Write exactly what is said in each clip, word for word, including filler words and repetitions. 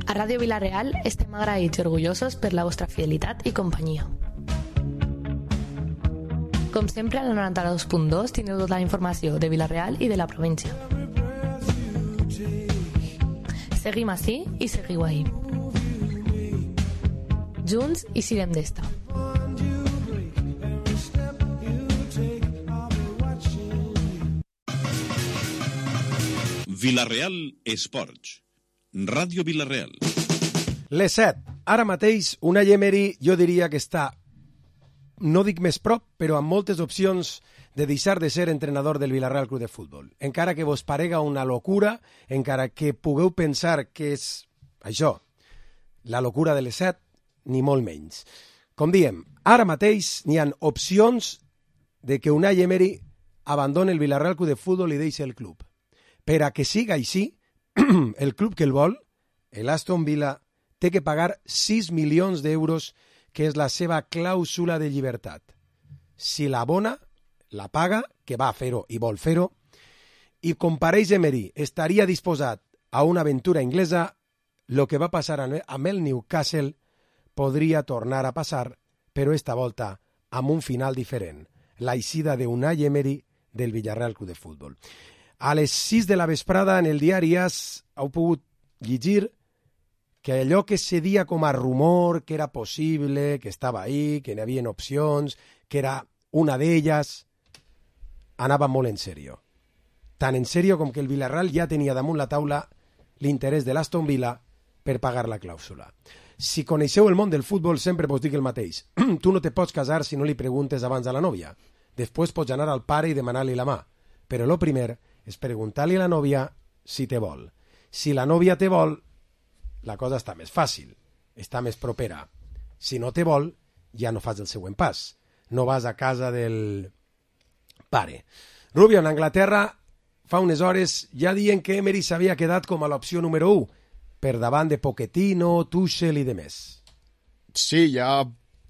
A Ràdio Vila-real estem agraïts i orgullosos per la vostra fidelitat i companyia. Com sempre, al noranta-dos punt dos teniu tota la informació de Vila-real i de la província. Seguim ací i seguiu ahí. Junts i sirem d'esta. Vila-real Esports. Ràdio Vila-real. Les set. Ara mateix, Unai Emery, jo diria que està, no dic més prop, però amb moltes opcions de deixar de ser entrenador del Vila-real Club de Futbol. Encara que vos parega una locura, encara que pugueu pensar que és això, la locura de les set, ni molt menys. Com diem, ara mateix n'hi ha opcions de que Unai Emery abandoni el Vila-real Club de Futbol i deixi el club. Per a que siga així, el club que el vol, l'Aston Villa, té que pagar sis milions d'euros, que és la seva clàusula de llibertat. Si l'abona, la paga, que va fer-ho i vol fer-ho, i com pareix Emery estaria disposat a una aventura inglesa, el que va passar amb el Newcastle podria tornar a passar, però esta volta amb un final diferent, l'eixida d'Unai Emery del Villarreal Club de Futbol. A les sis de la vesprada en el diari AS heu pogut llegir que allò que se dia com a rumor, que era possible, que estava ahí, que n'hi havia opcions, que era una d'elles, anava molt en sèrio. Tan en sèrio com que el Villarreal ja tenia damunt la taula l'interès de l'Aston Villa per pagar la clàusula. Si coneixeu el món del futbol, sempre vos dic el mateix. Tu no te pots casar si no li preguntes abans a la nòvia. Després pots anar al pare i demanar-li la mà. Però el primer és preguntar-li a la nòvia si te vol. Si la nòvia te vol, la cosa està més fàcil, està més propera. Si no te vol, ja no fas el següent pas. No vas a casa del pare. Rubio, en Anglaterra, fa unes hores ja diuen que Emery s'havia quedat com a l'opció número u, per davant de Pochettino, Tuchel i demés. Sí, ja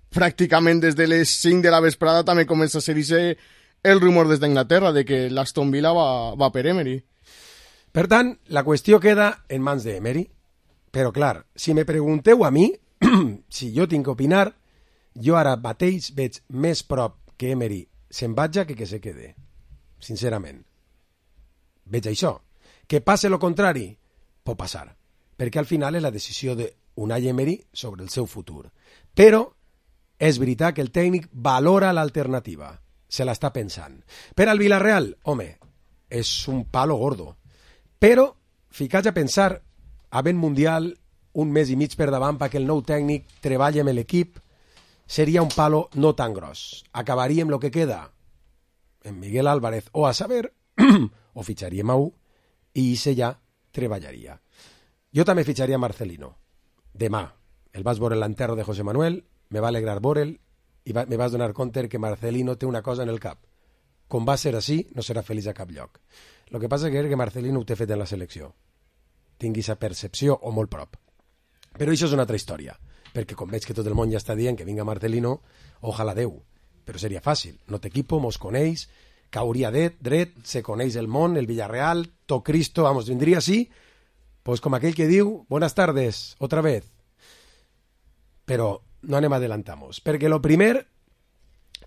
pràcticament des de les cinc de la vesprada també comença a ser-hi el rumor des d'Anglaterra de que l'Aston Villa va, va per Emery. Per tant, la qüestió queda en mans d'Emery. Però, clar, si me pregunteu a mi, si jo tinc que opinar, jo ara mateix veig més prop que Emery se'n vagi que que se quede. Sincerament. Veig això. Que passe lo contrari? Pot passar. Perquè al final és la decisió d'Unai Emery sobre el seu futur. Però és veritat que el tècnic valora l'alternativa. Se l'està pensant. Per al Villarreal, home, és un palo gordo. Però, ficats a pensar, havent Mundial, un mes i mig per davant perquè el nou tècnic treballi amb l'equip, seria un palo no tan gros. Acabaríem el que queda en Miguel Álvarez o a saber, o fitxaríem a un, i ese ja treballaria. Jo també fitxaria Marcelino. Demà, el vas veure l'enterro de José Manuel, me va alegrar veure'l, i va, me vas donar compte que Marcelino té una cosa en el cap. Com va ser així, no serà feliç a cap lloc. El que passa que és que Marcelino ho té fet en la selecció. Tingui aquesta percepció o molt prop. Però això és una altra història, perquè com veig que tot el món ja està dient que vinga Marcelino, ojalà Déu, però seria fàcil. No t'equipo, mos coneix, cauria dret, dret, se coneix el món, el Villarreal, to Cristo, vamos, vindria així, pues com aquell que diu, buenas tardes, otra vez. Però no anem adelantamos, perquè lo primer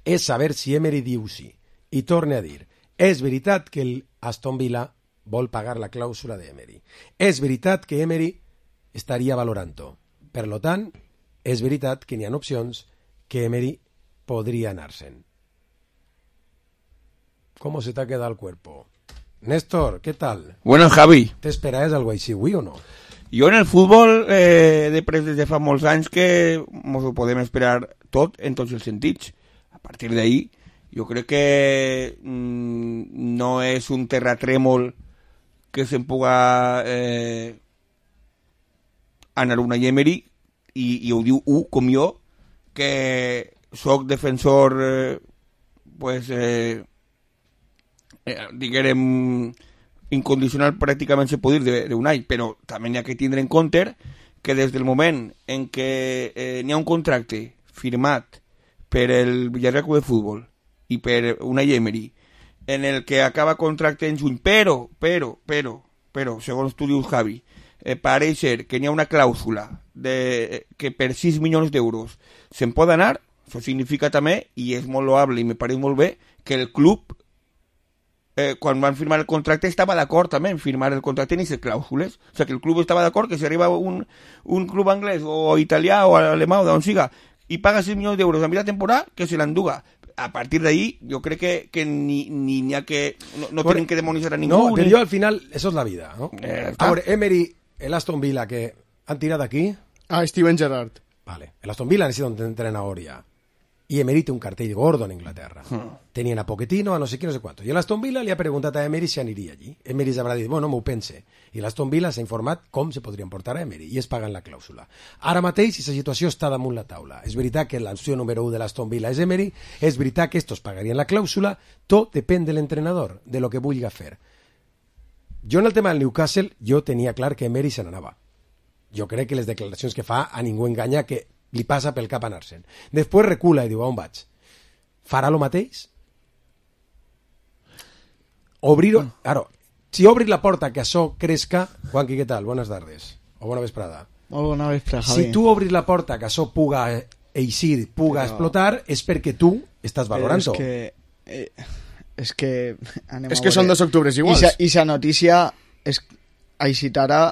és saber si Emery diu sí. I torne a dir, és veritat que el Aston Villa vol pagar la clàusula d'Emery. És veritat que Emery estaria valorant-ho. Per lo tant, és veritat que n'hi ha opcions que Emery podria anar-se'n. ¿Cómo se te ha quedado el cuerpo? Néstor, ¿qué tal? Bueno, Javi. ¿Te esperabas algo així, avui o no? Jo en el futbol, eh, després de fa molts anys que ens ho podem esperar tot en tots els sentits. A partir d'ahí, jo crec que mmm, no és un terratrèmol que se'n puga eh, anar una Emery i, i ho diu u com jo, que soc defensor eh, pues, eh, eh, diguem incondicional pràcticament se pot dir d'Unai, però també n'hi ha que tindre en compte que des del moment en què eh, n'hi ha un contracte firmat per el Villarreal Club de Futbol i per Unai Emery en el que acaba contracte en juny, però, però, però, però, segons tu dius, Javi, eh, pareix ser que n'hi ha una clàusula de, que per sis milions d'euros se'n pot anar, això significa també, i és molt loable i me pareix molt bé, que el club, eh, quan van firmar el contracte, estava d'acord també en firmar el contracte en aquestes clàusules. O sigui, que el club estava d'acord que si arriba un, un club anglès o italià o alemà o d'on siga i paga sis milions d'euros a mitja temporada, que se l'enduga. A partir d'ahí, jo crec que, que ni n'hi ni ha que... No, no bueno, tienen que demonitzar a ningú. No, pero ni... yo al final, eso es la vida, ¿no? Eh, Ahora, Emery, el Aston Villa, que han tirado aquí... Ah, Steven Gerrard. Vale, el Aston Villa necesita un entrenador ya. Y Emery té un cartell gordo en Inglaterra. Hmm. Tenien a Pochettino, a no sé qui, no sé quanto. I l'Aston Villa li ha preguntat a Emery si aniria allí. Emery s'haurà dit, bueno, m'ho pense. I l'Aston Villa s'ha informat com se podrien portar a Emery i es paguen la clàusula. Ara mateix, aquesta situació està damunt la taula. És veritat que l'opció número u de l'Aston Villa és Emery, és veritat que estos pagarien la clàusula, tot depèn de l'entrenador, de lo que vulgui fer. Jo en el tema del Newcastle, jo tenia clar que Emery se n'anava. Jo crec que les declaracions que fa a ningú enganya que li passa pel cap anar-se'n. Després recula i diu, on vaig? Farà lo mateix? Obrir... Claro, si obris la porta que això cresca... Juanqui, què tal? Buenas tardes. O bona vesprada. Molt bona vesprada, Javi. Si tu obris la porta que això puga eixir, puga Però... explotar, és perquè tu estàs valorant-ho. És que... Eh, és que... És que són dos octubres iguals. I sa notícia és... Aixitara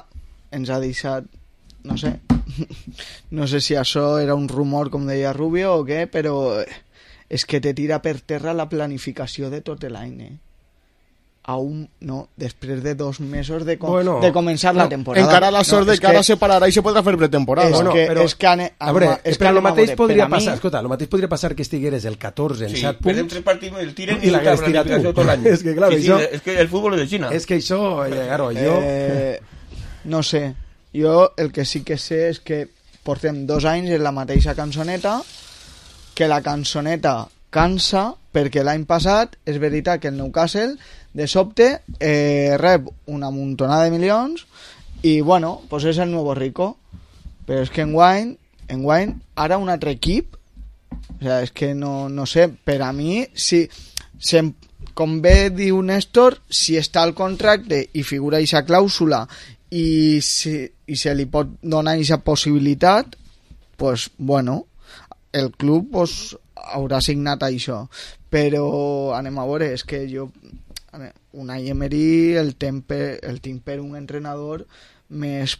ens ha deixat... No sé... No sé si això era un rumor, com deia Rubio, o què, però és que te tira per terra la planificació de tot l'any, eh? Aún no, després de dos mesos de, com bueno, de començar no, la temporada. Encara la sort no, de que, que ara se pararà i se podrà fer pretemporada. És bueno, que, però, és que, ane, a veure, és que el mateix podria mi... passar, escolta, el mateix podria passar que estigueres el catorze en sí, set punts tres partits, el tiren i l'hagués tirat tu. Tot l'any. És que, clar, sí, això... sí, és que el futbol és de Xina. És que això, eh, claro, jo... Eh, no sé, jo el que sí que sé és que portem dos anys en la mateixa cançoneta, que la cançoneta cansa, perquè l'any passat és veritat que el Newcastle de sobte eh, rep una muntonada de milions i bueno, pues és el nuevo rico, però és que enguany, enguany ara un altre equip, o sea, és que no, no sé, per a mi si, si com bé diu Néstor, si està al contracte i figura aquesta clàusula i si, i se li pot donar aquesta possibilitat, pues bueno, el club pues, haurà signat això, però anem a veure, és que jo Unai Emery el tinc el tinc per un entrenador més,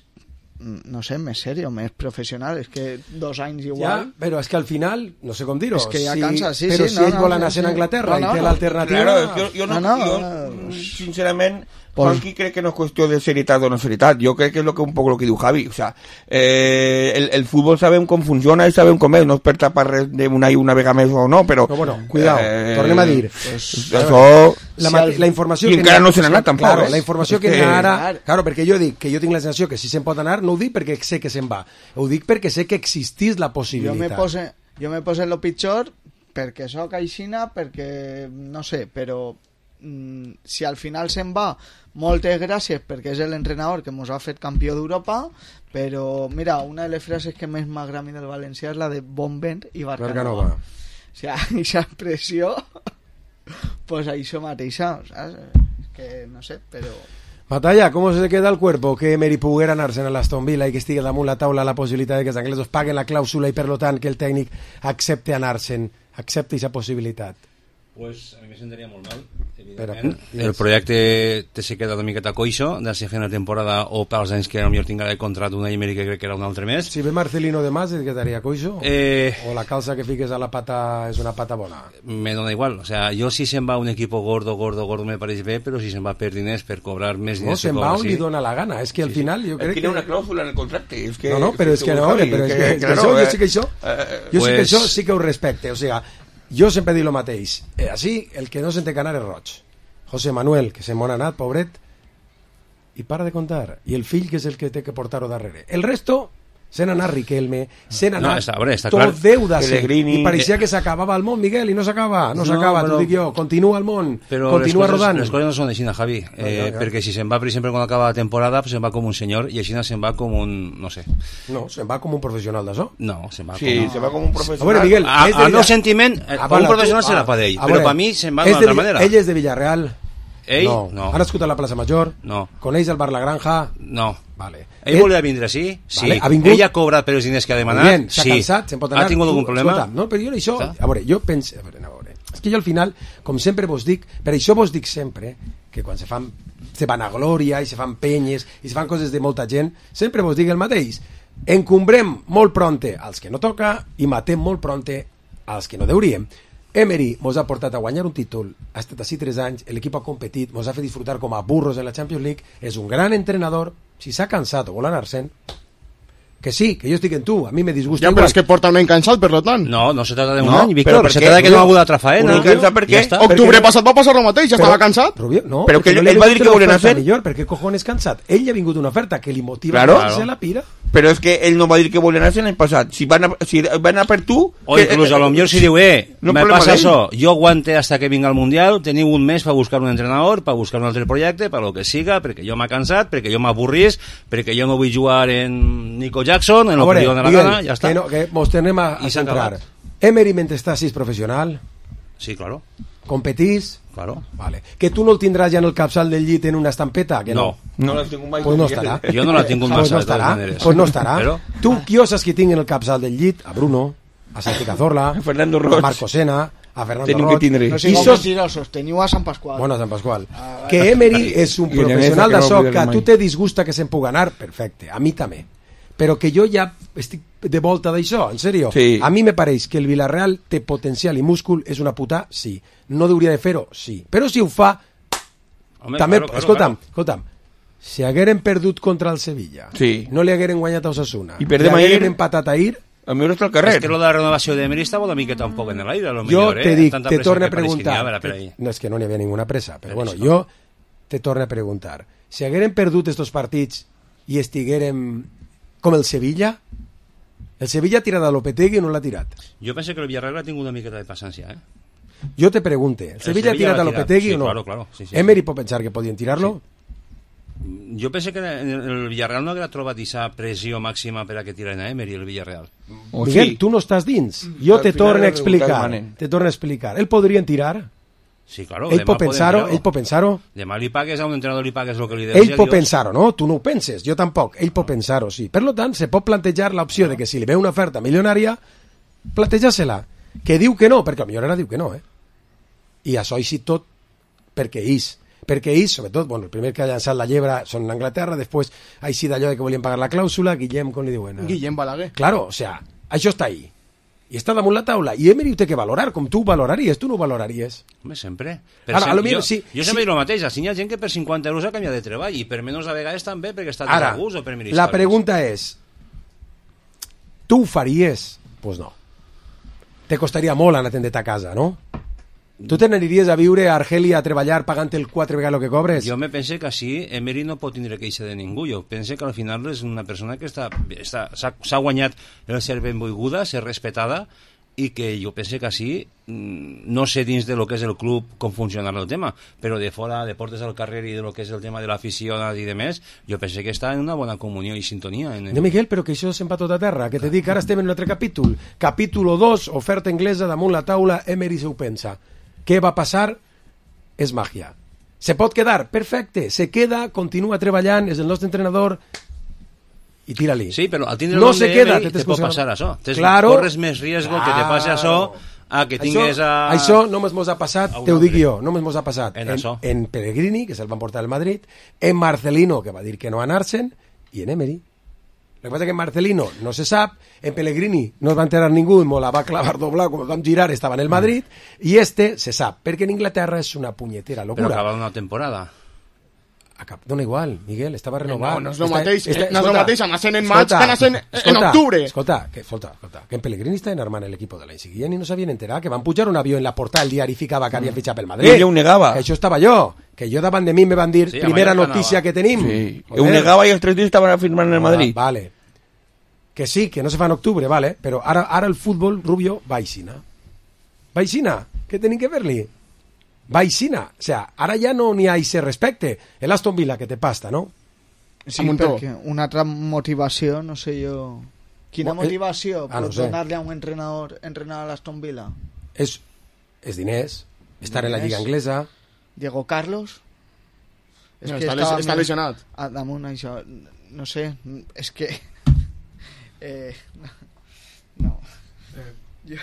no sé, més serio, més professional, és que dos anys igual... Ja, però és que al final, no sé com dir-ho, és que ja si, cansa, sí, però sí, si no, ell no, vol anar sí, a Anglaterra no, no, i té no, l'alternativa... Claro, jo, jo, no, no, no, jo no, sincerament, pues, Juanqui crec que no és qüestió de seritat o no seritat, jo crec que és lo que, un poc el que diu Javi, o sea, eh, el, el futbol sabem com funciona i sabem com és, no és per tapar res d'una i una vegada més o no, però... Però bueno, cuidao, eh, tornem a dir, pues, això... La, si el, la informació i que encara no se n'ha anat tampoc, claro, eh? La informació que, que ara... Claro, perquè jo dic que jo tinc la sensació que si se'n pot anar, no ho dic perquè sé que se'n va, ho dic perquè sé que existís la possibilitat. Jo me pose, jo me pose en lo pitjor perquè soc aixina, perquè no sé, però mm, si al final se'n va, moltes gràcies perquè és l'entrenador que ens ha fet campió d'Europa, però mira, una de les frases que més m'agrada a mi del valencià és la de bon vent i Barcanova. O sigui, aquesta expressió pues això mateixa, saps? Que no sé, però... Matalla, ¿cómo se queda el cuerpo que Emery puguera anar-se a l'Aston Villa i que estigui damunt la taula la possibilitat de que els anglesos paguen la clàusula i per tant que el tècnic accepte anar-se'n, accepte aquesta possibilitat? Pues a mi me sentaria molt mal, Pero, evidentment. El projecte te se queda una miqueta coixo de si una temporada o pels anys que potser tinga de contrat una Emery que crec que era un altre mes. Si ve Marcelino de más, ¿es quedaría coixo? Eh, ¿O la calza que fiques a la pata es una pata bona? Me dona igual, o sea, jo si se'n va un equipo gordo, gordo, gordo me pareix bé, però si se'n va per diners, per cobrar més diners... No, se'n va on li dona la gana, és que al sí, final sí. jo crec que... que... Hi ha una clàusula en el contracte. És que, no, no, però és que no, però és que, és que això, jo sí que això, jo sí que això sí que ho respecte, o sigui, jo sempre dic el mateix, eh, així el que no se'n té que anar és Roig. José Manuel, que se m'ha anat, pobret, i para de contar. I el fill, que és el que té que portar-ho darrere. El resto, se n'ha anat Riquelme, se n'ha anat no, veure, tot clar. Déu de ser. Pellegrini. I pareixia que s'acabava el món, Miguel, i no s'acaba, no s'acaba, no, t'ho dic jo. Continua el món, però continua les coses, rodant. les coses no són així, Javi, eh, no, ja, ja. Perquè si se'n va, per exemple, quan acaba la temporada, pues se'n va com un senyor, i així se'n va com un, no sé. No, se'n va com un professional d'això. No, se'n va sí, com... se va com un professional. A veure, Miguel, a, és de al meu sentiment, ah, com un professional tu, serà per ell, ah, però veure, per mi se'n va d'una altra manera. Ell és de Villarreal. Ell, no. no. Ha nascut a la plaça Major? No. Coneix el bar La Granja? No. Vale. Ell Eh, volia vindre, sí? Sí. Vale, ha vingut? Ell ha cobrat per els diners que ha demanat? Bien, s'ha sí. cansat, se'n pot anar. Ha tingut algun Tu, problema? Escolta, no, però jo això... Està? A veure, jo penso... A veure, a veure. És que jo al final, com sempre vos dic, per això vos dic sempre, que quan se fan se van a glòria i se fan penyes i se fan coses de molta gent, sempre vos dic el mateix. Encumbrem molt pronte als que no toca i matem molt pronte als que no deuríem. Emery mos ha portat a guanyar un títol, ha estat així tres anys, l'equip ha competit, mos ha fet disfrutar com a burros en la Champions League, és un gran entrenador, si s'ha cansat o vol anar-se'n, que sí, que jo estic en tu, a mi me disgusta Ja, però igual. és que porta un any cansat, per tant. No, no se trata de un No, any, però Víctor, per se què? trata de que no ha hagut Rubio, altra faena. un cansat per què? Ja està. Octubre Perquè- passat va passar el mateix, ja estava cansat. Rubio, no, Però que perquè ell- no li ell va dir vingut que una volien oferta hacer. millor, perquè cojones cansat. Ell ha vingut una oferta que li motiva Claro. a se la pira. Però és que ell no va dir que volien anar l'any passat. Si van a, si van a per tu... O que- incluso a lo mejor si diu, eh, No me problema pasa d'ell. eso, yo aguante hasta que venga el Mundial, teniu un mes per buscar un entrenador, per buscar un altre projecte, per lo que siga, perquè jo m'ha cansat, perquè jo m'avorrís, perquè jo no vull jugar en Nico Jackson, en A lo que veure, li dóna la Miguel, gana, ja està. que, no, que mos tornem a, a I s'ha centrar. acabat. Emery, mentre està així, és professional, Sí, claro, competís, claro. vale. Que tu no el tindràs ja en el capçal del llit en una estampeta, que no. No. No les tinc mai. Pues no estarà. Jo no la tinc un Pues massa, no de totes estarà, maneres. pues no estarà. Però, Tu, qui osas que tinc en el capçal del llit? A Bruno, a Santi Cazorla, A Fernando a Roig. Marco Sena, a Fernando Tenim Roig. que tindre. No I sigueu sos... mentirosos, teniu a Sant Pasqual. Bueno, Sant Pasqual. Que Emery és un I Llaneza, professional que no d'això, oblidem que a mai. tu te disgusta que se'n puga anar, perfecte, a mi també. Però que jo ja estic de volta d'això, en sèrio. Sí. A mi me pareix que el Villarreal té potencial i múscul, és una puta, sí. No hauria de fer-ho, sí. Però si ho fa, home, també, claro, claro, escolta'm, claro. escolta'm, si hagueren perdut contra el Sevilla, Sí. no li hagueren guanyat a Osasuna, I perdem i hagueren ahir- empatat ahir, A mi està al carrer. És que lo de la renovació d'Emery estava una miqueta un poc en l'aire, a lo jo millor, eh? te dic, Tanta te pressa torno a que pareix que n'hi ha, preguntar, a veure, per ahí. no és que no n'hi havia ninguna pressa, però Per bueno, això. jo te torno a preguntar, si hagueren perdut estos partits i estiguérem com el Sevilla, el Sevilla ha tirat a Lopetegui o no l'ha tirat? Jo penso que el Villarreal ha tingut una miqueta de paciència, eh? Jo te pregunte, ¿el Sevilla ha Sevilla tirat a l'ha tirat, Lopetegui sí, o no? claro, claro, sí, sí, Emery pot pensar que podien tirarlo? Jo penso que en el Villarreal no haguera trobat aquesta pressió màxima per a que tiren a Emery, el Villarreal. O Miguel, sí. tu no estàs dins. Jo Al te final torno a els resultats explicar. manen. Te torno a explicar. El podrien tirar? Sí, claro. Ell demà pot podem pensar-ho? tirar-ho. Ell pot pensar-ho? Demà li pagues a un entrenador, li pagues el que li deus. Ell pot pensar-ho, no? Tu no ho penses, jo tampoc. Ell pot pensar-ho, sí. Per lo tant, se pot plantejar l'opció de que si li ve una oferta milionària, plantejar-se-la. Que diu que no, perquè potser ara diu que no, eh? I això així tot perquè és. Perquè ells, sobretot, bueno, el primer que ha llançat la llebre són Anglaterra, després així d'allò de que volien pagar la clàusula, Guillem, com li diuen? Guillem Balaguer. Claro, o sea, això està ahí. I està damunt la taula. I Emery ho té que valorar, com tu ho valoraries. Tu no ho valoraries. Home, sempre. Ara, cent- a lo millor, jo, sí, jo sí. sempre dic el mateix, així hi ha gent que per cinquanta euros ha canviat de treball i per menys a vegades també perquè està Ara, de gust o per mil la històries. pregunta és, tu ho faries? Pues no. Te costaria molt anar-te'n a casa, no? Tu te n'aniries a viure a Argèlia a treballar pagant el quatre vegades el que cobres? Jo me pense que així Emery no pot tindre queixa de ningú. Jo pense que al final és una persona que està està- s'ha s'ha guanyat el ser benvolguda, ser respetada, i que jo pense que així, mm, no sé dins de lo que és el club com funcionarà el tema, però de fora, de portes al carrer i de lo que és el tema de l'afició i de més, jo pense que està en una bona comunió i sintonia. En el... No, Miguel, però que això se'n va tot a terra. Que te dic, ara estem en un altre capítol. Capítol dos, oferta anglesa damunt la taula, Emery se ho pensa. Què va passar? És màgia. Se pot quedar? Perfecte. Se queda, continua treballant, és el nostre entrenador i tira-li. Sí, però al tindre no el nom se de queda, Emery te te pot t'excusa- passar això. Tens, Claro. corres més riesgo que te passi això a que tingues això, a... Això només mos ha passat, a un te ho dic altre. jo, només mos ha passat En en, això. en Pellegrini, que se'l van portar al Madrid, en Marcelino, que va dir que no anar-se'n, i en Emery. El que passa que en Marcelino no se sap, en Pellegrini no es va enterar ningú i me la va clavar doblar, quan vam girar estava en el Madrid, i este se sap, perquè en Inglaterra és una punyetera Però locura. acaba una temporada. Acab... Dona igual, Miguel, estava renovat. No, no és el Està- mateix, està- no és el escolta, mateix, anasen en maig escolta, que anasen en escolta, octubre. Escolta, que, escolta, escolta, que en Pellegrini està enarmant l'equip de l'any seguient i no s'havien enterat, que van pujar un avió en la portada el diari ficava que havia fitxat pel Madrid. I ell ho negava. Que això estava jo, que jo davant de mi me van dir, Sí, a primera Mallorca notícia anava. que tenim. Sí. Joder. Ho negava i els tres dies estaven firmant en el Madrid. Ah, vale. Que sí, que no se fa en octubre, vale, però ara, ara el futbol, Rubio, va aixina. Va aixina, què tenim que fer-li? Va aixina, o sea, ara ja no n'hi ha ese respecte. El Aston Villa que te pasta, no? Sí, Amuntó. perquè una altra motivació, no sé jo... Quina Mo- eh, motivació ah, no pot sé. donar-li a un entrenador entrenar a l'Aston Villa? És, és diners, estar en la Diners. lliga anglesa, Diego Carlos? És No, que està, estava les, està mirant lesionat. a damunt això, no sé, és que... Eh, no. Jo...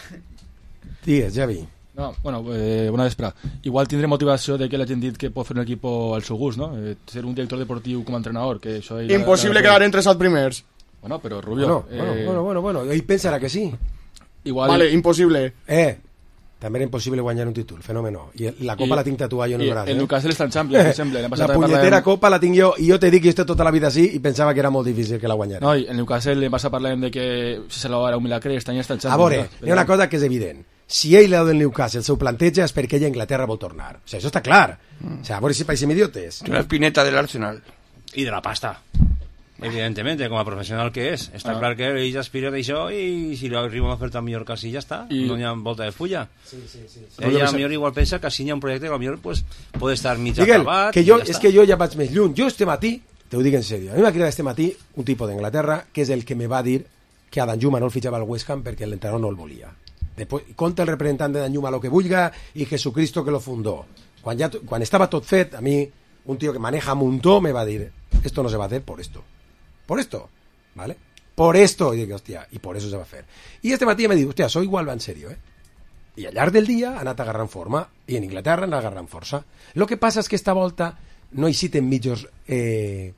Digues, Javi. No, bueno, eh, bona vespre. Igual tindré motivació de que la gent dit que pot fer un equip al seu gust, no? Eh, ser un director deportiu com a entrenador, que això... ell- Impossible la- la- quedar entre els primers. Bueno, però Rubio... Bueno, bueno, eh, bueno, bueno, bueno, ell pensarà que sí. Igual... Vale, impossible. Eh, també era impossible guanyar un títol, fenòmeno. I la copa I- la tinc tatuada jo en i el braç. el eh? Newcastle està en Champions, per exemple. L'any La passat també punyetera parlàvem- copa la tinc jo, i jo te dic que jo estic tota la vida així i pensava que era molt difícil que la guanyara. No, i el Newcastle l'any passat parlàvem de que si se l'ha un milagre, aquest any està en A Champions. veure, no? hi ha una cosa que és evident. Si ell l'ha del Newcastle s'ho planteja és perquè ell a Inglaterra vol tornar. O sigui, això està clar. O sigui, a veure si païsem idiotes. La espineta del Arsenal. I de la pasta. Evidentemente, com a professional que és. Està Ah. clar que ell aspira d'això i si li arriba una oferta millor que així ja està. I- No hi ha volta de fulla. Sí, sí, sí. Ell a millor igual pensa que així hi ha un projecte que a millor pues, pot estar mig Miguel, acabat. que i jo, ja és està. que jo ja vaig més lluny. Jo este matí, te ho dic en sèrio, a mi m'ha cridat este matí un tipus d'Anglaterra que és el que me va dir que a Danjuma no el fitxava al West Ham perquè l'entrenador no el volia. Después, conta el representant de Danjuma lo que vulga y Jesucristo que lo fundó. Quan, ja, quan estava tot fet, a mi, un tío que maneja muntó me va dir, esto no se va a hacer por esto. Por esto, ¿vale? Por esto. Y digo, hostia, y por eso se va a hacer. Y este matí me diu, hostia, soy igual va en serio, eh? I al llarg del dia ha anat agarrant forma i en Inglaterra han anat agarrant força. El que passa és que esta volta no hi citen mitjos eh,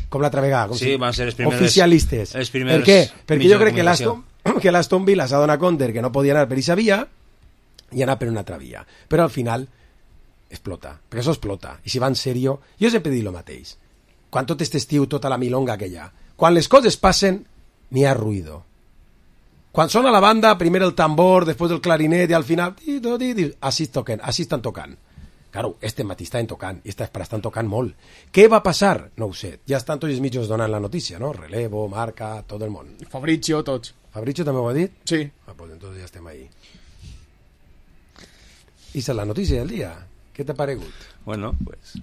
com l'altra vegada, com Sí, si, van ser els primers- oficialistes. els primers per què? Perquè mitjans jo de crec que comunicació. l'Aston, que l'Aston Villa s'ha donat compte que no podia anar per aquesta via i anar per una altra via. Però al final explota, perquè això explota. I si va en sèrio, jo sempre he dit el mateix. Quan tot este estiu, tota la milonga que hi ha, quan les coses passen, n'hi ha ruïdo. Quan sona la banda, primer el tambor, després el clarinet i al final, tito, tito, així, toquen, així estan tocant. Claro, este matí estaven tocant i esta espera estan tocant molt. Què va passar? No ho sé. Ja estan tots els mitjos donant la notícia, no? Relevo, Marca, tot el món. Fabrizio, tots. Fabrizio també ho ha dit? Sí. Ah, pues entonces ja estem ahí. I és la notícia del dia. Què t'ha paregut? Bueno, pues...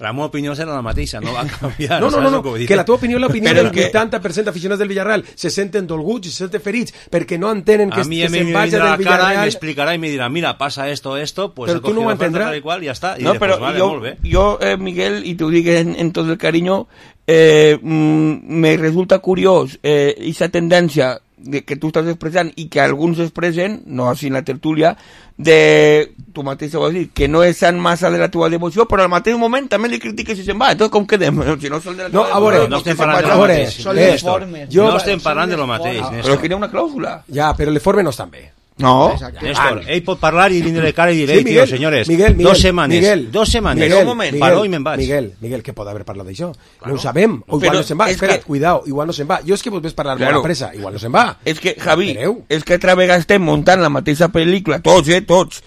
La meva opinió serà la mateixa, no va canviar. No, no, saps no, no, el vull dir? que la teva opinió és l'opinió Però del és que- vuitanta per cent d'aficionats del Villarreal. Se senten dolguts i se senten ferits perquè no entenen que, A mi que me se'n vagi vindrà del la cara y me Villarreal. explicará y me dirá, mira, pasa esto, esto, pues Pero he tú no cogido lo la oferta entenderás. tal y cual y ya está. Y No, diré, pero pues vale, yo, molt bé. yo eh, Miguel, y te lo digo en, en todo el cariño, eh, mm, me resulta curioso eh, esa tendencia de que tú estás expresando y que algunos expresen, no así en la tertulia, de tu mateix ho vas dir, que no és tan massa de la teva devoció, però al mateix moment també li critiques si se'n va. Entonces, com quedem? Si no són de la No, teva a veure, devoció, no que estem se'n parlant de vagi. lo a veure, mateix. Són eh, les formes. jo- No estem parlant de lo mateix, Però Néstor. que hi ha una clàusula. Ja, però les formes no estan bé. No. Exacte. Néstor, ell pot parlar i vindre de cara i dir, Sí, "Ei, Miguel, tío, señores, Miguel, Miguel, dos semanas, Miguel, dos semanas, Miguel, un moment, paró i me'n vaig. Miguel, Miguel, que pot haver parlat d'això? No ho sabem, o igual Però no se'n va. és Espera't, que- cuidao, igual no se'n va. Jo és que vos ves parlar Claro. molt a pressa, igual no se'n va. És que, Javi, Espereu. és que altra vegada estem muntant la mateixa pel·lícula, tots, eh, tots.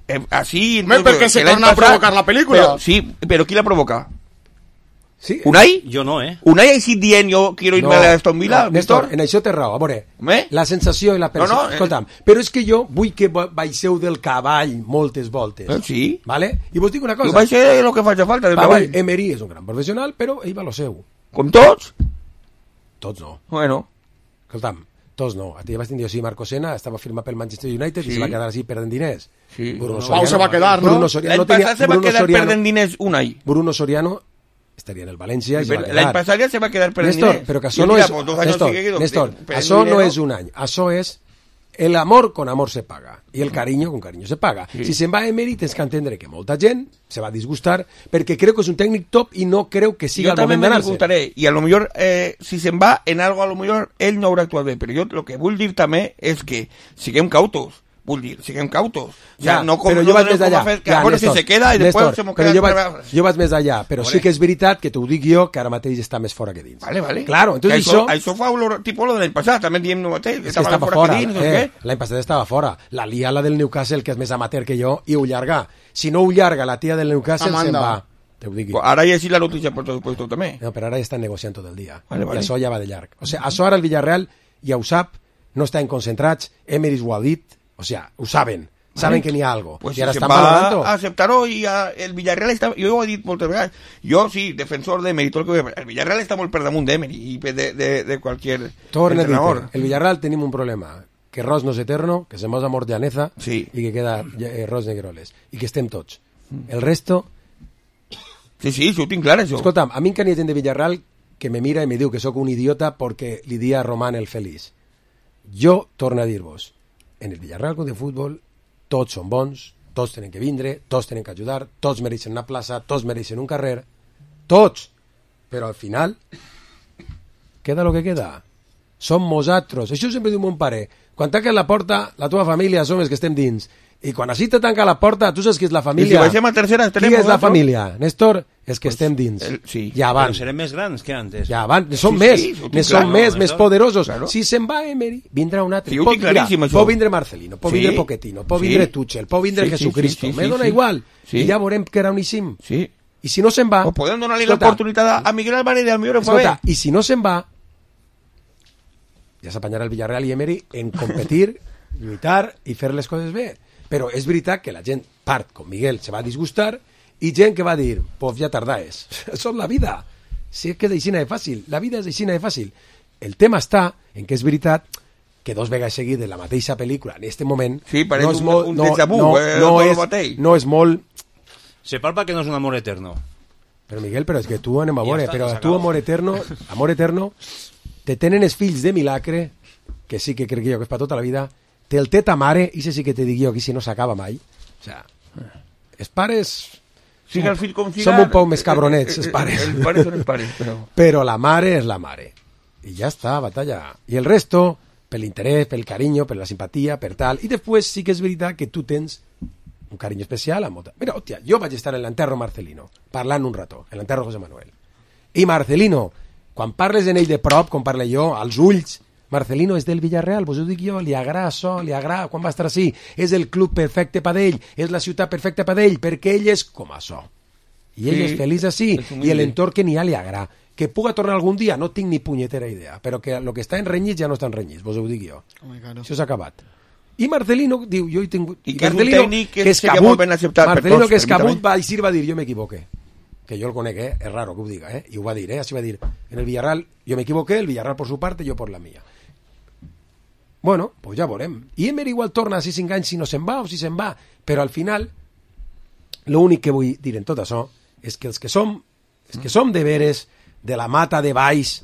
Eh, així... Home, tot, perquè se que l'any torna a passat- provocar la pel·lícula. Però, sí, però qui la provoca? Sí? Unai? Jo no, eh? Unai ha així dient jo quiero irme No, a Aston Villa, no, Néstor, Víctor? en això té raó. A veure, Home? la sensació i la percepció... No, no, eh. Escolta'm, però és que jo vull que ba- baixeu del cavall moltes voltes. Eh, sí. Vale? I vos dic una Jo cosa. vaig ser el que faci falta. Del Va, treball. vale, Emery és un gran professional, però ell va lo seu. Com tots? Tots no. Bueno, Escolta'm, tots no. A ti ja vas dir, sí, Marco Sena estava firmat pel Manchester United Sí. i se va quedar així perdent diners. Sí. Bruno No, Pau se va quedar, no? Bruno Soriano, l'any no tenia, passat se va Bruno quedar Soriano, perdent diners Unai. Bruno Soriano estaria en el València i se va L'any quedar. passat ja se va quedar perdent Néstor, diners. però que I això no mira, és... pues, dos anys Néstor, seguidos, Néstor, perdent això no dinero. és un any, això és el amor con amor se paga i el cariño con cariño se paga. Sí. Si se'n va a Emery tens que entendre que molta gent se va disgustar perquè creu que és un tècnic top i no creu que siga Jo el també moment me d'anar-se. disgustaré i a lo millor eh, si se'n va en algo a lo millor ell no haurà actuat bé, però jo el que vull dir també és que siguem cautos, vull dir, siguem cautos. O sea, Ja, no com, però no jo vaig donem més com a allà. fer que, Ja, bueno, si Néstor, se queda i després Néstor, se m'ho però queda jo vaig, otra vez. jo vaig més allà, però sí que és veritat que t'ho dic jo, que ara mateix està més fora que dins. Vale, vale. Claro, entonces que això, això... això fa olor, tipo lo de l'any passat, també diem el mateix, que És que estava estava fora, fora, que dins, no sé eh, què. l'any passat estava fora. La lia la del Newcastle, que és més amateur que jo, i ho llarga. Si no ho llarga la tia del Newcastle, se'n Amanda. va. Te ho dic. Pues ara ja sí la notícia per tot puesto també. No, però ara ja estan negociant tot el dia. Vale, vale. I això ja va de llarg. O sigui, això ara el Villarreal ja ho sap, no estan concentrats, Emery ho ha dit, o sigui, ho saben. Saben que n'hi ha algo. Pues I ara si estan se'n va valorant-ho. a acceptar-ho i a, el Villarreal està, jo ho he dit moltes vegades, jo sí, defensor d'Emery, tot el que el Villarreal està molt per damunt d'Emery i de, de, de qualquier Torna a dir, entrenador. el Villarreal tenim un problema, que Ros no és eterno, que se mos amor llaneza Sí. i que queda eh, Ros Negroles, i que estem tots. El resto, Sí, sí, això ho tinc clar, això. Escolta'm, a mi encara hi ha gent de Villarreal que me mira i me diu que sóc un idiota perquè li dia a Román el feliç. Jo torno a dir-vos, en el Villarreal Club de Futbol tots són bons, tots tenen que vindre, tots tenen que ajudar, tots mereixen una plaça, tots mereixen un carrer, tots, però al final queda lo que queda. Som nosaltres. Això sempre diu mon pare. Quan tanques la porta, la teva família som els que estem dins. I quan així te tanca la porta, tu saps qui és la família. I si baixem a tercera, qui és la família? Néstor, els que pues, estem dins. El, sí. Ja van. Però serem més grans que antes. Ja van. Som sí, més. Sí, ne som claro, més, no, més no, poderosos. Claro. Si se'n va Emery, vindrà un altre. Sí, pot, mira, això. pot vindre Marcelino, pot sí. vindre Pochettino, pot sí. vindre Tuchel, pot vindre sí, Jesucristo. Sí, sí, sí, Me sí, dona sí. igual. Sí. I ja veurem que era uníssim. Sí. I si no se'n va... O podem donar-li l'oportunitat a Miguel Álvarez del millor Escolta, i si no se'n va, ja s'apanyarà el Villarreal i Emery en competir, lluitar i fer les coses bé. Però és veritat que la gent, part, com Miguel, se va disgustar i gent que va dir, pues ja tardaes. Això és la vida. Si és que és aixina de fàcil. La vida és aixina de fàcil. El tema està en que és veritat que dos vegades seguit de la mateixa pel·lícula en aquest moment sí, no és un, molt, un no, déjà vu, no, eh, no, no, és, no és molt... Se palpa que no és un amor eterno. Però Miguel, però és que tu anem a Ja veure, està, però s'acaba. tu amor eterno, amor eterno, te tenen els fills de milagre, que sí que crec jo que és per tota la vida, te el té ta mare, i sé sí que te dic jo que si no s'acaba mai. O sea, els pares... Siga el fill com siga... Som un poc més cabronets, els pares. Els pares són els pares, però... Però la mare és la mare. I ja està, batalla. I el resto, per l'interès, pel carinyo, per la simpatia, per tal. I després sí que és veritat que tu tens un carinyo especial a molta... Mira, hòstia, jo vaig estar en l'enterro Marcelino, parlant un rato, en l'enterro José Manuel. I Marcelino, quan parles en ell de prop, com parle jo, als ulls, Marcelino és del Villarreal, vos ho dic jo, li agrada això, li agrada quan va estar així, és el club perfecte per ell, és la ciutat perfecta per ell, perquè ell és com això. I ell Sí, és feliç així, és i l'entorn que n'hi ha li agrada. Que puga tornar algun dia, no tinc ni punyetera idea, però que el que està enrenyit ja no està enrenyit, vos ho dic jo. Home, claro. Això s'ha acabat. I Marcelino diu, jo he tingut... I que és un Marcelino, tècnic que seria molt ben acceptat per Marcelino, tots, que és per mi cabut, també. va dir, va dir, jo m'equivoqué. Que jo el conec, eh? És raro que ho diga, eh? I ho va dir, eh? Així va dir. En el Villarreal, jo m'equivoqué, el Villarreal por su parte, jo por la mía. Bueno, pues ja veurem. I Emery igual torna si cinc anys, si no se'n va o si se'n va. Però al final, l'únic que vull dir en tot això és que els que som, els que som de veres, de la mata de baix,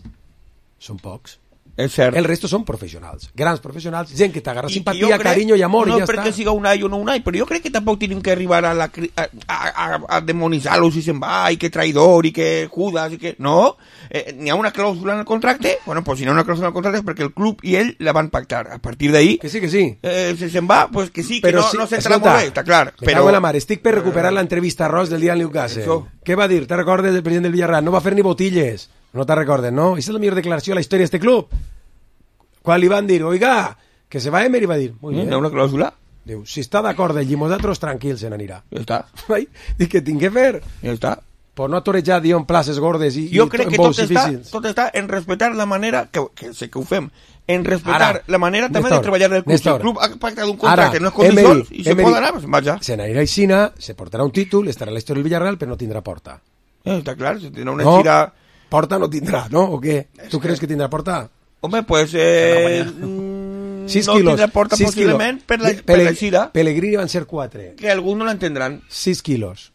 són pocs. És cert. El resto són professionals, grans professionals, gent que t'agarra I simpatia, jo crec- carinyo i amor, no i ja perquè està. siga un ai o no un ai, però jo crec que tampoc tenim que arribar a, la, cri- a, a, a, a demonitzar-lo si se'n va, i que traïdor, i que Judas, i que... No, eh, n'hi ha una clàusula en el contracte, bueno, pues si n'hi ha una clàusula en el contracte és perquè el club i ell la van pactar. A partir d'ahí, Que sí, que sí. eh, si se'n va, pues que sí, que Però no, sí, no s'entrarà escolta, molt bé, està clar. me Però cago en la mare, estic per recuperar l'entrevista a Ross del dia del Newcastle. Això. Què va dir? Te recordes del president del Villarreal? No va fer ni botilles. No te recordes, no? Esa és la millor declaració de la història d'este club. Quan li van dir, oiga, que se va Emery, va dir, muy hi bien. ha una clàusula, Diu, si està d'acord ell i nosaltres, tranquil, se n'anirà. ja està, Ai, dic, què tinc que fer? ja està. Per no atorejar, diu, en places gordes i, Jo i crec en que bous tot està, difícils. tot està en respectar la manera, que, que sé que ho fem, en respectar Ara, la manera també Néstor, de treballar del club. Néstor. Si el club ha pactat un contracte Ara, en les condicions Emery, i se Emery, pot anar, pues vaja. Se n'anirà a Xina, se portarà un títol, estarà a la història del Villarreal, però no tindrà porta. Eh, està clar, si tindrà una No, gira... porta no tindrà, no? O què? Tu creus que tindrà porta? Home, pues... Eh, mm, sis no quilos. tindrà porta sis possiblement quilos. per la, Pe- per la gira, Pellegrini van ser quatre. que alguns no l'entendran. sis quilos.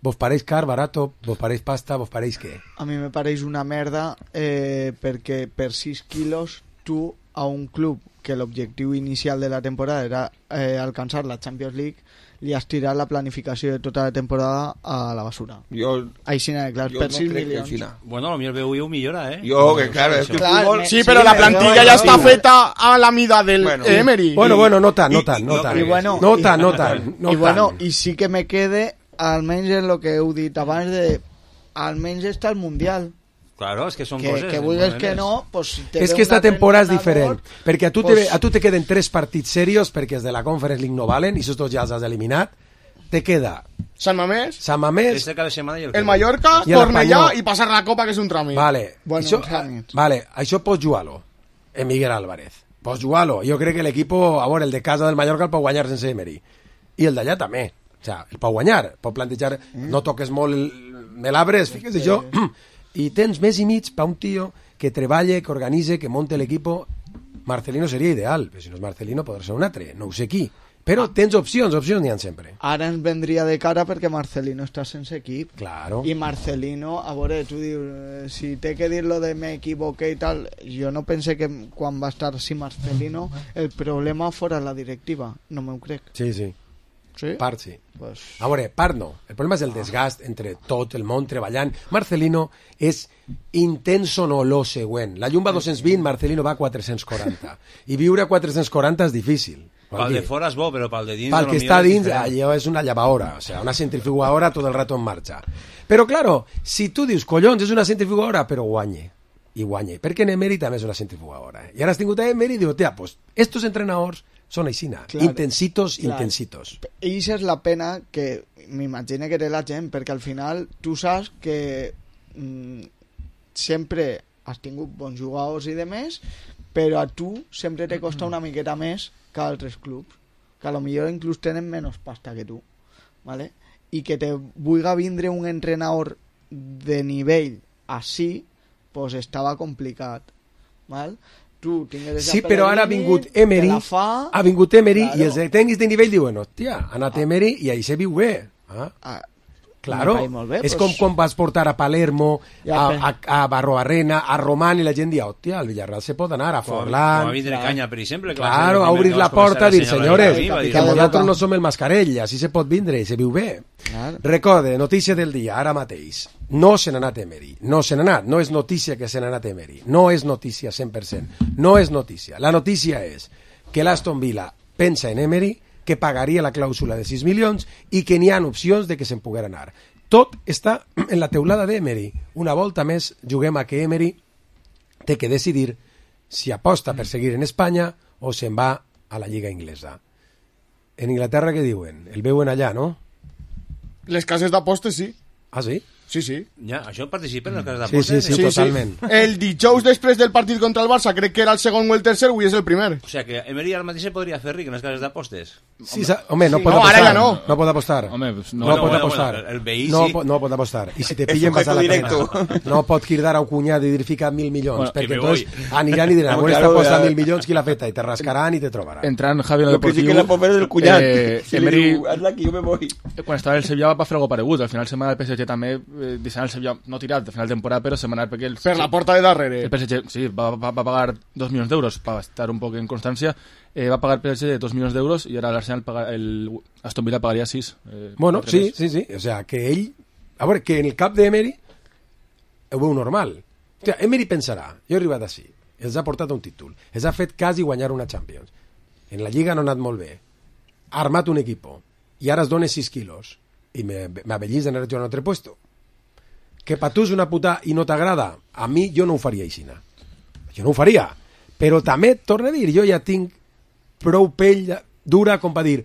Vos pareix car, barato, vos pareix pasta, vos pareix què? A mi me pareix una merda eh, perquè per sis quilos tu a un club que l'objectiu inicial de la temporada era eh, alcançar la Champions League li has tirat la planificació de tota la temporada a la basura. Jo, Així n'ha de clar, jo per no sis crec que milions. així no. Bueno, potser el B U I ho millora, eh? Jo, que clar, és que el Clar, futbol... me- Sí, pero Sí, la pero plantilla no, ya no, está no. feta a la mida del Bueno. Emery. Bueno, bueno, no tant, no I- tant, i- no no, tant. i bueno, no i- tant, no tant. No I bueno, tant. i sí que me quede almenys en lo que heu dit abans de almenys està el Mundial. Claro, és que són Que, coses... que vulguis que modernes. no, pues si te És ve que esta un altre temporada és entrenador, diferent, perquè a tu, pues- te, a tu te queden tres partits serios, perquè els de la Conference League no valen, i estos ja els has eliminat. Te queda San Mamés, Sant Mamés, Este cada setmana i el, el Mallorca, I el Cornellà Espanyol. y pasar la Copa, que es un trámite. vale, Bueno, això, uns tràmits. vale, això pots jugar-lo, en Miguel Álvarez. Pots jugar-lo. Jo crec que l'equip, a veure, el de casa del Mallorca el pot guanyar sense Emery. I el d'allà també. O sea, el pot guanyar. Pot plantejar, Mm. no toques molt, el- me l'abres, fixa't això. I tens més i mig per un tio que treballe, que organitze, que monte l'equip. Marcelino seria ideal, però si no és Marcelino podrà ser un altre, no ho sé qui. Però tens opcions, opcions n'hi ha sempre. Ara ens vendria de cara perquè Marcelino està sense equip. Claro. I Marcelino, a veure, tu dius, eh, si té que dir lo de me equivoqué i tal, jo no pense que quan va estar si Marcelino el problema fora la directiva, no m'ho crec. Sí, sí. Sí? Part sí. Pues... A veure, part no. El problema és el desgast entre tot el món treballant. Marcelino és intenso no lo següent. La llum va a dos-cents vint, Marcelino va a quatre-cents quaranta. I viure a quatre-cents quaranta és difícil. Pel de fora és bo, però pel de dins... Pel que està dins, allò és una llevadora, o sea, una centrifugadora tot el rato en marxa. Però, claro, si tu dius, collons, és una centrifugadora, però guanye, i guanye, perquè Emery també és una centrifugadora. I ara has tingut a Emery i diu, tia, pues, estos entrenadors són aixina, claro, intensitos, claro, intensitos. I això és la pena que m'imagino que té la gent, perquè al final tu saps que mm, sempre has tingut bons jugadors i demés, però a tu sempre te costa una miqueta més que altres clubs, que a lo millor inclús tenen menys pasta que tu, ¿vale? I que te vulga vindre un entrenador de nivell així, pues estava complicat, ¿val? Tu tingues sí, però ara ha vingut Emery, fa, ha vingut Emery, claro, i els tècnics de nivell diuen, hòstia, ha anat Emery i ahí se viu bé. Ah. Ah, claro, bé, és pues... com quan vas portar a Palermo, ja, a, a, a Barroarrena, a Román, i la gent dia, hòstia, al Villarreal se pot anar, a Forlán... Com a vindre canya, per exemple. Que claro, a obrir la porta, a dir, senyores, que nosaltres no som el mascarell, així se pot vindre i se viu bé. Claro. Recorde, notícia del dia, ara mateix. No se n'ha anat Emery, no se n'ha anat, no és notícia que se n'ha anat Emery, no és notícia cent per cent, no és notícia. La notícia és que l'Aston Villa pensa en Emery, que pagaria la clàusula de sis milions i que n'hi ha opcions de que se'n poguera anar. Tot està en la teulada d'Emery. Una volta més juguem a que Emery té que decidir si aposta per seguir en Espanya o se'n va a la Lliga Inglesa. En Inglaterra què diuen? El veuen allà, no? Les cases d'apostes, sí. Ah, sí? Sí, sí. Ja, això participen en les cases Sí, d'apostes? sí, sí, totalment. Sí. El dijous després del partit contra el Barça, crec que era el segon o el tercer, avui és el primer. O sigui que Emery ara mateix se podria fer ric en les cases d'apostes. Sí, home, no sí. pot No, apostar. ara ja no. No pot apostar. Home, pues no. No Bueno, pot bueno, apostar. bueno, el veí no, sí. po- no pot apostar. I si te pillen vas a la sujeto pena. directo. No pot cridar a un cunyat i dir fica mil milions, Bueno, perquè que me entonces voy. aniran i diran, No, bueno, esta claro, aposta ya. mil milions, qui l'ha feta? I te rascaran i te trobaran. Entrant Javi en el Lo que sí Deportiu... que la pobre del cunyat. eh, Si li Emery, diu, hazla que jo me voy. quan estava el Sevilla va fer algo paregut. Al final se m'ha el P S G també, eh, deixant el Sevilla no tirat al final de temporada, però se m'ha anat perquè el, Per la porta de darrere. el P S G sí, va, va, va pagar dos milions d'euros per estar un poc en constància. Eh, va pagar el P S G dos milions d'euros i ara l'Arsenal paga, el Aston Villa pagaria sis. Eh, Bueno, quatre sí, més. sí, sí. O sea, que ell... A veure, que en el cap d'Emery ho veu normal. O sea, Emery pensarà, jo he arribat així, els ha portat un títol, els ha fet quasi guanyar una Champions. En la Lliga no ha anat molt bé. Ha armat un equipo i ara es dona sis quilos i m'avellís d'anar a jugar a un altre puesto. Que per tu és una puta i no t'agrada, a mi jo no ho faria aixina. Jo no ho faria. Però també, torno a dir, jo ja tinc prou pell dura com per dir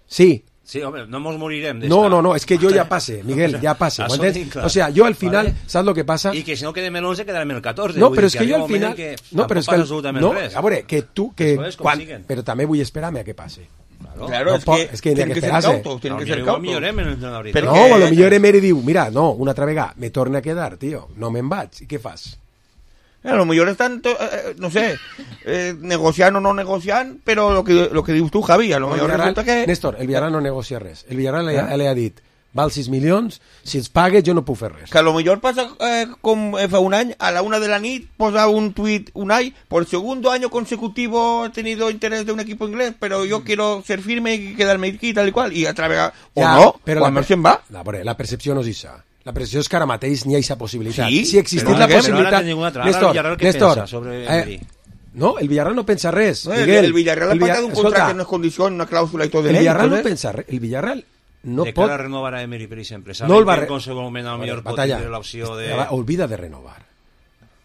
sí, Sí, home, no mos morirem d'esta. no, no, no, és que jo ja passe, Miguel, ja passe. Això ¿entens? tinc clar. O sea, jo al final, Vale. saps lo que passa? I que si no quedem en l'onze quedarem en el catorze. No, Vull però dir és que jo arriba al un moment final... que No, però és tampoc que... passa absolutament No, res. a veure, que tu... Que Eso es, com quan, siguen. però també vull esperar-me a que passe. Claro. Claro, No es, pot- que, es que tienen hay que que ser esperarse. cautos, tienen que Potser ser igual cautos. millorem en l'entrenador. Perquè- No, a lo millor Emery diu, mira, no, una altra vegada, me torna a quedar, tio, no me'n vaig. I què fas? A lo mejor están, to- eh, no sé, eh, negociando o no negociando, pero lo que, lo que dius tu, Javi, a lo El mejor Villarreal- resulta que... Néstor, el Villarreal no negocia res. El Villarreal li, Eh? li ha dit, val sis milions, si els pagues jo no puc fer res. Que a lo mejor pasa eh, como eh, fa un año, a la una de la nit, posa un tuit Unai, por segundo año consecutivo he tenido interés de un equipo inglés, pero yo quiero ser firme y quedarme aquí tal y cual, y otra vez, o Ja, no, però quan la, no se'n va. La, veure, la percepció no és això. La percepció és que ara mateix n'hi ha aquesta possibilitat. Sí, si existís però la ara què? possibilitat... Però ara tenim una altra. Ara el Néstor, Villarreal què Néstor, pensa sobre eh, Emery? no, el Villarreal no pensa res. No, el, Miguel, el Villarreal ha el Villa- pactat un escolta, contracte en unes condicions, una clàusula i tot de el ell, Villarreal no entonces- pensa res. El Villarreal no de pot... cara a renovar a Emery, per exemple. No Saben el va que re- en qualsevol moment a lo millor pot Batalla. tenir l'opció de... Va, olvida de renovar.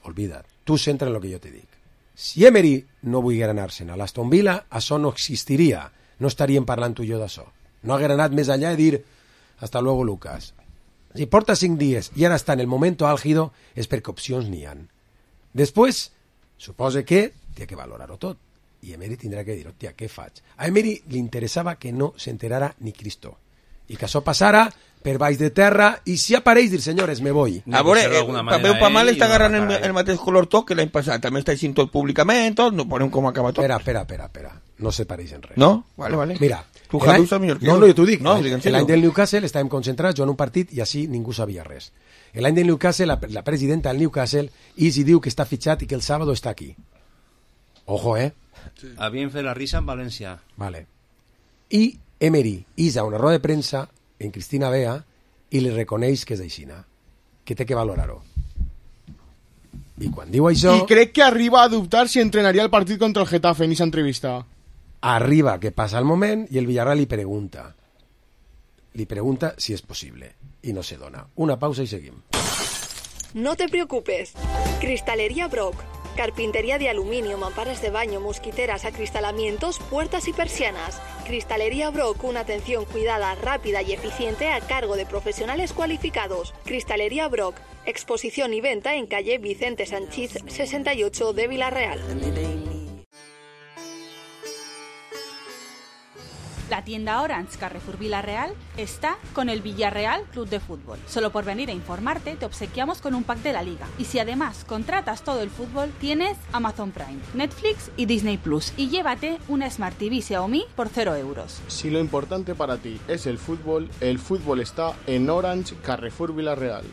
Olvida. Tu centra en el que jo te dic. Si Emery no volguera anar-se'n a l'Aston Villa, això no existiria. No estaríem parlant tu i jo d'això. No haguera anat més allà i dir hasta luego, Lucas. Si porta cinc dies i ara està en el moment álgido, és perquè opcions n'hi han. Després, suposa que té que valorar-ho tot. I Emery tindrà que dir, hòstia, què faig? A Emery li interessava que no s'enterara ni Cristo. i que això passara per baix de terra, i si apareix dir, senyores, me voy. A veure, eh, pa bé o pa mal està agarrant el, el mateix color tot que l'any passat, també està així tot públicament, tot, no ponem com acaba tot. Espera, espera, espera, espera. No se pareixen res. No? Vale, vale. Mira, tu, Javi, saps millor que no, jo. no, jo t'ho dic. No, l'any del Newcastle estàvem concentrats, jo en un partit, i així ningú sabia res. L'any del Newcastle, la, la presidenta del Newcastle, Easy diu que està fitxat i que el sábado està aquí. Ojo, eh? Sí. Havien fet la risa en València. Vale. I Emery isa una roda de premsa en Cristina Bea i li reconeix que és aixina, que té que valorar-ho. I quan diu això... I crec que arriba a dubtar si entrenaria el partit contra el Getafe en esa entrevista. Arriba, que passa el moment, i el Villarreal li pregunta. Li pregunta si és possible. I no se dona. Una pausa i seguim. No te preocupes. Cristalería Brock. Carpintería de aluminio, mamparas de baño, mosquiteras, acristalamientos, puertas y persianas. Cristalería Brock, una atención cuidada, rápida y eficiente a cargo de profesionales cualificados. Cristalería Brock, exposición y venta en calle Vicente Sanchís sesenta y ocho de Villarreal. La tienda Orange Carrefour Villarreal está con el Villarreal Club de Fútbol. Solo por venir a informarte te obsequiamos con un pack de la liga. Y si además contratas todo el fútbol, tienes Amazon Prime, Netflix y Disney Plus. Y llévate una Smart T V Xiaomi por cero euros. Si lo importante para ti es el fútbol, el fútbol está en Orange Carrefour Villarreal.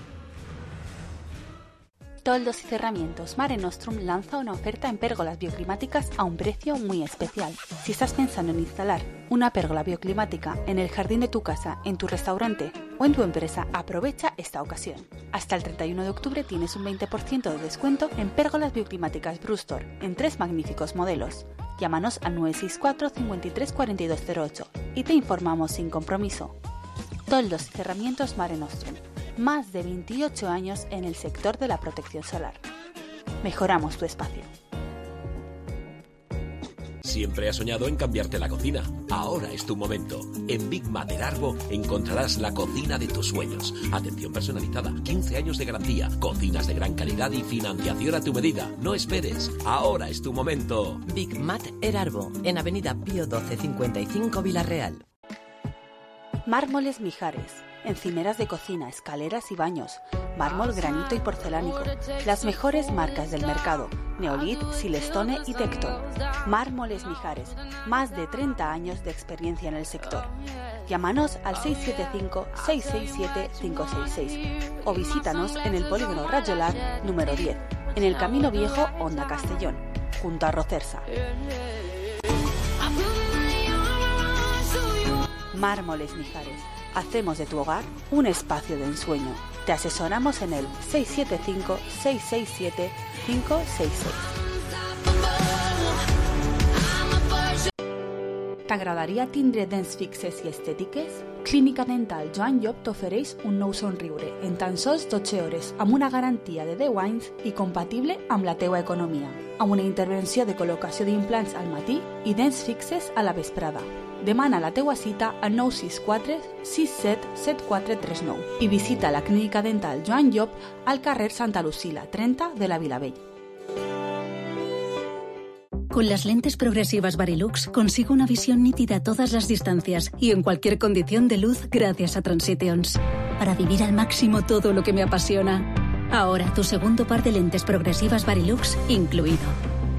Toldos y Cerramientos Mare Nostrum lanza una oferta en pérgolas bioclimáticas a un precio muy especial. Si estás pensando en instalar una pérgola bioclimática en el jardín de tu casa, en tu restaurante o en tu empresa, aprovecha esta ocasión. Hasta el treinta y uno de octubre tienes un veinte por ciento de descuento en pérgolas bioclimáticas Brustor en tres magníficos modelos. Llámanos al nueve seis cuatro, cincuenta y tres, cuarenta y dos cero ocho y te informamos sin compromiso. Toldos y Cerramientos Mare Nostrum. Más de veintiocho años en el sector de la protección solar. Mejoramos tu espacio. Siempre has soñado en cambiarte la cocina. Ahora es tu momento. En Big Mater Arbo encontrarás la cocina de tus sueños. Atención personalizada, quince años de garantía, cocinas de gran calidad y financiación a tu medida. No esperes. Ahora es tu momento. Big Mater Arbo, en Avenida Pío doce cincuenta y cinco Villarreal. Mármoles Mijares. Encimeras de cocina, escaleras y baños, mármol, granito y porcelánico. Las mejores marcas del mercado: Neolith, Silestone y Tecton. Mármoles Mijares, más de treinta años de experiencia en el sector. Llámanos al seis siete cinco, seis seis siete, cinco seis seis o visítanos en el polígono Rayolar número diez, en el Camino Viejo, Honda Castellón, junto a Rocersa. Mármoles Mijares. Hacemos de tu hogar un espacio de ensueño. Te asesoramos en el seis siete cinco, seis seis siete, cinco seis seis. T'agradaria tindre dents fixes i estètiques? Clínica Dental Joan Llop t'ofereix un nou somriure en tan sols dotze hores amb una garantia de deu anys i compatible amb la teua economia, amb una intervenció de col·locació d'implants al matí i dents fixes a la vesprada. Demana la teua cita al nou sis quatre, sis set, set quatre tres nou i visita la Clínica Dental Joan Llop al carrer Santa Lucila, treinta de la Vilavella. Con las lentes progresivas Varilux consigo una visión nítida a todas las distancias y en cualquier condición de luz gracias a Transitions. Para vivir al máximo todo lo que me apasiona. Ahora tu segundo par de lentes progresivas Varilux incluido.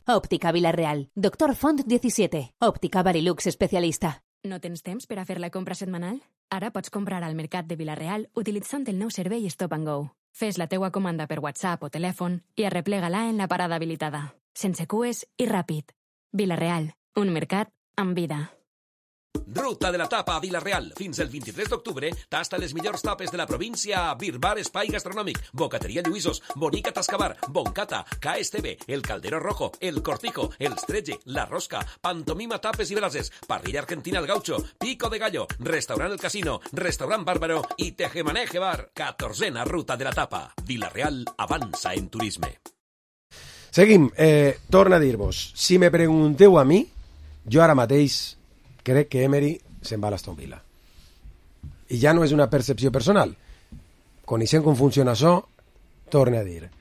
Òptica Villarreal. Doctor Font disset. Òptica Varilux especialista. No tens temps per a fer la compra setmanal? Ara pots comprar al Mercat de Villarreal utilitzant el nou servei Stop and Go. Fes la teua comanda per WhatsApp o telèfon i arreplega-la en la parada habilitada. Sense cues i ràpid. Villarreal, un mercat amb vida. Ruta de la Tapa a Vila-real. Fins el vint-i-tres d'octubre tasta les millors tapes de la província a Birbar Espai Gastronòmic, Bocateria Lluïsos, Bonica Tascabar, Boncata, K S T V, El Caldero Rojo, El Cortijo, El Stretge, La Rosca, Pantomima Tapes i Brases, Parrilla Argentina El Gaucho, Pico de Gallo, Restaurant El Casino, Restaurant Bàrbaro i Tejemaneje Bar. catorzena Ruta de la Tapa. Vila-real avança en turisme. Seguim. Eh, torna a dir-vos, si me pregunteu a mi, jo ara mateix crec que Emery se'n va a l'Aston Villa. I ja no és una percepció personal. Coneixent com funciona això, torne a dir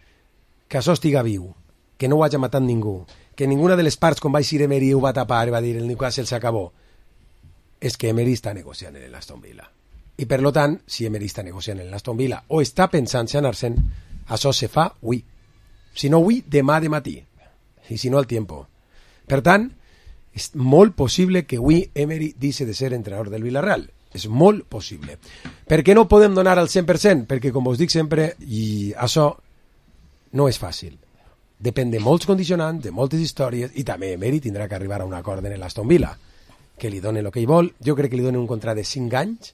que això estiga viu, que no ho hagi matat ningú, que ninguna de les parts, com va eixir Emery, ho va tapar, va dir el Newcastle s'acabó. És que Emery està negociant en l'Aston Villa. I per lo tant, si Emery està negociant en l'Aston Villa o està pensant en anar-se'n, això se fa avui. Si no avui, demà de matí. I si no, al tiempo. Per tant, és molt possible que avui Emery deixi de ser entrenador del Villarreal. És molt possible. Per què no podem donar al cent per cent? Perquè, com us dic sempre, i això no és fàcil. Depèn de molts condicionants, de moltes històries, i també Emery tindrà que arribar a un acord en l'Aston Villa, que li donen el que ell vol. Jo crec que li donen un contracte de cinc anys.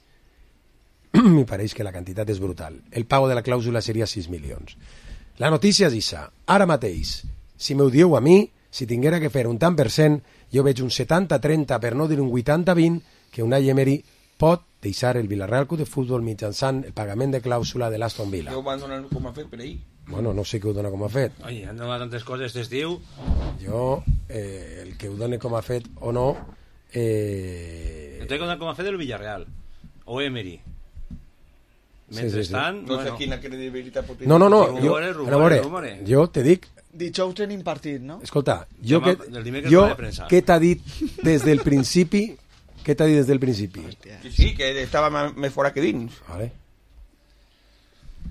Me pareix que la quantitat és brutal. El pago de la clàusula seria sis milions. La notícia és això. Ara mateix, si m'ho dieu a mi, si tinguera que fer un tant per cent, jo veig un setanta trenta, per no dir un vuitanta vint, que Unai Emery pot deixar el Villarreal Club de Futbol mitjançant el pagament de clàusula de l'Aston Villa. Jo ho van donar com a fet per ahir. Bueno, no sé què ho dona com a fet. Oi, han donat tantes coses d'estiu. Jo, eh, el que ho doni com a fet o no... Eh... Entonces, com a fet el Villarreal o Emery. Mentrestant, sí, sí, sí. No sé bueno. Quina credibilitat pot tenir. No, no, no, rumore, jo, rumore, rumore, rumore. jo te dic... Dijous tenim partit, no? Escolta, jo, Demà, que, jo què t'ha dit des del principi? Què t'ha dit des del principi? Que sí, que estava més fora que dins. Vale.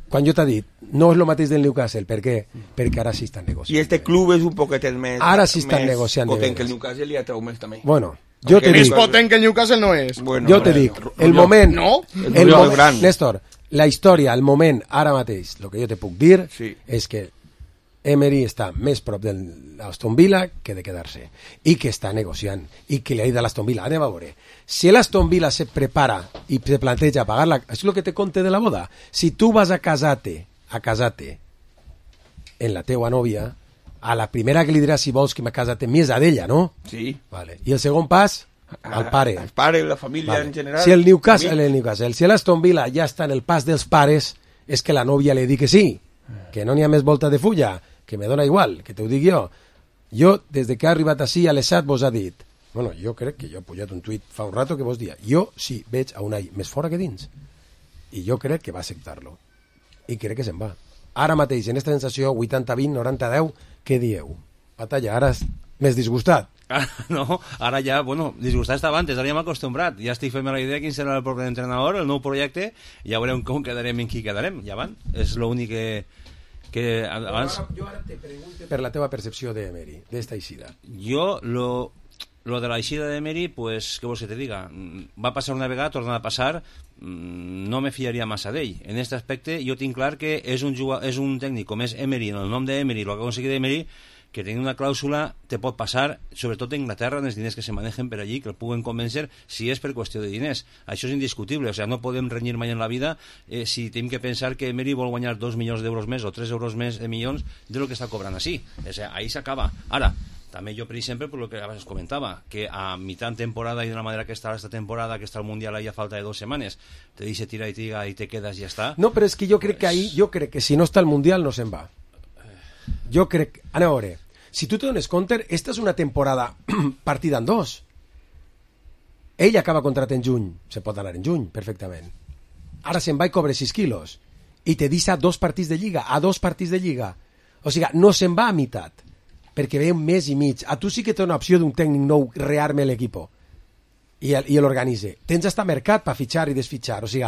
Quan jo t'ha dit, no és el mateix del Newcastle, per què? Perquè ara sí estan negociant. I este club és un poquetet més... Ara sí estan negociant. Potent que el Newcastle li atrau més també. Bueno, jo te més dic... Més potent que el Newcastle no és. Bueno, jo te dic, el moment... No? El, el moment, Néstor, la història, el moment, ara mateix, el que jo te puc dir sí. és que Emery està més prop de l'Aston Villa que de quedar-se, i que està negociant, i que li ha dit a l'Aston Villa, anem a veure, si l'Aston Villa se prepara i se planteja pagar-la, és el que te conte de la boda, si tu vas a casar-te, a casar-te en la teua nòvia, a la primera que li diràs si vols que me casar-te més a d'ella, no? Sí. Vale. I el segon pas, al pare. El pare, la família vale. En general. Si el Newcastle, el Newcastle, si l'Aston Villa ja està en el pas dels pares, és que la nòvia li digui que sí, que no n'hi ha més volta de fulla, que me dona igual, que t'ho dic jo. Jo, des de que ha arribat així a l'Esat, vos ha dit, bueno, jo crec que jo he pujat un tuit fa un rato que vos dia, jo sí veig a Unai més fora que dins, i jo crec que va acceptar-lo, i crec que se'n va. Ara mateix, en aquesta sensació, vuitanta vint, noranta deu, què dieu? Batalla, ara més disgustat. Ah, no, ara ja, bueno, disgustat estava antes, ara ja m'he acostumbrat, ja estic fent la idea quin serà el propi entrenador, el nou projecte, ja veurem com quedarem, en qui quedarem, ja van, és l'únic que... que abans... Jo ara te pregunto per la teva percepció d'Emery, d'esta eixida. Jo, lo, lo de la eixida d'Emery, pues, què vols que te diga? Va passar una vegada, torna a passar, no me fiaria massa d'ell. En aquest aspecte, jo tinc clar que és un, jugador, és un tècnic com és Emery, en el nom d'Emery, el que ha aconseguit Emery, que tenint una clàusula te pot passar, sobretot en Inglaterra, en els diners que se manegen per allí, que el puguen convèncer si és per qüestió de diners. Això és indiscutible, o sigui, no podem renyir mai en la vida eh, si tenim que pensar que Emery vol guanyar dos milions d'euros més o tres euros més de milions de lo que està cobrant així. O sigui, ahí s'acaba. Ara, també jo, per exemple, per lo que abans comentava, que a mitad temporada i d'una manera que està esta temporada, que està el Mundial ahí a falta de dos setmanes, te dice tira i tira i te quedas i ja està. No, però és que jo crec que ahí, jo crec que si no està el Mundial no se'n va. Jo crec... Anem a veure, si tu te dones compte, esta és una temporada partida en dos. Ell acaba contrat en juny, se pot anar en juny, perfectament. Ara se'n va i cobre sis quilos. I te deixa dos partits de lliga, a dos partits de lliga. O sigui, no se'n va a meitat, perquè ve un mes i mig. A tu sí que té una opció d'un tècnic nou rearme l'equipo i, i l'organitze. Tens hasta mercat per fitxar i desfitxar. O sigui,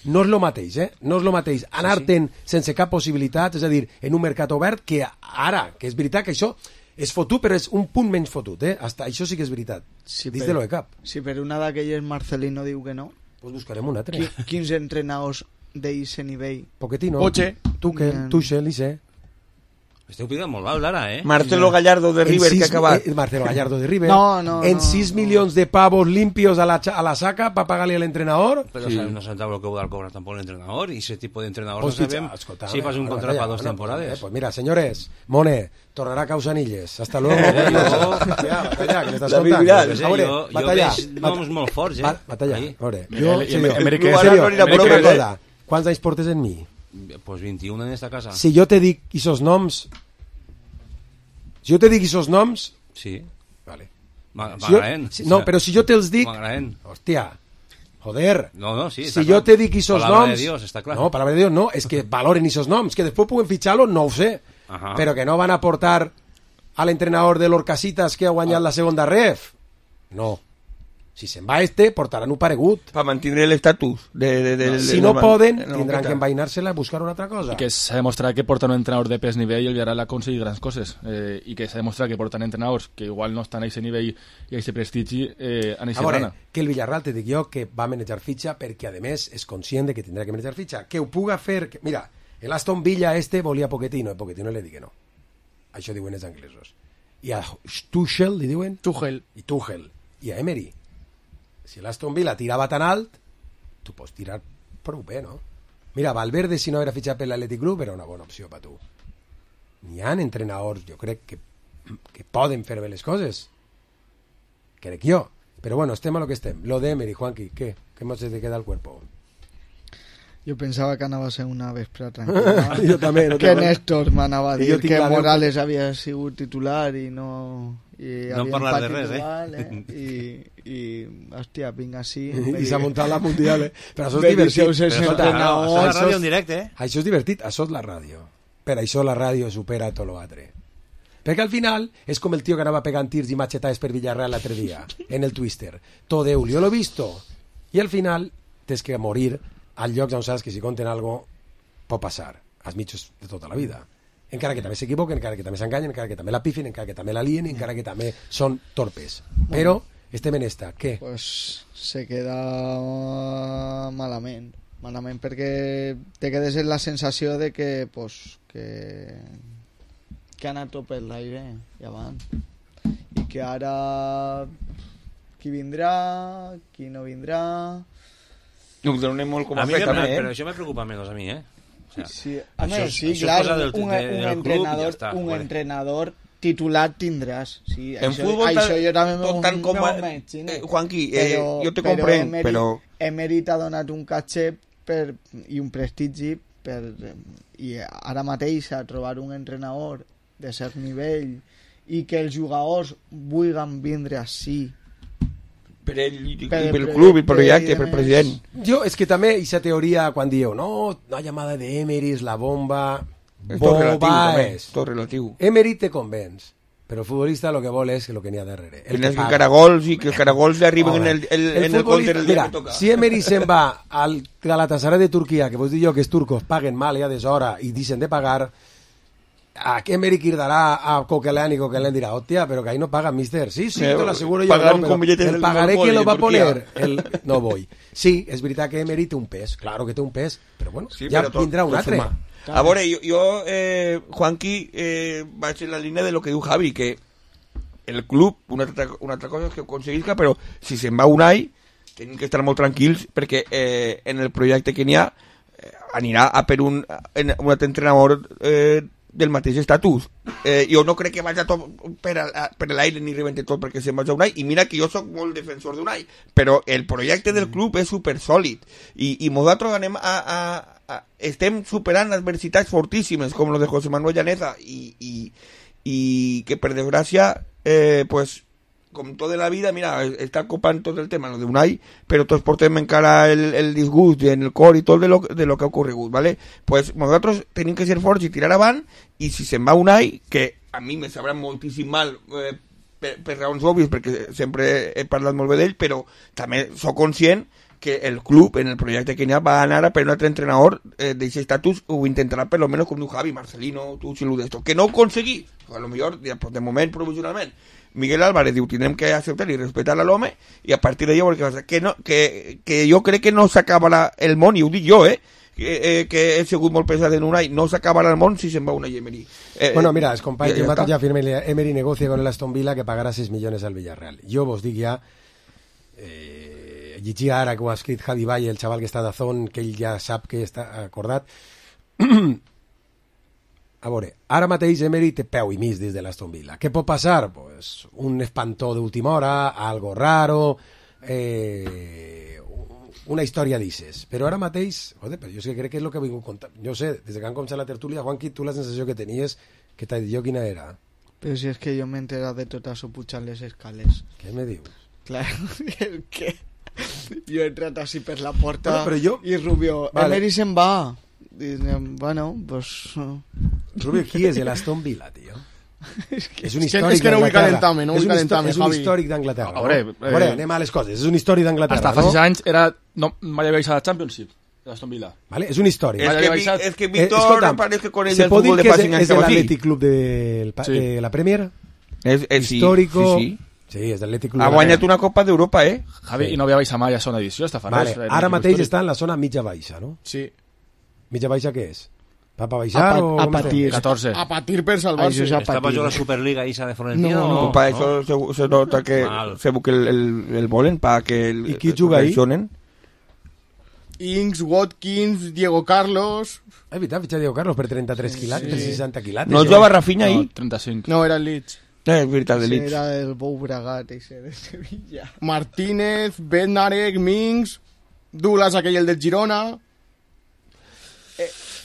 no és el mateix, eh? No és el mateix anar-te'n sí, sí. sense cap possibilitat, és a dir, en un mercat obert, que ara, que és veritat que això és fotut, però és un punt menys fotut, eh? Hasta això sí que és veritat. Si Dis de lo de cap. Si per una d'aquelles Marcelino diu que no, pues buscarem un altre. Qui, quins entrenadors d'eixe nivell? Pochettino, Poche, Tuchel, Tuchel, Ise. Esteu pidant molt alt ara, eh? Marcelo Gallardo de River, sis, que ha acabat. Eh, Marcelo Gallardo de River. No, no, en no, sis no. milions de pavos limpios a la, a la saca para pagarle al entrenador. Pero sí. No sabem lo que va a cobrar tampoco el entrenador, y ese tipo de entrenador pues no sabem si fas un contrato para dos temporadas. Eh, pues mira, señores, Mone, tornará Causanilles. Hasta luego. Batalla, batalla, que m'estàs contant. Jo veig noms molt forts, eh? Batalla, a veure. Jo, quants anys portes en mi? Pues veintiún en esta casa. Si jo te dic esos noms... Si jo te dic esos noms... Sí. Vale. M'agraden. Si no, però si jo te'ls dic... M'agraden. Hòstia, joder. No, no, sí. Si jo te dic esos palabra noms... de Dios, està clar. No, palabra de Dios no, és que valoren esos noms, que després puguen fitxar-lo, no ho sé. Ajá. Però que no van a portar a l'entrenador de l'Orcasitas que ha guanyat ah. la segona ref. No. Si se'n va este, portaran un paregut. Per mantenir l'estatus. De, de, de, no, de, si de, no de, poden, de, de, tindran de, que envainar-se-la a buscar una altra cosa. I que s'ha demostrat que porten un entrenador de pes nivell i el Villarreal ha aconseguit grans coses. Eh, I que s'ha demostrat que porten entrenadors que igual no estan a aquest nivell i a aquest prestigi eh, a aquesta rana. Que el Villarreal, te dic jo, que va manejar fitxa perquè, a més, és conscient de que tindrà que manejar fitxa. Que ho puga fer... Que, mira, el Aston Villa este volia Pochettino, i Pochettino li digui no. Això diuen els anglesos. I a Tuchel li diuen... Tuchel. I Tuchel. I a Emery. Si l'Aston Villa tirava tan alt, tu pots tirar prou bé, no? Mira, Valverde, si no era fitxat per l'Atlètic Club, era una bona opció per tu. N'hi ha entrenadors, jo crec, que, que poden fer bé les coses. Crec jo. Però bueno, estem a lo que estem. Lo de Emery, Juanqui, ¿qué? ¿Qué más te queda al cuerpo? Jo pensava que anava a ser una vespre tranquil·la. Jo també. No que Néstor m'anava a dir que Morales que... havia sigut titular i no... I no parlar de res, igual, eh? I, i, hòstia, vinc així... I s'ha muntat la mundial, eh? Però això és me divertit. Però escolta, no, això és la ràdio en directe, eh? Això és divertit, això és la ràdio. Per això la ràdio supera tot l'altre. Perquè al final és com el tio que anava pegant tirs i machetades per Villarreal l'altre dia, en el Twister. Tot Déu, jo l'he visto. I al final tens que morir al llocs on saps que si conten algo pot passar, als mitjos de tota la vida. Encara que també s'equivoquen, encara que també s'enganyen, encara que també la pifin, encara que també la lien, encara que també són torpes. Però estem en esta, què? Pues se queda malament. Malament perquè te quedes en la sensació de que, pues, que, que ha anat tot per l'aire i avant. I que ara qui vindrà, qui no vindrà... No, donem molt com a, a mi, fet, però, també, eh? però això me preocupa menys a mi, eh? O sea, sí, a això, més, sí, això clar, del, un, de, un, del entrenador, ja està, un bueno. entrenador titular tindràs. Sí, en això, futbol, això jo també tot tant com... Eh, Juanqui, eh, però, jo te però comprenc, Emery, però... Emery t'ha donat un caché per, i un prestigi per, i ara mateix a trobar un entrenador de cert nivell i que els jugadors vulguin vindre així per ell, i pel club, i pel projecte, pel president. Jo, és que també aquesta teoria, quan dieu, no, la llamada d'Emery és la bomba, és tot relatiu, també, és. tot relatiu. Emery te convenç, però el futbolista el que vol és el que n'hi ha darrere. El que caragols i que els caragols li arriben en el, el, el en el compte el dia mira, que toca. Si Emery se'n va al Galatasaray de Turquia, que vos dic jo que els turcos paguen mal ja d'hora i deixen de pagar, a que Emery cridarà a Coquelin i Coquelin dirà, hòstia, però que ahí no pagan, mister. Sí, sí, eh, te lo aseguro yo, no, pero el pagaré que lo va a poner, el, no voy. Sí, és veritat que Emery té un pes, claro que té un pes, però bueno, sí, ja però vindrà un altre. A veure, jo, jo eh, Juanqui, eh, vaig en la línia de lo que diu Javi, que el club, una altra, una altra cosa és que ho aconseguisca, però si se'n va un any, tenim que estar molt tranquils, perquè eh, en el projecte que n'hi ha, eh, anirà a per un, en, un altre entrenador eh, del mateix estatus. Eh, jo no crec que vagi tot per, a, per l'aire ni rebente tot perquè se'n vagi a Unai, i mira que jo sóc molt defensor d'Unai, però el projecte del club és supersòlid i, i nosaltres anem a, a, a, estem superant adversitats fortíssimes com lo de José Manuel Llaneza i, i, i que per desgràcia eh, pues com tota la vida, mira, està copant tot el tema lo d'Unai, però tots portem encara el, el disgust en el cor i tot de lo, de lo que ha ocorregut, ¿vale? Pues nosaltres tenim que ser forts i tirar avant, i si se'n va Unai, que a mi me sabrà moltíssim mal eh, per, per raons òbvies, perquè sempre he parlat molt bé d'ell, però també sóc conscient que el club, en el projecte que n'hi ha, va anar a per un altre entrenador eh, d'aquest estatus, ho intentarà per lo menos com diu Javi, Marcelino, tu, Xilu d'esto, que no ho aconseguí, a lo millor, de moment, provisionalment, Miguel Álvarez diu, tindrem que acceptar i respetar a l'home, i a partir d'allò, perquè que, no, que, que jo crec que no s'acabarà el món, i ho dic jo, eh, que, eh, que he sigut molt pesat en Unai, no s'acabarà el món si se'n va Unai Emery. Eh, bueno, mira, els companys ja, ja, ja, ja firmen, Emery negocia con el Aston Villa que pagarà seis milions al Villarreal. Jo vos dic ja, eh, llegia ara que ho ha escrit Javi Valle, el xaval que està d'Azón, que ell ja sap que està acordat. A veure, ara mateix Emery té peu i mig des de l'Aston Villa. Què pot passar? Pues un espantó d'última hora, algo raro, eh, una història d'ixes. Però ara mateix, joder, però jo és que crec que és el que he vingut contar. Jo sé, des que han començat la tertúlia, Juanqui, tu la sensació que tenies, que t'ha dit jo quina era? Però si és que jo m'he enterat de tot això pujant les escales. Què me dius? Clar, és que jo he entrat així per la porta bueno, però jo... i Rubio, vale. Emery se'n va. I, bueno, pues... Rubio, qui és el Aston Villa, tio? És un històric és que no vull d'Anglaterra. calentar-me, no vull És un calentar-me, histò- És un Javi. històric d'Anglaterra. A veure, no? A veure, eh, anem a les coses. És un històric d'Anglaterra, Hasta fa no? sis anys era... No, mai havia vist a la Championship, l'Aston Villa. Vale? És un històric. Es que, Vi- es que Víctor Eh, escolta'm, parece que con el ¿se del pot dir fútbol de que és, Pacín és estaba así? l'Atlètic Club del, pa- Sí. de la Premier? És, és, sí, Històrico... sí, sí. Sí, és l'Atlètic Club Ha de la guanyat Premier. una Copa d'Europa, eh? Javi, Sí. i no havia baixat mai a zona edició, està fa Vale. res. Ara mateix està en la zona mitja-baixa, no? Sí. Mitja-baixa què és? Va pa baixar A pa- o... a com estem? patir. catorze. A patir per salvar-se. Això és a ¿Estaba patir. yo la Superliga esa de Florentino? No, o No, para eso se, se nota que Mal. se busque el, el, el volen, para que el, ¿Y qui juga ahí? lesionen. Ings, Watkins, Diego Carlos... És veritat, fitxa Diego Carlos per trenta-tres quilates, per seixanta quilates. No jugava Rafinha ahí? No, trenta-cinc. No, era el Leeds. Eh, és veritat, de Ese Leeds. era el Bou Bragat, ese de Sevilla. Martínez, Bednarek, Mings, Douglas, aquell el del Girona...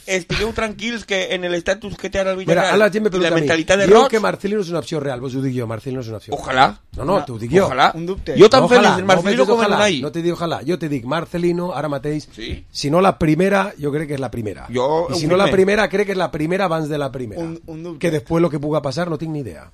Estigueu tranquils que en el estatus que té ara el Mira, Villarreal ara la gent me i la pregunta a mi, mentalitat de diu Roig, que Marcelino és una opció real, vos ho dic jo, Marcelino és una opció ojalà. real. No, no, t'ho dic jo. Ojalà. Un dubte. Jo tan No, feliç ojalà, del Marcelino no com el ojalà, Unai. no te dic ojalà, jo te dic Marcelino ara mateix, Sí. si no la primera, jo crec que és la primera. Jo, I si un no la primer. primera, crec que és la primera abans de la primera. Un, un dubte. Que després lo que puga passar no tinc ni idea.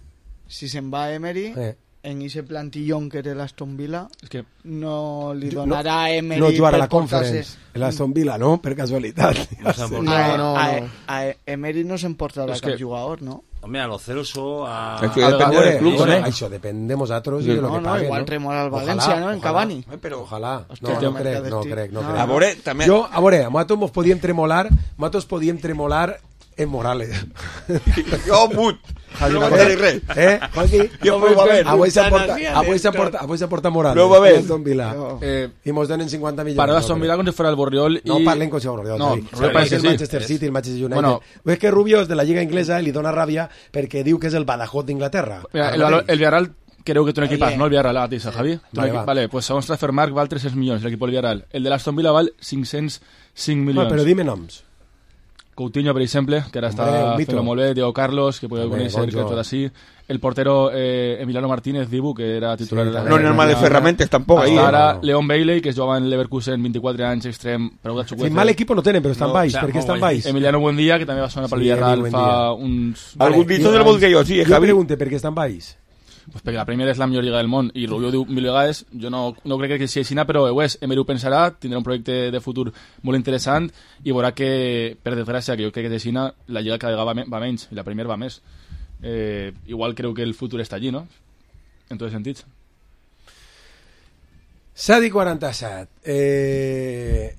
Si se'n va a Emery, Eh. en ese plantillón que té l'Aston Villa, És que no li No- donarà a Emery No jugar a la per portar-se- Conference, l'Aston Villa, no? Per casualitat. No se'n pot- No, No, no, a, no. a Emery no s'emportarà És cap que- jugador, no? Hombre, a lo Celso, a... Es que A depende veure, del club, això, ¿eh? això depèn de nosaltres i de lo No, que no, paguen, igual no? remora el Ojalà, València, no? En ojalà. Cavani. Eh, però Ojalà. Hòstia, No, no no me crec, quedes no tic. crec, no No. crec. A veure, també... Jo, a veure, nosaltres mos podíem tremolar, nosaltres podíem tremolar en Morales. Jo, mut. No vaig dir res. Eh, Joaquí? Jo m'ho va ver. Avui s'aporta, avui s'aporta, avui s'aporta Morales. No va ver. Aston Villa. Eh, I mos donen cinquanta milions. para no Aston crec. Villa com si fuera el Borriol No i... parlen com si fos No, Rubio Rubio parece que el sí. Manchester City, el Manchester United. Bueno. És que Rubio és de la Lliga Inglesa i li dona ràbia perquè diu que és el Badajoz d'Inglaterra. Mira, el, Ara valor- mateix. el Villarreal creu que té un equipàs, Oye. no? El Villarreal, ara mateix, Javi. Té un Vale, equip- va. Vale, pues segons Transfermarkt val tres-cents milions l'equip del Villarreal. El de l'Aston Villa val cinc-cents cinc No, milions. però dime noms. Coutinho, per exemple, que ara està Hombre, un mito. fent molt bé, Diego Carlos, que podeu Hombre, conèixer, bon que joc. tot així. El portero eh, Emiliano Martínez, Dibu, que era titular Sí, de la... també. No, normal de ferramentes tampoc, ahí. Hasta eh? ara, No. Leon Bailey, que es jugava en Leverkusen, vint-i-quatre anys, extrem, prou de Sí, xucueta. mal equip no tenen, però estan No, baix. o sea, Per què molt estan guai. baix? Emiliano Buendía, que també va sonar pel Sí, Villarreal Emi fa Buendía. uns... Algun Vale, dito jo- del vol que jo, sí, eh, Jo Javi? pregunte per què estan baix. Pues perquè la Premier és la millor lliga del món i Rubio diu mil vegades, jo no, no crec que sigui així, però ho és, Emery ho pensarà, tindrà un projecte de futur molt interessant i veurà que, per desgràcia, que jo crec que és així, la lliga cada vegada va, me- va menys i la Premier va més. Eh, igual creu que el futur està allí, no? En tots els sentits. Sadi quaranta-set. Eh...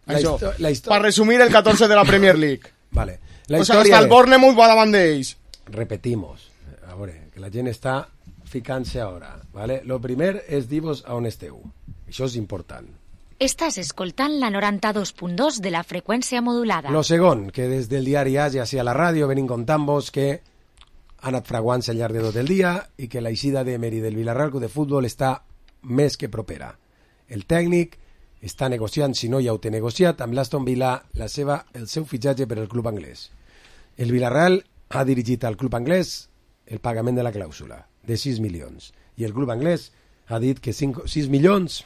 La, Això, histo la per història... resumir el catorze de la Premier League. Vale. La O sigui, història hasta el és- Bournemouth va davant d'ells. Repetimos. A veure, que la gent està ficant-se ara. Vale? Lo primer és dir-vos a on esteu. Això és important. Estàs escoltant la noranta-dos punt dos de la freqüència modulada. Lo segon, que des del diari As i així a la ràdio venim contant-vos que ha anat fraguant-se al llarg de tot el dia i que la eixida d'Emery del Villarreal Club de Futbol està més que propera. El tècnic està negociant, si no ja ho té negociat, amb l'Aston Villa la seva, el seu fitxatge per al club anglès. El Villarreal ha dirigit al club anglès el pagament de la clàusula, de sis milions. I el club anglès ha dit que cinc, sis milions,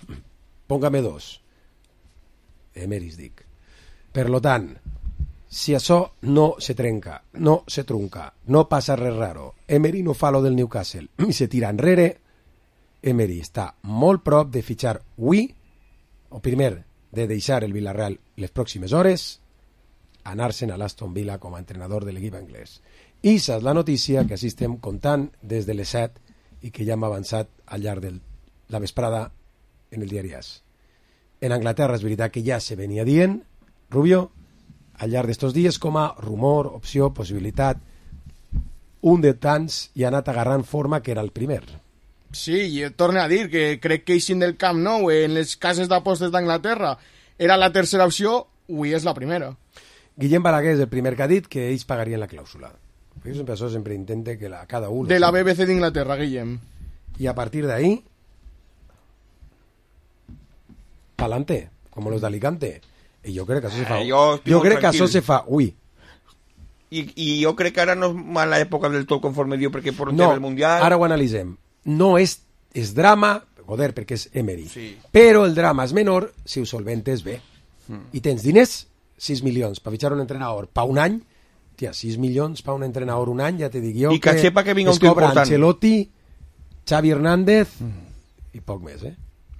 póngame dos. Emeris, dic. Per lo tant, si això no se trenca, no se trunca, no passa res raro, Emery no fa lo del Newcastle i se tira enrere, Emery està molt prop de fitxar avui, o primer, de deixar el Villarreal les pròximes hores, anar-se'n a l'Aston Villa com a entrenador de l'equip anglès. I això és la notícia que així estem contant des de les set i que ja hem avançat al llarg de la vesprada en el diari As. En Anglaterra és veritat que ja se venia dient, Rubio, al llarg d'estos dies com a rumor, opció, possibilitat, un de tants i ha anat agarrant forma que era el primer. Sí, i torne a dir que crec que eixint del Camp Nou en les cases d'apostes d'Anglaterra era la tercera opció, avui és la primera. Guillem Balaguer és el primer que ha dit que ells pagarien la clàusula. Jo sempre, això sempre intente que la, cada un... De la B B C d'Inglaterra, Guillem. Y a partir de ahí, pa'lante, como los de Alicante. Y yo creo que eso se fa. Eh, jo estic jo molt crec que tranquil. això se fa, ui. I, I jo crec que ara no és mala època del tot conforme diu, perquè por un No, tema del Mundial... ara ho analitzem. No és, és drama, joder, perquè és Emery. Sí. Però el drama és menor si ho solventes bé. Mm. I tens diners, sis milions, per fitxar un entrenador pa un any, Tia, sis milions per un entrenador un any, ja te dic jo I que, que sepa que vinga un es cobra important. Ancelotti, Xavi Hernández mm. i poc més, eh?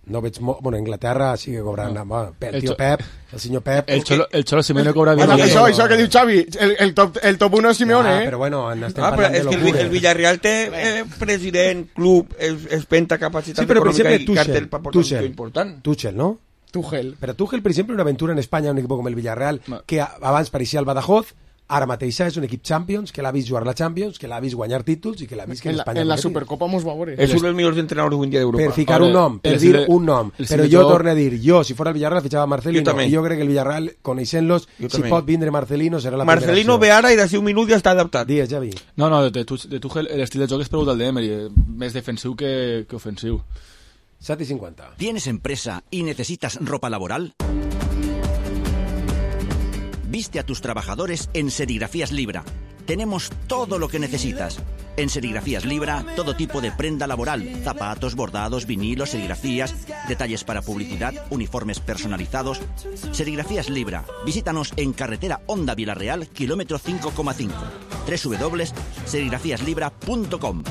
No veig molt... Bueno, Inglaterra sigue cobrant... No. Bueno, el tio Pep, el senyor Pep... El Cholo, el Cholo Simeone cobra bien. Bueno, això, això que diu Xavi, el, el, top, el top uno és Simeone, ah, eh? Però bueno, estem ah, parlant però és de que locura. el, el Villarreal té eh, president, club, es, espenta capacitat sí, però, econòmica per exemple, i cartel per portar Tuchel, un important. Tuchel, ¿no? Tuchel. Pero Tuchel, per exemple, una aventura en Espanya, un equip com el Villarreal, Ma. que abans pareixia el Badajoz, ara mateix és un equip Champions, que l'ha vist jugar la Champions, que l'ha vist guanyar títols i que l'ha vist que en en la, Espanya... en la Supercopa mos va veure. És un dels millors entrenadors avui en dia d'Europa. Per ficar Vale, un nom, per el dir sele- un nom. el Però jo selector- torno a dir, jo, si fora el Villarreal, fichava Marcelino. Jo també. I jo crec que el Villarreal, coneixent-los, Jo si també. pot vindre Marcelino, serà la Marcelino ve primera ara i d'ací un minut ja està adaptat. Dies, Javi. No, no, de, Tuch- de Tuchel l'estil de joc és pregut al d'Emery, eh, més defensiu que, que ofensiu. set i cinquanta. ¿Tienes empresa y necesitas ropa laboral? Viste a tus trabajadores en Serigrafías Libra. Tenemos todo lo que necesitas. En Serigrafías Libra, todo tipo de prenda laboral, zapatos, bordados, vinilos, serigrafías, detalles para publicidad, uniformes personalizados. Serigrafías Libra. Visítanos en carretera Honda Villarreal, kilómetro cinco coma cinco. doble u doble u doble u punto serigrafías libra punto com.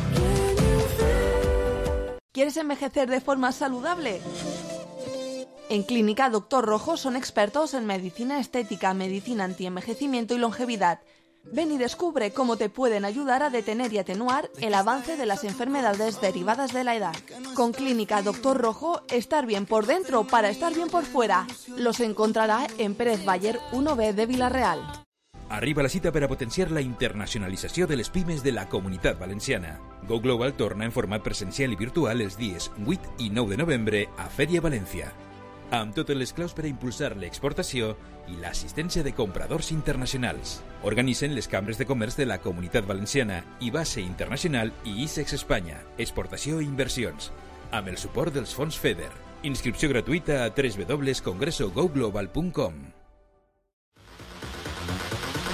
¿Quieres envejecer de forma saludable? En Clínica Doctor Rojo son expertos en medicina estética, medicina antienvejecimiento y longevidad. Ven y descubre cómo te pueden ayudar a detener y atenuar el avance de las enfermedades derivadas de la edad. Con Clínica Doctor Rojo, estar bien por dentro para estar bien por fuera. Los encontrará en Pérez Bayer uno B de Vila-real. Arriba la cita per a potenciar la internacionalització de les pimes de la Comunitat Valenciana. Go Global torna en format presencial i virtual els dies vuit i nou de novembre a Fèria València, amb totes les claus per a impulsar l'exportació i l'assistència de compradors internacionals. Organitzen les cambres de comerç de la Comunitat Valenciana i Base Internacional i ISEX Espanya, exportació i inversions, amb el suport dels fons FEDER. Inscripció gratuïta a doble u doble u doble u punt congreso go global punt com.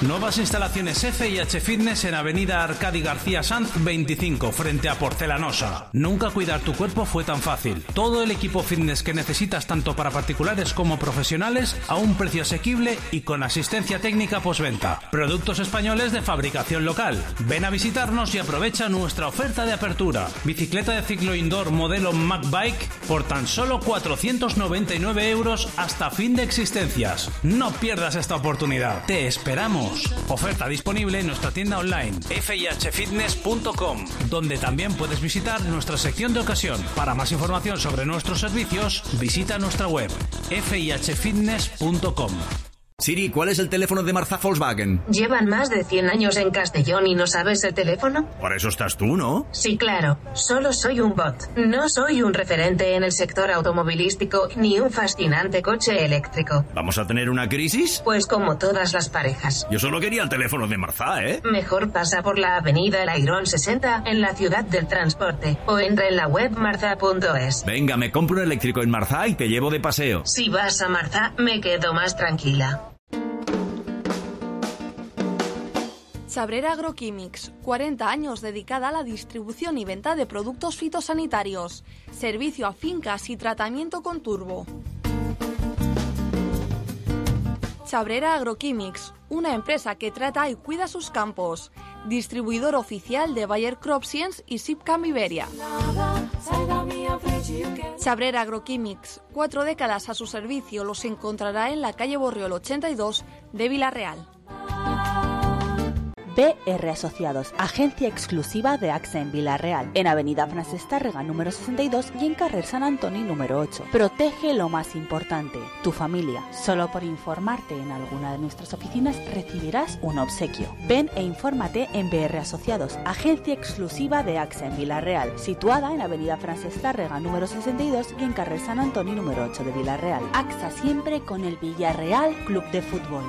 Nuevas instalaciones F y H Fitness en Avenida Arcadi García Sanz veinticinco, frente a Porcelanosa. Nunca cuidar tu cuerpo fue tan fácil. Todo el equipo fitness que necesitas tanto para particulares como profesionales a un precio asequible y con asistencia técnica postventa. Productos españoles de fabricación local. Ven a visitarnos y aprovecha nuestra oferta de apertura. Bicicleta de ciclo indoor modelo MacBike por tan solo cuatrocientos noventa y nueve euros hasta fin de existencias. No pierdas esta oportunidad. Te esperamos. Oferta disponible en nuestra tienda online f i h fitness punto com, donde también puedes visitar nuestra sección de ocasión. Para más información sobre nuestros servicios, visita nuestra web f i h fitness punto com. Siri, ¿cuál es el teléfono de Marzá Volkswagen? ¿Llevan más de cien años en Castellón y no sabes el teléfono? Para eso estás tú, ¿no? Sí, claro. Solo soy un bot. No soy un referente en el sector automovilístico ni un fascinante coche eléctrico. ¿Vamos a tener una crisis? Pues como todas las parejas. Yo solo quería el teléfono de Marzá, ¿eh? Mejor pasa por la avenida El Airón sesenta en la ciudad del transporte o entra en la web marza punto es. Venga, me compro un eléctrico en Marzá y te llevo de paseo. Si vas a Marza, me quedo más tranquila. Sabrera Agroquímics, cuarenta años dedicada a la distribución y venta de productos fitosanitarios, servicio a fincas y tratamiento con turbo. Sabrera Agroquímics, una empresa que trata y cuida sus campos, distribuidor oficial de Bayer CropScience y Sipcam Iberia. Sabrera Agroquímics, cuatro décadas a su servicio, los encontrará en la calle Borriol ochenta y dos de Vila-real. B R Asociados, agencia exclusiva de AXA en Vila-real, en Avenida Francesc Tàrrega número sesenta y dos y en Carrer Sant Antoni número ocho. Protege lo más importante, tu familia. Solo por informarte en alguna de nuestras oficinas recibirás un obsequio. Ven e infórmate en B R Asociados, agencia exclusiva de AXA en Vila-real, situada en Avenida Francesc Tàrrega número sesenta y dos y en Carrer Sant Antoni número ocho de Vila-real. AXA siempre con el Villarreal Club de Fútbol.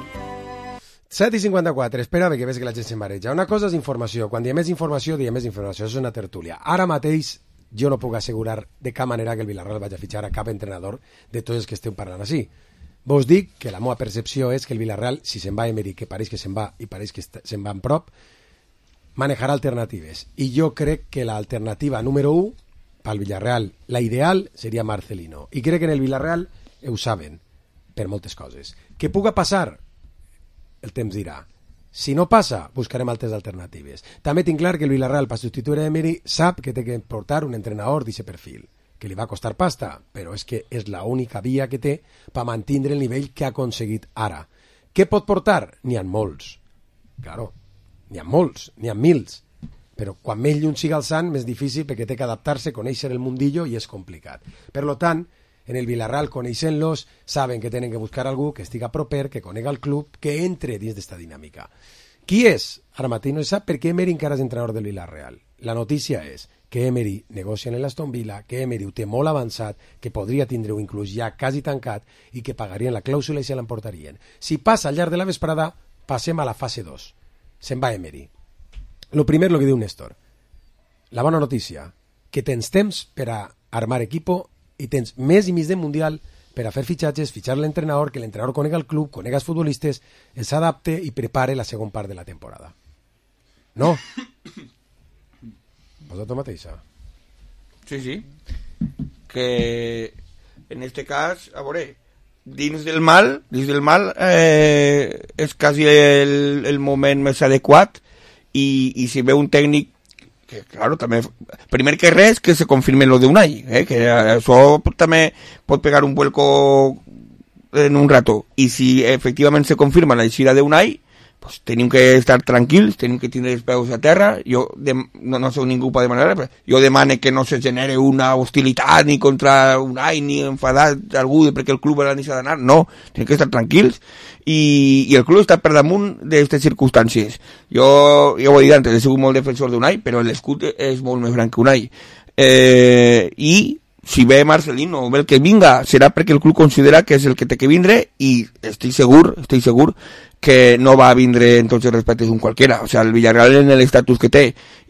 set i cinquanta-quatre, espera que veig que la gent s'embareja. Una cosa és informació, quan diem més informació, diem més informació, és una tertúlia. Ara mateix jo no puc assegurar de cap manera que el Villarreal vagi a fitxar a cap entrenador de tots els que esteu parlant així. Vos dic que la meva percepció és que el Villarreal, si se'n va Emery, que pareix que se'n va i pareix que se'n va en prop, manejarà alternatives. I jo crec que l'alternativa número u pel Villarreal, la ideal, seria Marcelino. I crec que en el Villarreal ho saben, per moltes coses. Que puga passar, el temps dirà. Si no passa, buscarem altres alternatives. També tinc clar que el Villarreal, per substituir a Emery, sap que té que portar un entrenador d'aquest perfil, que li va costar pasta, però és que és l'única via que té per mantenir el nivell que ha aconseguit ara. Què pot portar? N'hi ha molts. Claro, n'hi ha molts, n'hi ha mils. Però quan més lluny siga el sant, més difícil perquè té que adaptar-se, conèixer el mundillo i és complicat. Per lo tant, en el Villarreal, coneixent-los, saben que tenen que buscar algú que estiga proper, que conega el club, que entre dins d'esta dinàmica. Qui és? Ara mateix no se sap perquè Emery encara és entrenador del Villarreal. La notícia és que Emery negocia en l'Aston Villa, que Emery ho té molt avançat, que podria tindre-ho inclús ja quasi tancat i que pagarien la clàusula i se l'emportarien. Si passa al llarg de la vesprada, passem a la fase dos. Se'n va Emery. Lo primer, lo que diu Néstor. La bona notícia, que tens temps per a armar equipo i tens més i més de Mundial per a fer fitxatges, fitxar l'entrenador, que l'entrenador conega el club, conega els futbolistes, els adapte i prepare la segona part de la temporada. No? Vosaltres mateixa? Sí, sí. Que en este cas, a veure, dins del mal, dins del mal eh, és quasi el, el moment més adequat i, i si ve un tècnic que, claro, també, primer que res, que se confirme lo de Unai, eh, que això també pot pegar un vuelco en un rato, i si efectivament se confirma la eixida de Unai, pues tenim que estar tranquils, tenim que tindre els peus a terra. Jo de, no, no sé ningú pot demanar, però jo demane que no se genere una hostilitat ni contra Unai, ni enfadar algú perquè el club ha deixat d'anar, no, tenim que estar tranquils i, i el club està per damunt d'aquestes circumstàncies. Jo, jo ho he dit antes, he sigut molt defensor d'Unai, però l'escut és molt més gran que Unai. Eh, I si ve Marcelino o ve el que vinga, serà perquè el club considera que és el que té que vindre i estic segur, estic segur que no va a vindre en tots els respectes un qualquera. O sea, el Villarreal en l'estatus que té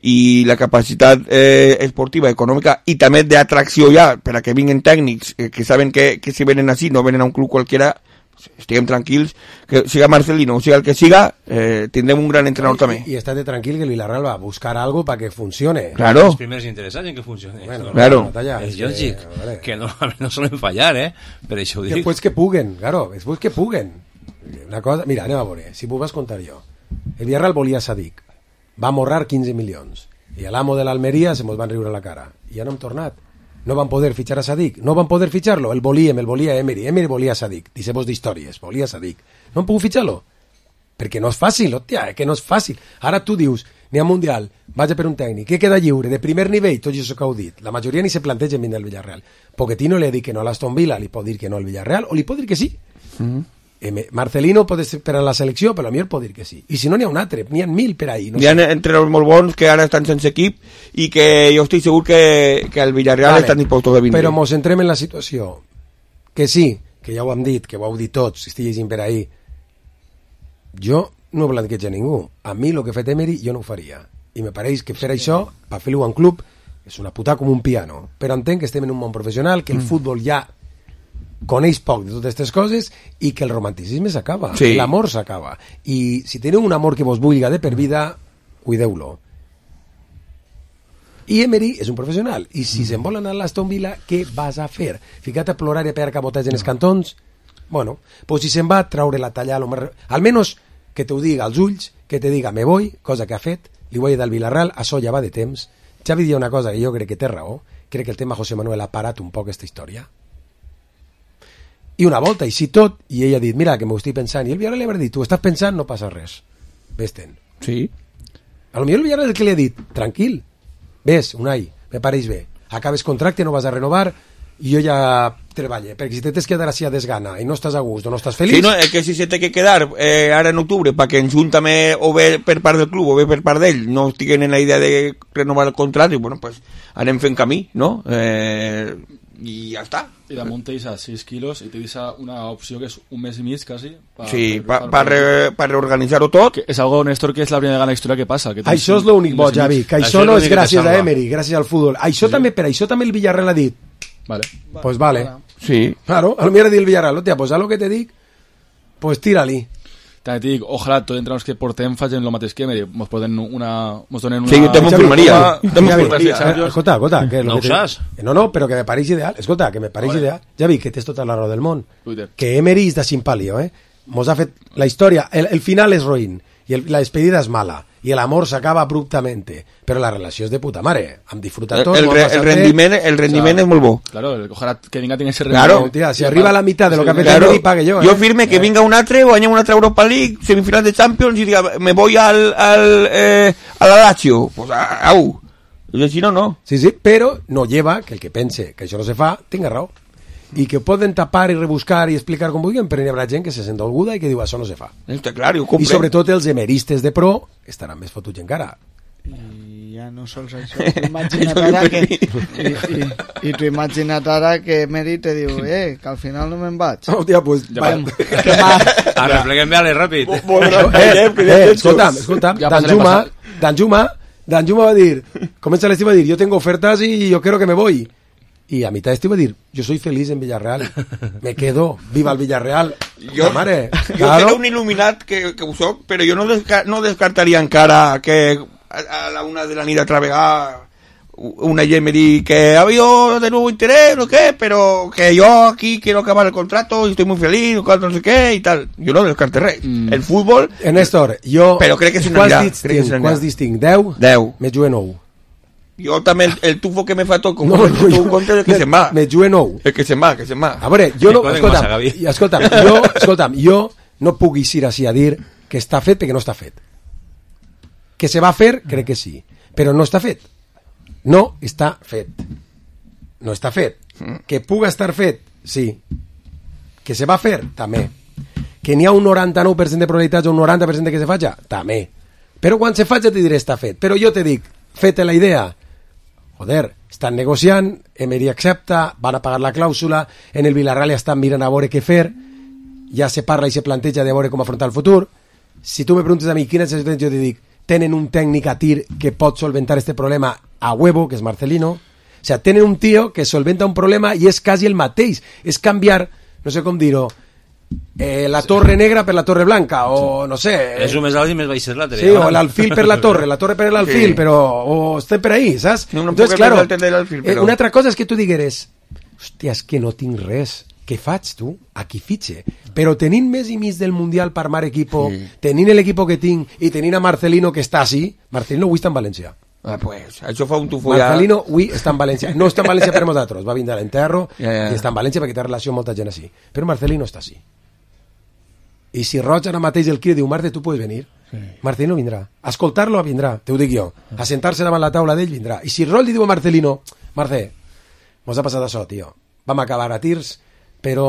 i la capacitat eh, esportiva, econòmica i també d'atracció ja per a que vinguen tècnics eh, que saben que, que si venen així no venen a un club qualquera, pues, estiguem tranquils, que siga Marcelino o siga el que siga, eh, tindrem un gran entrenador també. I estate tranquil que el Villarreal va a buscar algo para que funcione. Claro. Los primeros interesados en que funcione. Bueno, claro. Es lògic, que, vale. que no, no solen fallar, eh? Per això ho dic. Después que puguen, claro, después que puguen. Una cosa, mira, anem a veure, si m'ho vas contar jo. El Villarreal volia Sadik, va morrar quinze milions, i a l'amo de l'Almeria se mos van riure a la cara, i ja no hem tornat. No van poder fitxar a Sadik, no van poder fitxar-lo, el volíem, el volia Emery, Emery volia Sadik, deixem-vos d'històries, volia Sadik. No han pogut fitxar-lo, perquè no és fàcil, hòstia, eh, que no és fàcil. Ara tu dius, n'hi ha Mundial, vaig per un tècnic, què queda lliure, de primer nivell, tot això que heu dit. La majoria ni se planteja en vindre al Villarreal. Pochettino li ha dit que no a l'Aston Villa, li pot dir que no al Villarreal, o li pot dir que sí. Mm-hmm. Marcelino pot esperar la selecció, però a mi el pot dir que sí. I si no, n'hi ha un altre, n'hi ha mil per ahí. No n'hi ha sé. Entrenadors molt bons que ara estan sense equip i que jo estic segur que, que el Villarreal vale, estan dispostos a vindre. Però mos centrem en la situació. Que sí, que ja ho hem dit, que ho heu dit tots, si estic llegint per ahí. Jo no blanqueig a ningú. A mi el que ha fet Emery jo no ho faria. I me pareix que fer sí. això, per fer-ho a un club, és una puta com un piano. Però entenc que estem en un món professional, que el mm. futbol ja coneix poc de totes aquestes coses i que el romanticisme s'acaba, sí. l'amor s'acaba, i si teniu un amor que vos vulga de per vida, cuideu-lo. I Emery és un professional, i si mm. se'n vol anar a l'Aston Villa, què vas a fer? Ficat a plorar i a pegar cabotats en els cantons? Bueno, pues si se'n va a traure la talla, mer... almenys que te ho diga als ulls, que te diga me voy, cosa que ha fet, li voy a dir al Villarreal, això ja va de temps. Xavi diu una cosa que jo crec que té raó, crec que el tema José Manuel ha parat un poc aquesta història. I una volta, i si tot, i ell ha dit, mira, que m'ho estic pensant, i el Villarreal li ha dit, tu estàs pensant, no passa res. Vés-te'n. Sí. A lo millor el Villarreal que li ha dit, tranquil, ves, Unai, me pareix bé, acabes contracte, no vas a renovar, i jo ja treballe, perquè si te tens que quedar així a desgana i no estàs a gust o no estàs feliç... Sí, no, és que si se té que quedar eh, ara en octubre, perquè en Junt també o bé per part del club o bé per part d'ell no estiguen en la idea de renovar el contracte, bueno, pues anem fent camí, no? Eh... i ja està. I damunt tens a sis quilos i te deixa una opció que és un mes i mig quasi pa, sí, per, pa, pa, re, pa reorganitzar-ho tot, que és algo, Néstor, que és la primera vegada en la història que passa, que això és l'únic bo, Javi, que això, això no és gràcies a Emery, gràcies al futbol, això sí. també, per això també el Villarreal ha dit vale. pues vale, sí. claro, a lo millor ha dit el Villarreal, hòstia, pues a lo que te dic pues tira-li. També et dic, ojalà tots entrenadors que portem facin el mateix que Emery, mos poden una... Mos donen una... Sí, jo també em firmaria. Escolta, escolta, que no ho saps? No, no, però que me pareix ideal. Escolta, que me pareix ideal. Ja vi que tens tota la raó del món. Que Emery és de Simpalio, eh? Mos ha fet la història, el, el final és roïn. i el, la despedida és mala, i l'amor s'acaba abruptamente, però la relació és de puta mare, hem disfrutat tots. El, el, el rendiment, el rendiment o sea, és molt bo. Claro, ojalá que vinga tiene ese rendiment. Claro, tía, si arriba a la mitad de lo que ha fet claro, Emery, pague yo. Jo eh. firme que vinga un altre, guanya una altra Europa League, semifinal de Champions, i diga, me voy al, al, eh, a la Lazio. Pues, au. I si no, no. Sí, sí, però no lleva que el que pense que això no se fa, tinga raó. I que poden tapar i rebuscar i explicar com vulguin, però hi haurà gent que se sent dolguda i que diu això no se fa. Està clar, ho I sobretot els emeristes de pro estaran més fotuts encara. I ja no sols això, tu imagina't ara que i, i, i tu imagina't ara que Emery te diu, eh, que al final no me'n vaig. Hòstia, pues ja que arrepleguem-me a les ràpid. Eh, eh, escolta'm, escolta'm, Dan Juma, Dan Juma, Dan Juma va dir, comença l'estiu va dir, yo tengo ofertas y yo quiero que me voy. Y a mitad de este iba a decir, yo soy feliz en Villarreal, me quedo, viva el Villarreal. Jo, mare, jo claro. seré un il·luminat que, que ho soc, però jo no, desca no descartaria encara que a, a la una de la nit altra vegada una Emery que ha habido de nuevo interés, no qué, pero que yo aquí quiero acabar el contrato y estoy muy feliz, no sé qué y tal. Jo no descarto res. Mm. El fútbol... Eh, Néstor, jo... Però crec que se n'anirà. Quants distinc? deu? deu. Me jugué nou. Jo també el, el tufo que me fa tot com no, no, no, tu compte el que me, se'n va. Me jugué nou. El que se'n va, que se'n va. A veure, jo no... Escolta'm, escolta'm, jo, escolta'm, jo no puc eixir així a dir que està fet perquè no està fet. Que se va fer, crec que sí. Però no està fet. No està fet. No està fet. Que puga estar fet, sí. Que se va fer, també. Que n'hi ha un noranta-nou per cent de probabilitats o un noranta per cent de que se faci, també. Però quan se faci te diré està fet. Però jo te dic, feta la idea, joder, estan negociant, Emery accepta, van a pagar la clàusula, en el Villarreal ja estan mirant a veure què fer, ja se parla i se planteja de veure com afrontar el futur. Si tu me preguntes a mi quina és la situació, jo te dic, tenen un tècnic a tir que pot solventar este problema a huevo, que és Marcelino. O sea, tenen un tío que solventa un problema i és quasi el mateix. És canviar, no sé com dir-ho, eh, la torre negra per la torre blanca, o no sé... És un més alt i més baix és l'altre. Sí, o l'alfil per la torre, la torre per l'alfil, sí. Però o estem per ahí, saps? No, no Entonces, claro, alfil, però... eh, una altra cosa és que tu digueres, hòstia, és que no tinc res, què faig tu? Aquí fitxe. Però tenint més i mig del Mundial per armar equipo, sí. Tenint l'equipo que tinc i tenint a Marcelino que està així, Marcelino avui està en València. Ah, pues, això fa un tufo Marcelino avui està en València. No està en València per nosaltres, va vindre a l'enterro ja, ja. I està en València perquè té relació amb molta gent així. Però Marcelino està així. I si Roig ara mateix el crida diu, Marte, tu pots venir? Sí. Marcelino vindrà. A escoltar-lo vindrà, te ho dic jo. A sentar-se davant la taula d'ell vindrà. I si Roig li diu a Marcelino, Marce, mos ha passat això, tio. Vam acabar a tirs, però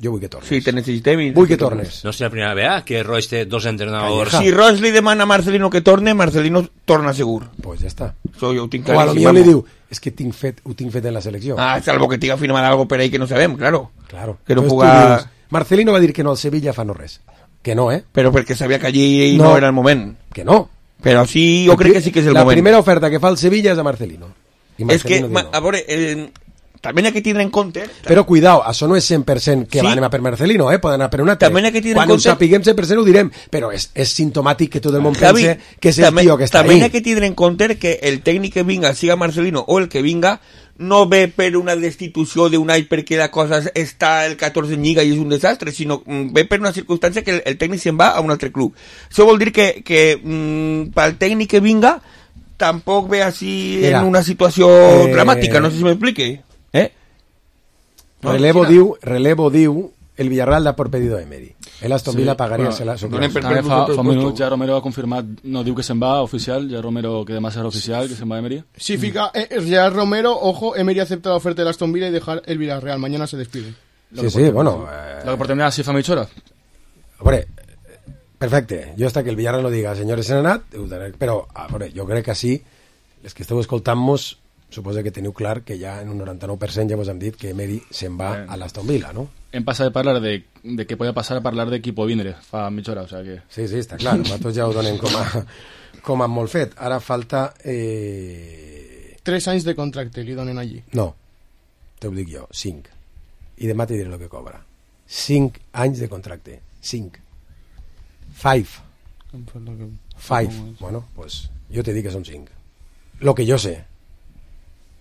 jo vull que tornes. Sí, te necessitem. Vull que tornes. No sé la primera vegada que Roig té dos entrenadors. Si Roig li demana a Marcelino que torne, Marcelino torna segur. Pues ja està. So, jo ho tinc o a lo millor li diu, és que tinc fet, ho tinc fet en la selecció. Ah, salvo que tinga firmat algo per ahí que no sabem, claro. Claro. Que no Entonces, puga... Marcelino va dir que no al Sevilla fa no res. Que no, eh? Però perquè sabia que allí no, no era el moment. Que no. Però sí, jo crec que sí que és el la moment. La primera oferta que fa el Sevilla és a Marcelino. I Marcelino és que, no. a veure, eh, també n'hi ha que tindre en compte... Però cuidao, això no és cent per cent que sí. va anar per Marcelino, eh? Poden anar per un altre. També n'hi ha que tindre Quan en compte... ho sapiguem cent per cent ho direm, però és, és simptomàtic que tot el món Javi, pense que és el també, tio que està també ahí. També n'hi ha que tindre en compte que el tècnic que vinga, siga Marcelino o el que vinga, no ve per una destitució d'un any perquè la cosa està el catorze en Lliga i és un desastre, sinó ve per una circumstància que el, el tècnic se'n va a un altre club. Això vol dir que, que mm, pel tècnic que vinga tampoc ve així Mira, en una situació eh, dramàtica, no sé si m'explique. Eh? No, relevo diu, relevo diu el Villarreal da por pedido a Emery. El Aston Villa sí, pagaria bueno, la, su per, per, fa, fa un minut ja Romero ha confirmat, no diu que se'n va oficial, ja Romero que demà serà oficial, que se'n va Emery. Sí, fica, eh, ya Romero, ojo, Emery acepta la oferta del Aston Villa y dejar el Villarreal, mañana se despide. Sí, sí, bueno. Eh... Lo que portem ja si fa mitja hora. Hombre, perfecte, jo hasta que el Villarreal no diga senyores se n'han anat, però, a veure, jo crec que sí, les que esteu escoltant-nos, suposo que teniu clar que ja en un noranta-nou per cent ja vos hem dit que Emery se'n va eh. a l'Aston Villa, no? Hem passat de parlar de, de què podia passar a parlar d'equipo vindre fa mitja hora, o sea que... Sí, sí, està clar, nosaltres ja ho donem com a, com a molt fet. Ara falta... Eh... Tres anys de contracte li donen allí. No, te ho dic jo, cinc. I demà te diré el que cobra. Cinc anys de contracte, cinc. Five. Five. Bueno, pues jo te dic que són cinc. Lo que jo sé.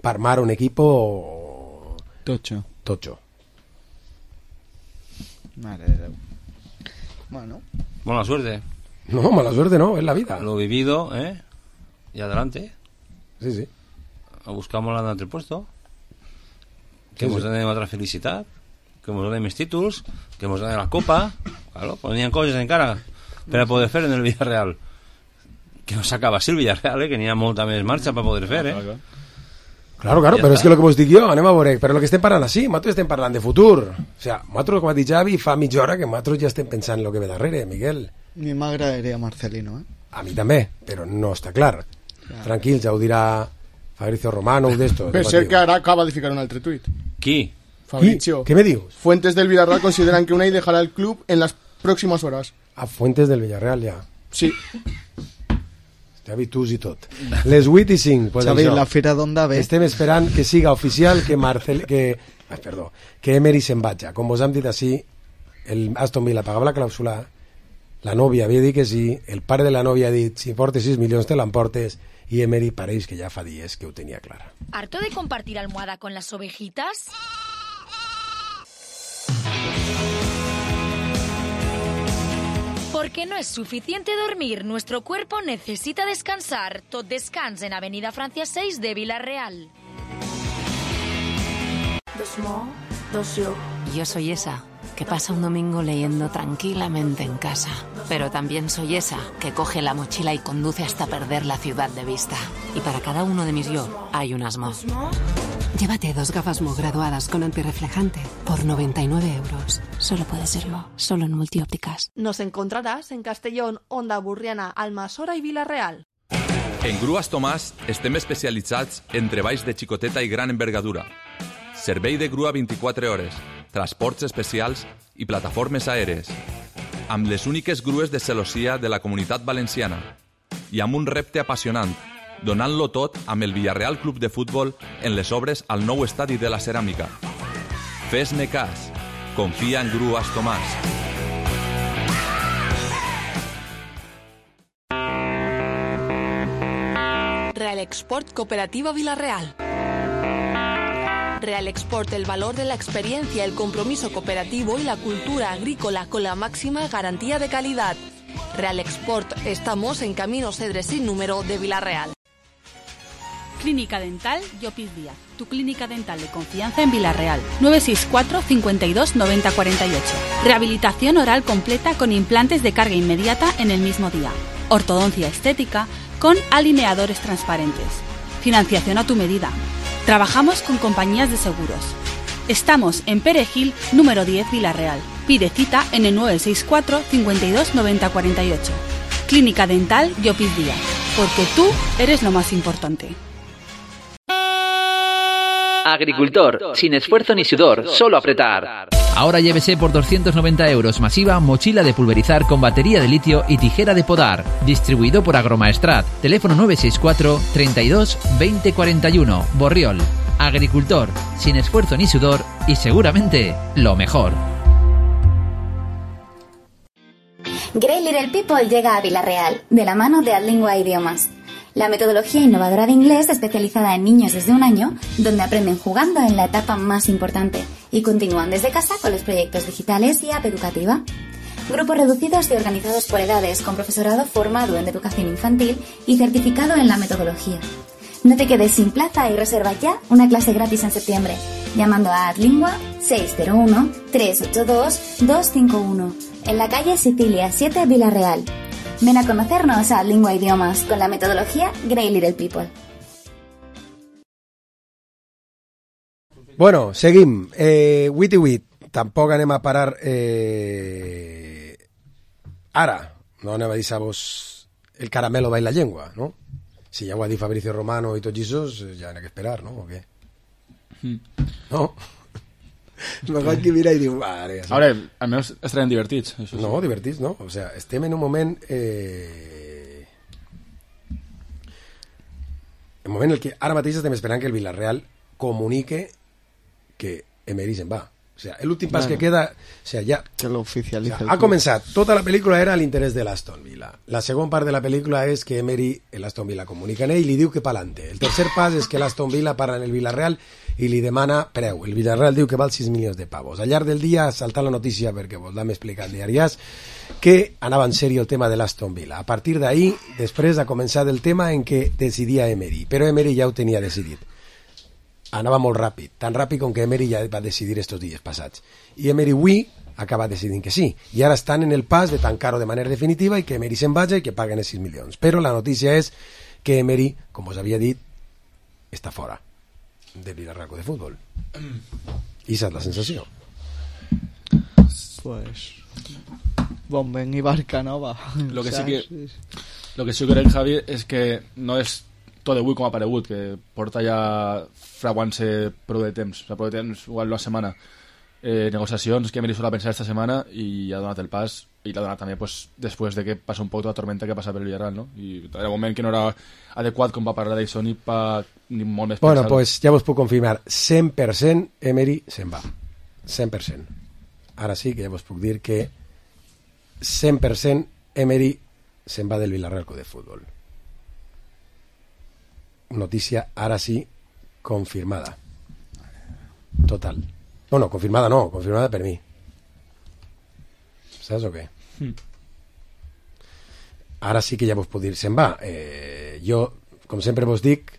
Per armar un equipo... Tocho. Tocho. Madre de Déu. Bueno. Buena suerte. No, mala suerte no, es la vida. Lo vivido, ¿eh? Y adelante. Sí, sí. Buscamos l'altre puesto. Que Sí, nos sí. den otra felicitat. Que nos den més títols. Que nos den la copa. Claro, ponían coses encara per a poder fer en el Villarreal. Que no s'acaba així el Villarreal, eh? Que n'hi ha molta més marxa per poder fer, eh? Claro, claro, Ja però està. és que el que vos dic jo, anem a veure, però el que estem parlant així, nosaltres estem parlant de futur. O sea, nosaltres, com ha dit Javi, fa mitja hora que nosaltres ja estem pensant en el que ve darrere, Miguel. A mi m'agradaria Marcelino, eh? A mi també, però no està clar. Tranquil, ja ho dirà Fabrizio Romano o d'esto. Per ser que ara acaba de ficar un altre tuit. Qui? Fabrizio. ¿Qué me dius? Fuentes del Villarreal consideran que Unai dejará el club en las próximas horas. A Fuentes del Villarreal, ja. Sí. Xavi, tu i tot. Les vuit i cinc. Pues Xavi, això. la fira d'Onda ve. Estem esperant que siga oficial que Marcel... Que, ai, perdó, que Emery se'n vaja. Com vos hem dit així, el Aston Villa pagava la clàusula, la nòvia havia dit que sí, el pare de la nòvia ha dit si portes sis milions te l'emportes, i Emery pareix que ja fa dies que ho tenia clara. ¿Harto de compartir almohada con las ovejitas? Porque no es suficiente dormir, nuestro cuerpo necesita descansar. Tot descans en Avenida Francia seis de Villarreal. Yo soy esa que pasa un domingo leyendo tranquilamente en casa. Pero también soy esa que coge la mochila y conduce hasta perder la ciudad de vista. Y para cada uno de mis yo hay un asmo. Llévate dos gafas Mo graduadas con antirreflejante por noventa y nueve euros. Solo puede ser Mo, solo en Multiópticas. Nos encontrarás en Castellón, Onda Burriana, Almassora i Vila-real. En Grues Tomàs estem especialitzats en treballs de xicoteta i gran envergadura. Servei de grua vint-i-quatre hores, transports especials i plataformes aèries. Amb les úniques grues de celossia de la Comunitat Valenciana. I amb un repte apassionant, donant-lo tot amb el Villarreal Club de Futbol en les obres al nou estadi de la Ceràmica. Fes-me cas. Confia en Grues Tomàs. Real Export Cooperativa Villarreal. Real Export, el valor de la experiencia, el compromiso cooperativo y la cultura agrícola con la máxima garantía de calidad. Real Export, estamos en Camino Cedres sin número de Villarreal. Clínica Dental Llopis Díaz, tu clínica dental de confianza en Villarreal. nueve seis cuatro, cincuenta y dos, noventa cuarenta y ocho. Rehabilitación oral completa con implantes de carga inmediata en el mismo día. Ortodoncia estética con alineadores transparentes. Financiación a tu medida. Trabajamos con compañías de seguros. Estamos en Perejil, número diez, Villarreal. Pide cita en el nueve seis cuatro, cincuenta y dos, noventa cuarenta y ocho. Clínica Dental Llopis Díaz, porque tú eres lo más importante. Agricultor, sin esfuerzo ni sudor, solo apretar. Ahora llévese por doscientos noventa euros masiva mochila de pulverizar con batería de litio y tijera de podar. Distribuido por Agromaestrat. Teléfono nueve seis cuatro, treinta y dos, veinte cuarenta y uno. Borriol. Agricultor, sin esfuerzo ni sudor y seguramente lo mejor. Grey Little People llega a Villarreal, de la mano de Adlingua Idiomas. La metodología innovadora de inglés especializada en niños desde un año, donde aprenden jugando en la etapa más importante y continúan desde casa con los proyectos digitales y app educativa. Grupos reducidos y organizados por edades con profesorado formado en educación infantil y certificado en la metodología. No te quedes sin plaza y reserva ya una clase gratis en septiembre, llamando a Adlingua seis cero uno, tres ocho dos, dos cinco uno, en la calle Sicilia siete, Villarreal. Ven a conocernos a Lingua Idiomas con la metodología Grey Little People. Bueno, seguim. Eh, vuit i vuit. Tampoc anem a parar... Eh... Ara, no anem a deixar-vos el caramelo va en la llengua, no? Si ja ho ha dit Fabrizio Romano i tots aquests, ja n'hi ha que esperar, no? O què? Mm. No? Me vaig que mira i diu... Vale, a veure, almenys estarem divertits. Això sí. No, divertits, no. O sea, estem en un moment... Eh... En un moment en el que ara mateix estem esperant que el Villarreal comunique que Emery se'n va. O O sea, el últim pas Claro. que queda... O sea, ja... Que lo oficialitza. O sea, el ha club. començat. Tota la pel·lícula era a l'interès de l'Aston Villa. La segona part de la pel·lícula és que Emery, l'Aston Villa comunica amb ell i li diu que pa'lante. El tercer pas és que l'Aston Villa parla en el Villarreal i li demana preu. El Villarreal diu que val sis milions de pavos. Al llarg del dia ha saltat la notícia, perquè vos l'hem explicat diàries, que anava en sèrio el tema de l'Aston Villa. A partir d'ahí, després ha començat el tema en què decidia Emery. Però Emery ja ho tenia decidit. Anava molt ràpid, tan ràpid com que Emery ja va decidir estos dies passats. I Emery avui acaba decidint que sí. I ara estan en el pas de tancar-ho de manera definitiva i que Emery se'n vagi i que paguen els sis milions. Però la notícia és que Emery, com us havia dit, està fora del Villarreal de Futbol. I esa és la sensació. Pues... Bon vent i barca nova. Lo que sí Saps? que, lo que sí que crec, Javi, és que no és tot d'avui com ha aparegut, que porta ja fraguant-se prou de temps, o sigui, prou de temps, igual una setmana. Eh, negociacions que Emery sol a pensar esta setmana i ha donat el pas, i l'ha donat també pues, després de que passa un poc la tormenta que passa per el Villarreal, no? I era un moment que no era adequat com va parlar d'això ni, pa, ni molt més Bueno, pensat. pues ja vos puc confirmar, cent per cent Emery se'n va. cent per cent. Ara sí que ja vos puc dir que cent per cent Emery se'n va del Villarreal Club de Futbol. Notícia, ara sí, confirmada. Total. Bueno, confirmada no, confirmada per mi. Saps o què? Mm. Ara sí que ja vos puc dir, se'n va. Eh, jo, com sempre vos dic,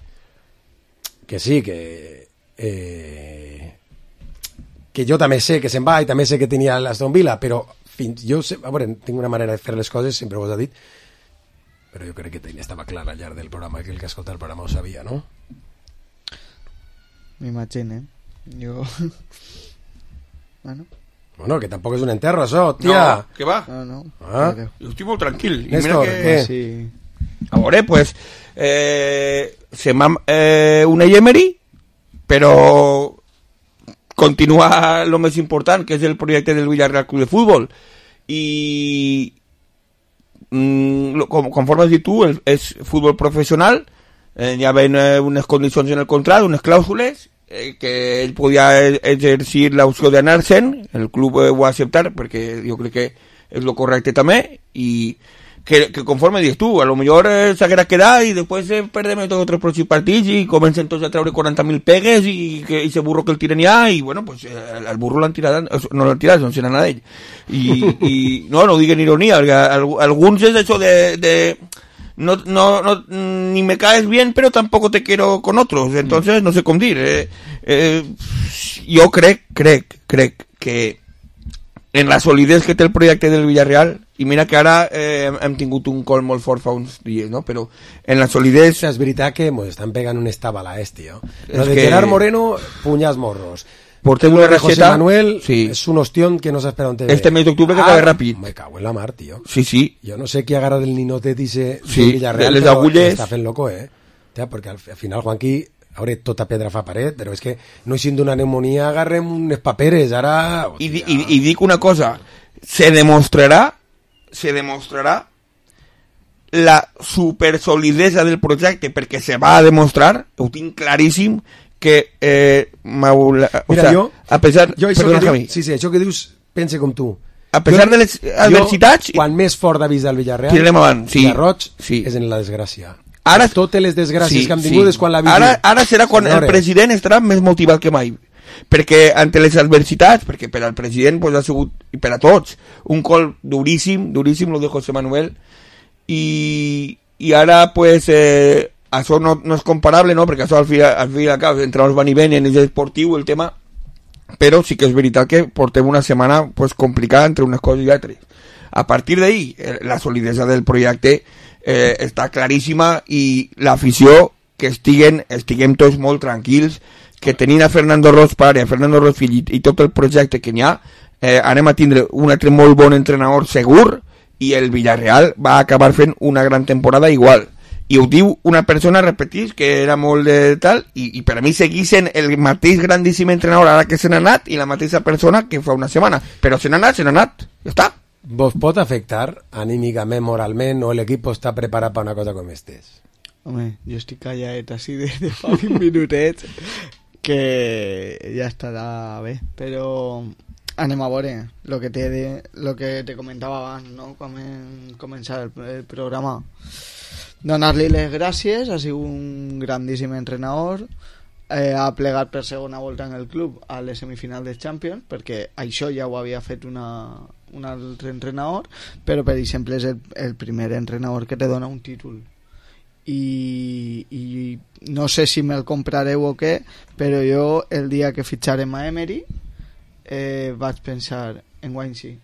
que sí, que... Eh, que jo també sé que se'n va i també sé que tenia l'Aston Villa, però fins, jo sé, a veure, tinc una manera de fer les coses, sempre vos he dit, però jo crec que estava clar al llarg del programa, que el que escolta el programa ho sabia, no? M'imagine. Jo... Bueno. Bueno, que tampoc és un enterro, això, tia. No, què va? No, no. Ah? Jo estic molt tranquil. I Néstor, mira que... què? Sí. A veure, pues... Eh, se m'ha... Eh, una Emery, però continua lo més important, que és el projecte del Villarreal Club de Futbol. I... Mm, com, conforme has dit tu, el, és futbol professional, eh, hi ha eh, unes condicions en el contracte, unes clàusules, eh, que ell podia exercir l'opció d'anar-se'n, el club eh, ho va acceptar, perquè jo crec que és lo correcte també, i que, que conforme dius tu, a lo millor eh, s'haguera quedat i després eh, perdem tots els pròxims partits i comencen tots a treure quaranta mil pegues i que ese burro que el tiren ja i bueno, pues eh, el burro l'han tirat, no l'han tirat, no se n'ha anat ell i, i no, no ho dic en ironia perquè alguns és això de, de no, no, no, ni me caes bien pero tampoco te quiero con otros, entonces no sé com dir eh, eh, jo crec crec, crec que en la solidesa que té el projecte del Villarreal, i mira que ara eh, hem tingut un col molt fort fa uns dies, no? Però en la solidesa... És veritat que ens estan pegant un estabala este, ¿no? Lo de que... Gerard Moreno, puñas morros. Portem una José receta... Manuel sí. és un ostión que no s'espera on te ve. Este mes d'octubre que ah, acaba ràpid. Me cago en la mar, tío. Sí, sí. Jo no sé qui agarra del ninotet i se... Sí, Villarreal, les però agulles... està fent loco, eh? Ja, perquè al, al final, Juanqui, a veure, tota pedra fa paret, però és que no hi d'una pneumonia agarrem unes paperes, ara... I, i, i dic una cosa, se demostrarà, se demostrarà la supersolidesa del projecte, perquè se va a demostrar, ho tinc claríssim, que eh, Mira, o sea, jo, a pesar, jo això perdona, que Javi, dius, sí, sí, això que dius, pense com tu. A pesar jo, de les adversitats... Jo, quan més fort d'avís del Villarreal, tirarem avant, sí, Roig, sí. és en la desgràcia. Ara, totes les desgràcies sí, que han tingut sí. és quan la vist. Ara, ara serà quan Senyores. el president estarà més motivat que mai. Perquè ante les adversitats, perquè per al president pues, ha sigut, i per a tots, un col duríssim, duríssim, lo de José Manuel, i, i ara pues, eh, això no, no és comparable, no? Perquè això al fi, al fi al cap, entre els van i venen, és esportiu el tema, però sí que és veritat que portem una setmana pues, complicada entre unes coses i altres. A partir d'ahí, eh, la solidesa del projecte eh, està claríssima i l'afició que estiguen, estiguem tots molt tranquils, que tenint a Fernando Roig pare, a Fernando Roig fill i, i tot el projecte que n'hi ha, eh, anem a tindre un altre molt bon entrenador segur i el Villarreal va acabar fent una gran temporada igual. I ho diu una persona, repetís, que era molt de tal, i, i per a mi seguissin el mateix grandíssim entrenador ara que se n'ha anat i la mateixa persona que fa una setmana. Però se n'ha anat, se n'ha anat. Ja està. Vos pot afectar anímicament, moralment, o l'equip està preparat per una cosa com estes? Home, jo estic calladet així de, de fa vint minutets que ja estarà bé, però anem a veure el que te, de, lo que te comentava abans, no? Quan hem començat el, el programa. Donar-li les gràcies, ha sigut un grandíssim entrenador, eh, ha plegat per segona volta en el club a les semifinals de Champions, perquè això ja ho havia fet una, un altre entrenador, però per exemple és el, el primer entrenador que te dona un títol. I, i no sé si me'l comprareu o què, però jo el dia que fitxarem a Emery eh, vaig pensar en guany sí.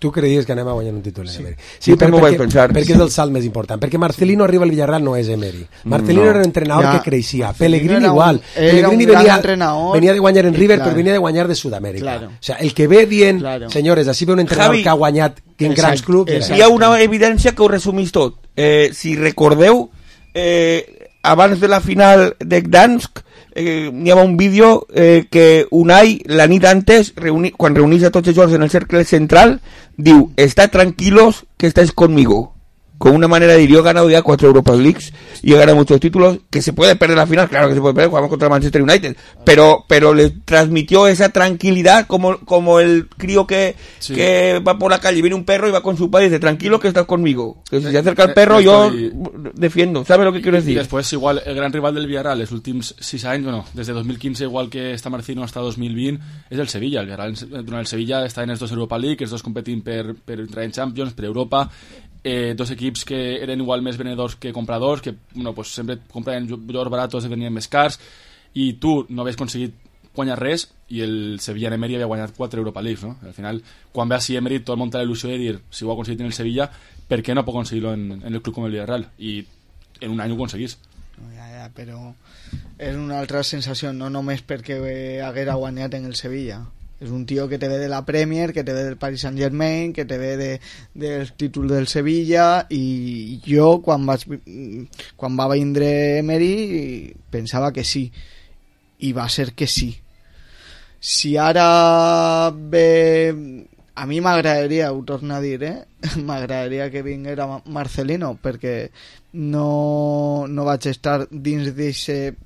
Tu creies que anem a guanyar un títol en sí. Emery? Sí, per, perquè, pensar. perquè és el salt més important, perquè Marcelino arriba al Villarreal no és Emery. Marcelino no. era un entrenador ja. que creixia, Pellegrini igual, un, Pellegrini venia, venia de guanyar en River, claro. però venia de guanyar de Sud-amèrica. Claro. O sea, el que ve dient, claro. senyores, així ve un entrenador Javi, que ha guanyat en grans clubs. Hi ha una evidència que ho resumís tot. Eh, si recordeu, eh, abans de la final de Gdansk, eh, hi havia un vídeo eh, que Unai, la nit antes, reuni, quan reunís a tots els jugadors en el cercle central, diu, está tranquilos que estáis conmigo. Con una manera de ir, yo he ganado ya cuatro Europa Leagues y he ganado muchos títulos, que se puede perder la final, claro que se puede perder, jugamos contra el Manchester United, pero pero le transmitió esa tranquilidad como, como el crío que, sí. que va por la calle y viene un perro y va con su padre y dice, tranquilo que estás conmigo, que si se acerca el perro yo defiendo, ¿sabes lo que quiero decir? Y después igual el gran rival del Villarreal los últimos seis años, bueno, desde dos mil quince igual que está Marcino hasta dos mil veinte, és el Sevilla. El Villarreal durant el Sevilla està en els dos Europa League, els dos competint per, per entrar en Champions, per Europa. Eh, dos equips que eren igual més venedors que compradors, que bueno, pues sempre compraven jugadors baratos i venien més cars, i tu no havies aconseguit guanyar res, i el Sevilla en Emery havia guanyat quatre Europa Leagues, no? Al final, quan ve així Emery, tot el món té la il·lusió de dir, si ho ha aconseguit en el Sevilla, per què no pot aconseguir-lo en, en el club com el Villarreal? I en un any ho aconseguís. Ja, ja, però és una altra sensació, no només perquè haguera guanyat en el Sevilla. És un tio que te ve de la Premier, que te ve del Paris Saint-Germain, que te ve de, del títol del Sevilla, i jo quan, vaig, quan va vindre Emery pensava que sí, i va ser que sí. Si ara ve... A mi m'agradaria, ho torno a dir, eh? m'agradaria que vinguera Marcelino, perquè no, no vaig estar dins d'aquest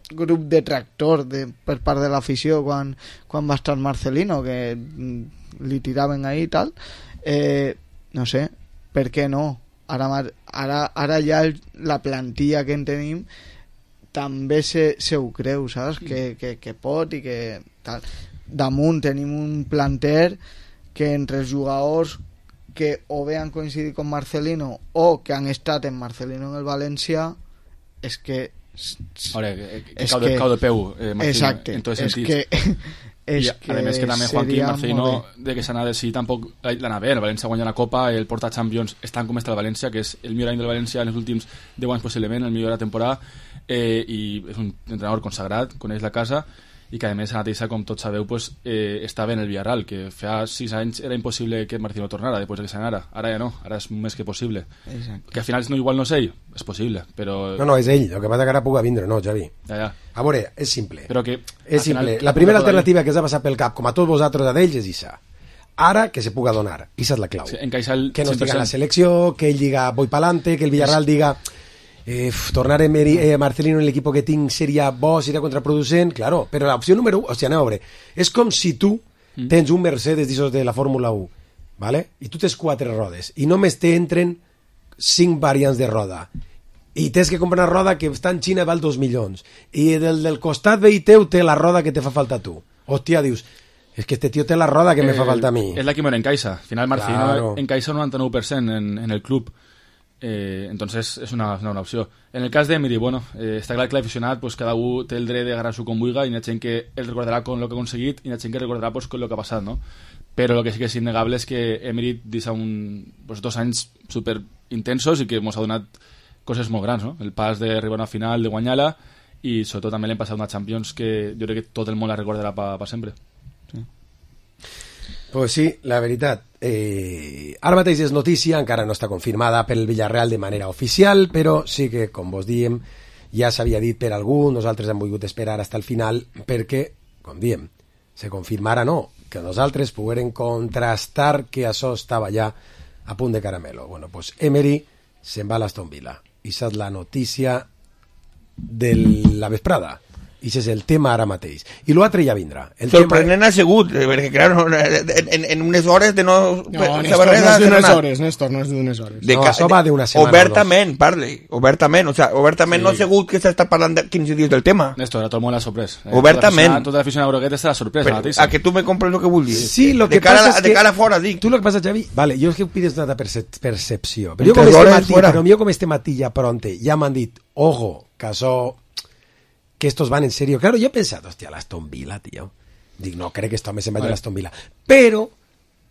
grup de tractor de, per part de l'afició quan, quan va estar Marcelino, que li tiraven ahí i tal. Eh, no sé, per què no? Ara, ara, ara ja el, la plantilla que en tenim també se, se ho creu, saps? Que, que, que pot i que tal. Damunt tenim un planter que entre els jugadors que o bé han coincidit amb Marcelino o que han estat en Marcelino en el València, és que Ahora, que, que cau, de, cau de peu eh, Marcelino, exacte, en tots els sentits que, és I a més que també Joaquín Marcelino de que s'anava de sí tampoc l'anar bé, el València guanya la Copa, el porta Champions estan com està el València, que és el millor any del València en els últims deu anys possiblement, el millor de la temporada, eh, i és un entrenador consagrat, coneix la casa, i que a més ara mateixa, com tots sabeu, pues, eh, estava en el Villarreal, que fa sis anys era impossible que Marcelino tornara després de que s'anara, ara ja no, ara és més que possible. Exacte. Que al final no, igual no és ell, és possible, però... No, no, és ell, el que passa que ara puga vindre, no, Javi. Ja, ja. A veure, és simple. Però que... És simple. Final, la primera alternativa que s'ha passat pel cap, com a tots vosaltres a d'ells, és Issa. Ara que se puga donar, Issa és la clau. Sí, el que no estigui a la selecció, que ell diga voy pa'lante, que el Villarreal sí. diga... Eh, tornar a Meri, eh, Marcelino en l'equip que tinc seria bo, seria contraproducent, claro, però l'opció número u, o sigui, anem a veure, és com si tu mm. tens un Mercedes d'aixòs de la Fórmula u, ¿vale? I tu tens quatre rodes, i només t'entren cinc variants de roda, i tens que comprar una roda que està en Xina val dos milions, i del, del costat veí teu té la roda que te fa falta a tu. Hòstia, dius, és que este tio té la roda que eh, me fa falta a mi. És la que me encaixa, al final Marcelino claro. encaixa un noranta-nou per cent en, en el club. Eh, entonces es una, una, una opció. En el cas d'Emery, bueno, eh, està clar que l'aficionat pues, cada un té el dret de agarrar-s'ho com vulga, i hi ha gent que el recordarà con lo que ha aconseguit i hi ha gent que recordarà pues, con lo que ha passat, no? Però el que sí que és innegable és que Emery deixa un, pues, dos anys super intensos i que ens ha donat coses molt grans, no? El pas d'arribar a una final, de guanyar-la, i sobretot també l'hem passat una Champions que jo crec que tot el món la recordarà per pa sempre. Sí. Pues sí, la veritat. Eh, ara mateix és notícia, encara no està confirmada pel Villarreal de manera oficial, però sí que, com vos diem, ja s'havia dit per algú, nosaltres hem volgut esperar fins al final perquè, com diem, se confirmara no, que nosaltres poguérem contrastar que això estava ja a punt de caramelo. Bueno, pues Emery se'n va a l'Aston Villa. I és la notícia de la vesprada. I això és el tema ara mateix. I l'altre ja vindrà. El Sorprenent tema... ha sigut, perquè clar, no, en, en unes hores de no... No, Néstor, no és d'unes hores, Néstor, no és d'unes hores. De no, això va d'una setmana obertament, parle, obertament, o sea, obertament sí. No ha sigut que s'està parlant de quinze dies del tema. Néstor, a tot el món l'ha sorprès. Eh? Obertament. Tota l'afició a Broguet està sorpresa. Però, a que tu me compres el que vull dir. Sí, lo que de cara, passa és de que... cara fora, dic. Tu lo que passa, Xavi, vale, jo és que pides una percepció. Però jo com este matí, però jo com este matí ja pronte, ja m'han dit, ojo, que això... que estos van en serio. Claro, yo he pensado, hostia, l'Aston Villa, tío. Dic, no crec que esto me se vaya a l'Aston Villa. Però,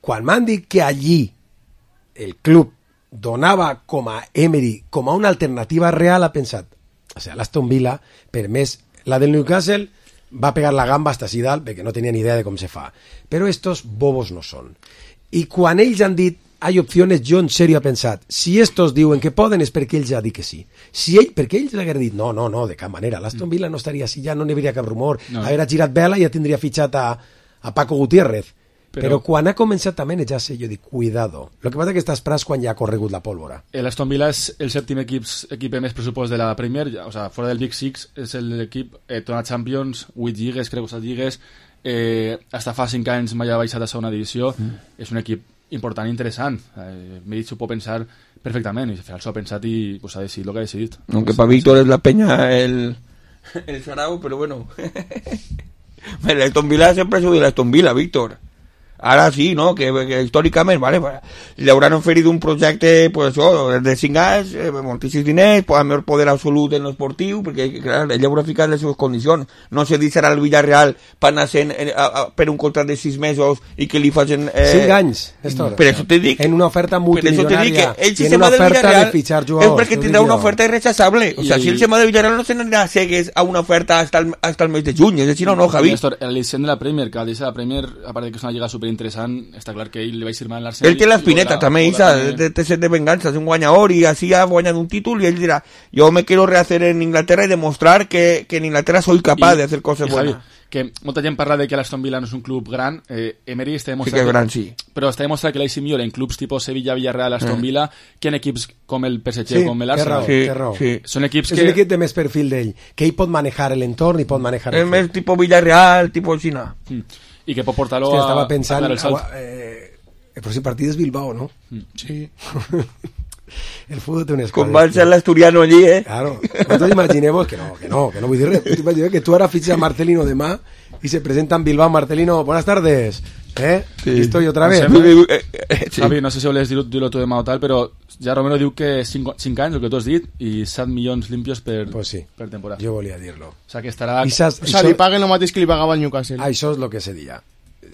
quan m'han dit que allí el club donava com a Emery, com a una alternativa real, ha pensat, o sea, l'Aston Villa, per més, la del Newcastle va pegar la gamba hasta así dalt, perquè no tenia ni idea de com se fa. Però estos bobos no són. I quan ells han dit hay opciones, jo en serio he pensat, si estos diuen que poden és perquè ells ja dit que sí. Si ell, perquè ells l'hagueren dit, no, no, no, de cap manera, l'Aston Villa no estaria així, ja no n'hi hauria cap rumor, no. Haguera girat vela i ja tindria fitxat a, a Paco Gutiérrez. Però, però quan ha començat a manejar-se, jo dic, cuidado. Lo que passa que estàs pras quan ja ha corregut la pólvora. L'Aston Villa és el sèptim equip, equip més pressupost de la Premier, o sea, fora del Big Six, és l'equip, eh, té una Champions, vuit lligues, crec que set lligues, eh, hasta fa cinc anys mai ha baixat a segona divisió, mm. És un equip important i interessant. Eh, M'he dit, s'ho pot pensar perfectament, i al final s'ho ha pensat i pues, ha decidit el que ha decidit. Aunque para Víctor es la peña el, el Sarau, pero bueno. El Aston Villa sempre ha sigut l'Aston Villa, Víctor. Ara sí, no? Que, que històricament, vale, li hauran oferit un projecte, pues això, de cinc anys, eh, moltíssims diners, pues, amb poder absolut en l'esportiu, perquè, clar, ell haurà ficat les seves condicions. No se deixarà al Villarreal per anar sent, eh, a, a, per un contracte de sis mesos i que li facin... Eh, cinc anys, Néstor. Per això te dic... En una oferta multimilionària, si i en una oferta de fitxar jugadors. És perquè tindrà una oferta irrechazable. O sea, I... si el tema de Villarreal no se n'anirà cegues a una oferta hasta el, hasta el mes de juny, és així, no, no, Javi? Néstor, el licent de la Premier, que el de la Premier, a part de que és una lliga super interessant, està clar que ell li va firmar en l'Arsenal. Ell té l'espineta també, Isa, de, de set de venganza, és un guanyador i així ha guanyat un títol i ell dirà, jo me quiero rehacer en Inglaterra i demostrar que, que en Inglaterra soy capaz I, de hacer cosas buenas. Que molta gent parla de que l'Aston Villa no és un club gran, eh, Emery està demostrat sí que és gran, sí. Però està demostrat que l'A C millor en clubs tipus Sevilla, Villarreal, Aston Villa, eh. que en equips com el P S G sí, o com l'Arsenal. Sí, sí. Són equips és que... un equip de més perfil d'ell, que ell pot manejar l'entorn i pot manejar el és més tipus Villarreal, tipus Xina. Mm. I que pot portar-lo a... Estava pensant, a el salt. Eh, el pròxim partit és Bilbao, ¿no? Mm. Sí. El fútbol té unes coses. Com va ser l'Asturiano allí, eh? Claro. Nosaltres imaginemos que no, que no, que no vull dir res. T'imagines que tu ara fitxes a Marcelino demà i se presenta en Bilbao. Marcelino, buenas tardes. ¿Eh? Sí. Aquí estoy otra vez. No sé, eh, sí. Javi, no sé si vols dir-ho dir tu demà o tal, però ja Romero diu que cinc anys, el que tu has dit, i set milions limpios per, pues sí. per temporada. Jo volia dir-lo. O sea, que estarà... I o sea, li paguen el mateix que li pagava el Newcastle. Això és el que se dia.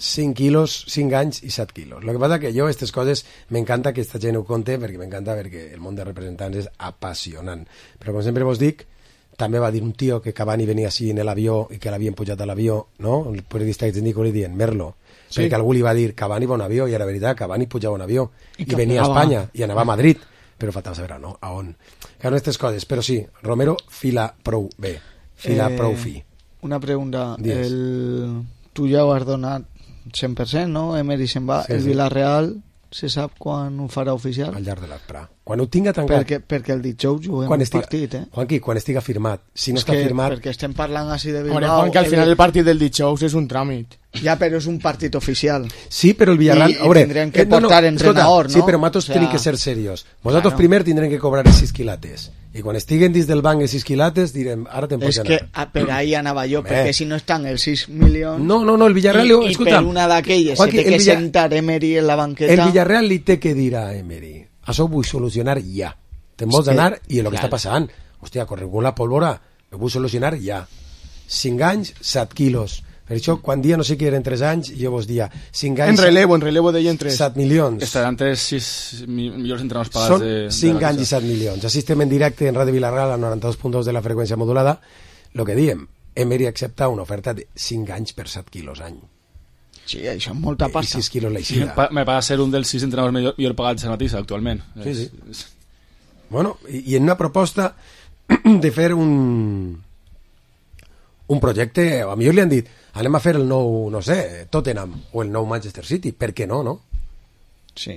cinc quilos, cinc anys i set quilos. Lo que passa que jo, aquestes coses, m'encanta que esta gent ho conte, perquè m'encanta perquè el món de representants és apassionant. Però com sempre vos dic, també va dir un tio que Cavani venia així en l'avió i que l'havien pujat a l'avió, no? El periodista que t'indico li dient, Merlo, sí. Perquè algú li va dir Cavani va a un avió, i era veritat, Cavani pujava un avió i, i venia a Espanya i anava a Madrid, però faltava saber no? a on. Claro, aquestes coses, però sí, Romero fila prou bé, fila eh, prou fi. Una pregunta, el... tu ja ho has donat cent per cent, no? Emery se'n va, sí, el Villarreal se sap quan ho farà oficial? Al llarg de l'Aprà. Quan ho tinga tancat... Perquè, perquè el dijous juguem quan un estiga, partit, eh? Juanqui, quan estiga firmat. Si no és està que, firmat... Perquè estem parlant així de Bilbao... Home, Juanqui, al final el partit del dijous és un tràmit. Ja, però és un partit oficial. Sí, però el Villarreal... I, i tindrem que eh, portar no, no, entrenador, escolta, no? Sí, però matos o sea, tenen que ser serios. Vosaltres claro. primer tindrem que cobrar els sis quilates. I quan estiguen dins del banc els sis quilates, direm, ara te'n pots anar. És que per ahí anava jo, Home. perquè si no estan els sis milions... No, no, no, el Villarreal... I, i per una d'aquelles se té que Villa... sentar Emery en la banqueta... El Villarreal li té que dir a Emery, això ho vull solucionar ja. Te'n vols anar i el que clar. Està passant. Hòstia, corregut la pólvora, ho vull solucionar ja. cinc anys, set quilos. Per això, quan dia no sé què eren tres anys, jo vos dia cinc anys... En relevo, en relevo deien tres. set milions. Estaran tres, sis millors entrenadors pagats Són de... cinc de anys i set milions. Així estem en directe en Ràdio Vilarreal a noranta-dos punt dos de la freqüència modulada. Lo que diem, Emery accepta una oferta de cinc anys per set quilos any. Sí, això és molta pasta. I sis quilos l'eixida. Me paga ser un dels sis entrenadors millor, millor pagats a Matissa, actualment. Sí, sí. Bueno, i, i en una proposta de fer un... un projecte, a millor li han dit anem a fer el nou, no sé, Tottenham o el nou Manchester City, per què no, no? Sí,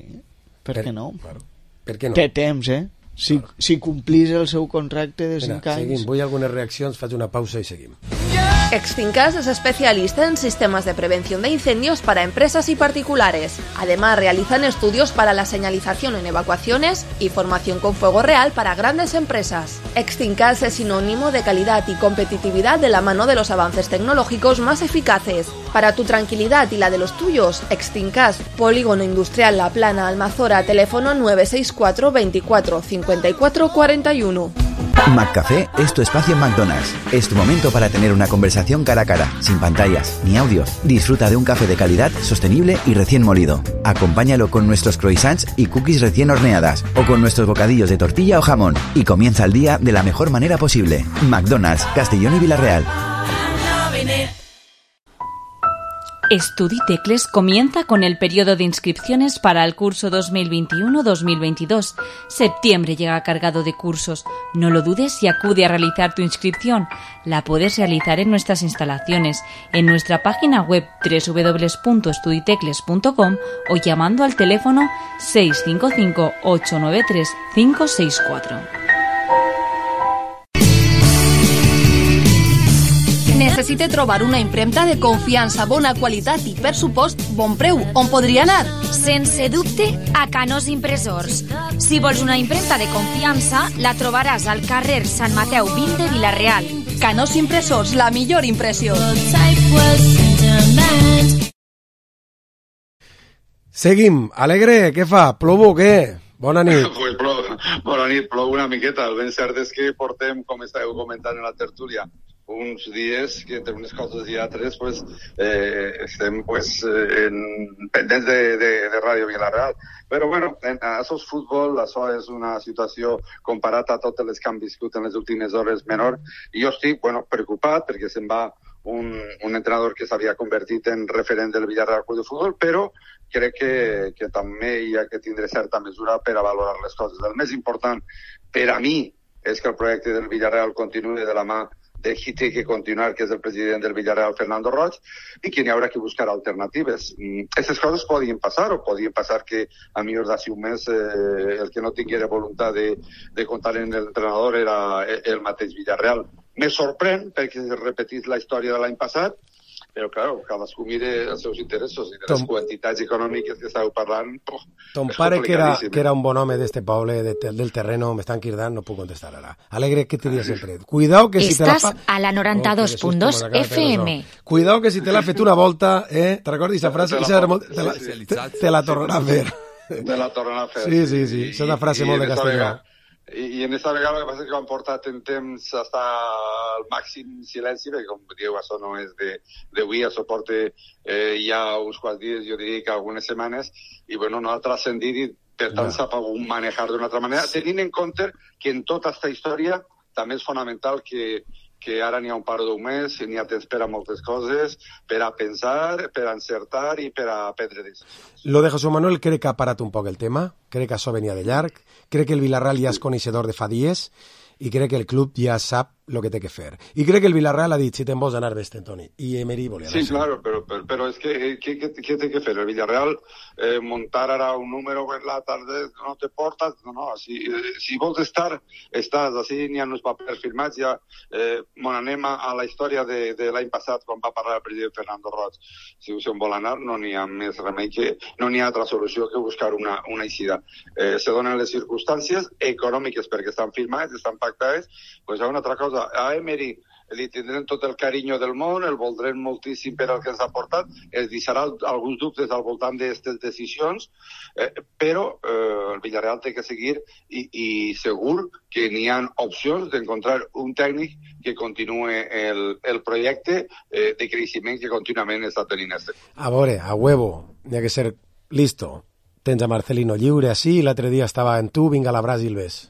per, per què no? Claro. Per què no? Té temps, eh? Si, claro. si complís el seu contracte de cinc anys... Seguim, vull algunes reaccions, faig una pausa i seguim. Yeah! Extincas es especialista en sistemas de prevención de incendios para empresas y particulares. Además, realizan estudios para la señalización en evacuaciones y formación con fuego real para grandes empresas. Extincas es sinónimo de calidad y competitividad de la mano de los avances tecnológicos más eficaces. Para tu tranquilidad y la de los tuyos, Extincas, Polígono Industrial La Plana, Almazora, teléfono nueve seis cuatro veinticuatro cincuenta y cuatro cuarenta y uno. McCafé es tu espacio en McDonald's. Es tu momento para tener una conversación cara a cara, sin pantallas ni audios. Disfruta de un café de calidad, sostenible y recién molido. Acompáñalo con nuestros croissants y cookies recién horneadas o con nuestros bocadillos de tortilla o jamón y comienza el día de la mejor manera posible. McDonald's, Castellón y Villarreal. Estuditecles comienza con el periodo de inscripciones para el curso dos mil veintiuno dos mil veintidós. Septiembre llega cargado de cursos. No lo dudes y acude a realizar tu inscripción. La puedes realizar en nuestras instalaciones, en nuestra página web doble u doble u doble u punto estuditecles punto com o llamando al teléfono seis cinco cinco ocho nueve tres cinco seis cuatro. Necessite trobar una impremta de confiança, bona qualitat i, per supost, bon preu. On podria anar? Sense dubte, a Canós Impressors. Si vols una impremta de confiança, la trobaràs al carrer Sant Mateu vint de Vila-real. Canós Impressors, la millor impressió. Seguim. Alegre, què fa? Plou o què? Bona nit. Pues plou, bona nit, plou una miqueta. El ben cert és que portem, com estàveu comentant en la tertúlia, uns dies que entre unes coses i altres pues, eh, estem pues, en, pendents de, de, de Ràdio Vila-real. Però bueno, en, això és futbol, això és una situació comparat a tots els que han viscut en les últimes hores menor, i jo estic bueno, preocupat perquè se'n va un, un entrenador que s'havia convertit en referent del Villarreal Club de Futbol, però crec que, que també hi ha que tindre certa mesura per a valorar les coses. El més important per a mi és que el projecte del Villarreal continuï de la mà de qui té que continuar, que és el president del Villarreal, Fernando Roig, i que n'hi haurà que buscar alternatives. Aquestes coses podien passar, o podien passar que a millor d'ací un mes eh, el que no tinguera voluntat de, de comptar en l'entrenador era el mateix Villarreal. Me sorprèn perquè es repetís la història de l'any passat, però, clar, cadascú mire els seus interessos i de les Tom... quantitats econòmiques que estàveu parlant. Oh, Ton pare, que era, que era un bon home d'este poble, de, del terreno, m'estan cridant, no puc contestar ara. Alegre, què te diria sempre? Cuidao que si te la fa... Estàs a la noranta-dos punt dos oh, F M. Cuidao que si te l'ha fet una volta, eh? Te recordes aquesta frase? Te la, te la, te, te la tornarà a fer. Te la tornarà a fer. Sí, sí, sí. És una frase molt de castellà. I, i en aquesta vegada el que passa és que ho han portat en temps hasta el màxim silenci, perquè com dieu, això no és d'avui, això porta eh, ja uns quants dies, jo diria que algunes setmanes, i bueno, no ha transcendit i per tant s'ha pogut manejar d'una altra manera, tenint en compte que en tota aquesta història també és fonamental que que ara n'hi ha un par d'un mes, n'hi ha temps per a moltes coses, per a pensar, per a encertar i per a prendre decisions. Lo de José Manuel crec que ha parat un poc el tema, crec que això venia de llarg, crec que el Villarreal ja és coneixedor de fa dies i crec que el club ja sap el que té que fer. I crec que el Villarreal ha dit, si te'n vols anar, vés-te, Toni. I Emery volia anar. Sí, claro, però, però, però és que què, què, què té que fer? El Villarreal eh, muntar ara un número per la tarda no te portes, no, no, si, si vols estar, estàs, així n'hi ha uns papers firmats, ja eh, bon, anem a, a la història de, de l'any passat, quan va parlar el president Fernando Roig. Si se'n vol anar, no n'hi ha més remei que, no n'hi ha altra solució que buscar una, una eixida. Eh, se donen les circumstàncies econòmiques perquè estan firmades, estan pactades, pues hi ha una altra cosa. A Emery li tindrem tot el carinyo del món, el voldrem moltíssim per al que ens ha portat, es deixarà alguns dubtes al voltant d'aquestes decisions, eh, però eh, el Villarreal té que seguir i, i segur que n'hi ha opcions d'encontrar un tècnic que continuï el, el projecte eh, de creixement que contínuament està tenint este. A veure, a huevo, n'hi ha que ser listo. Tens a Marcelino lliure, així, l'altre dia estava en tu, vinga a la Brasil, ves.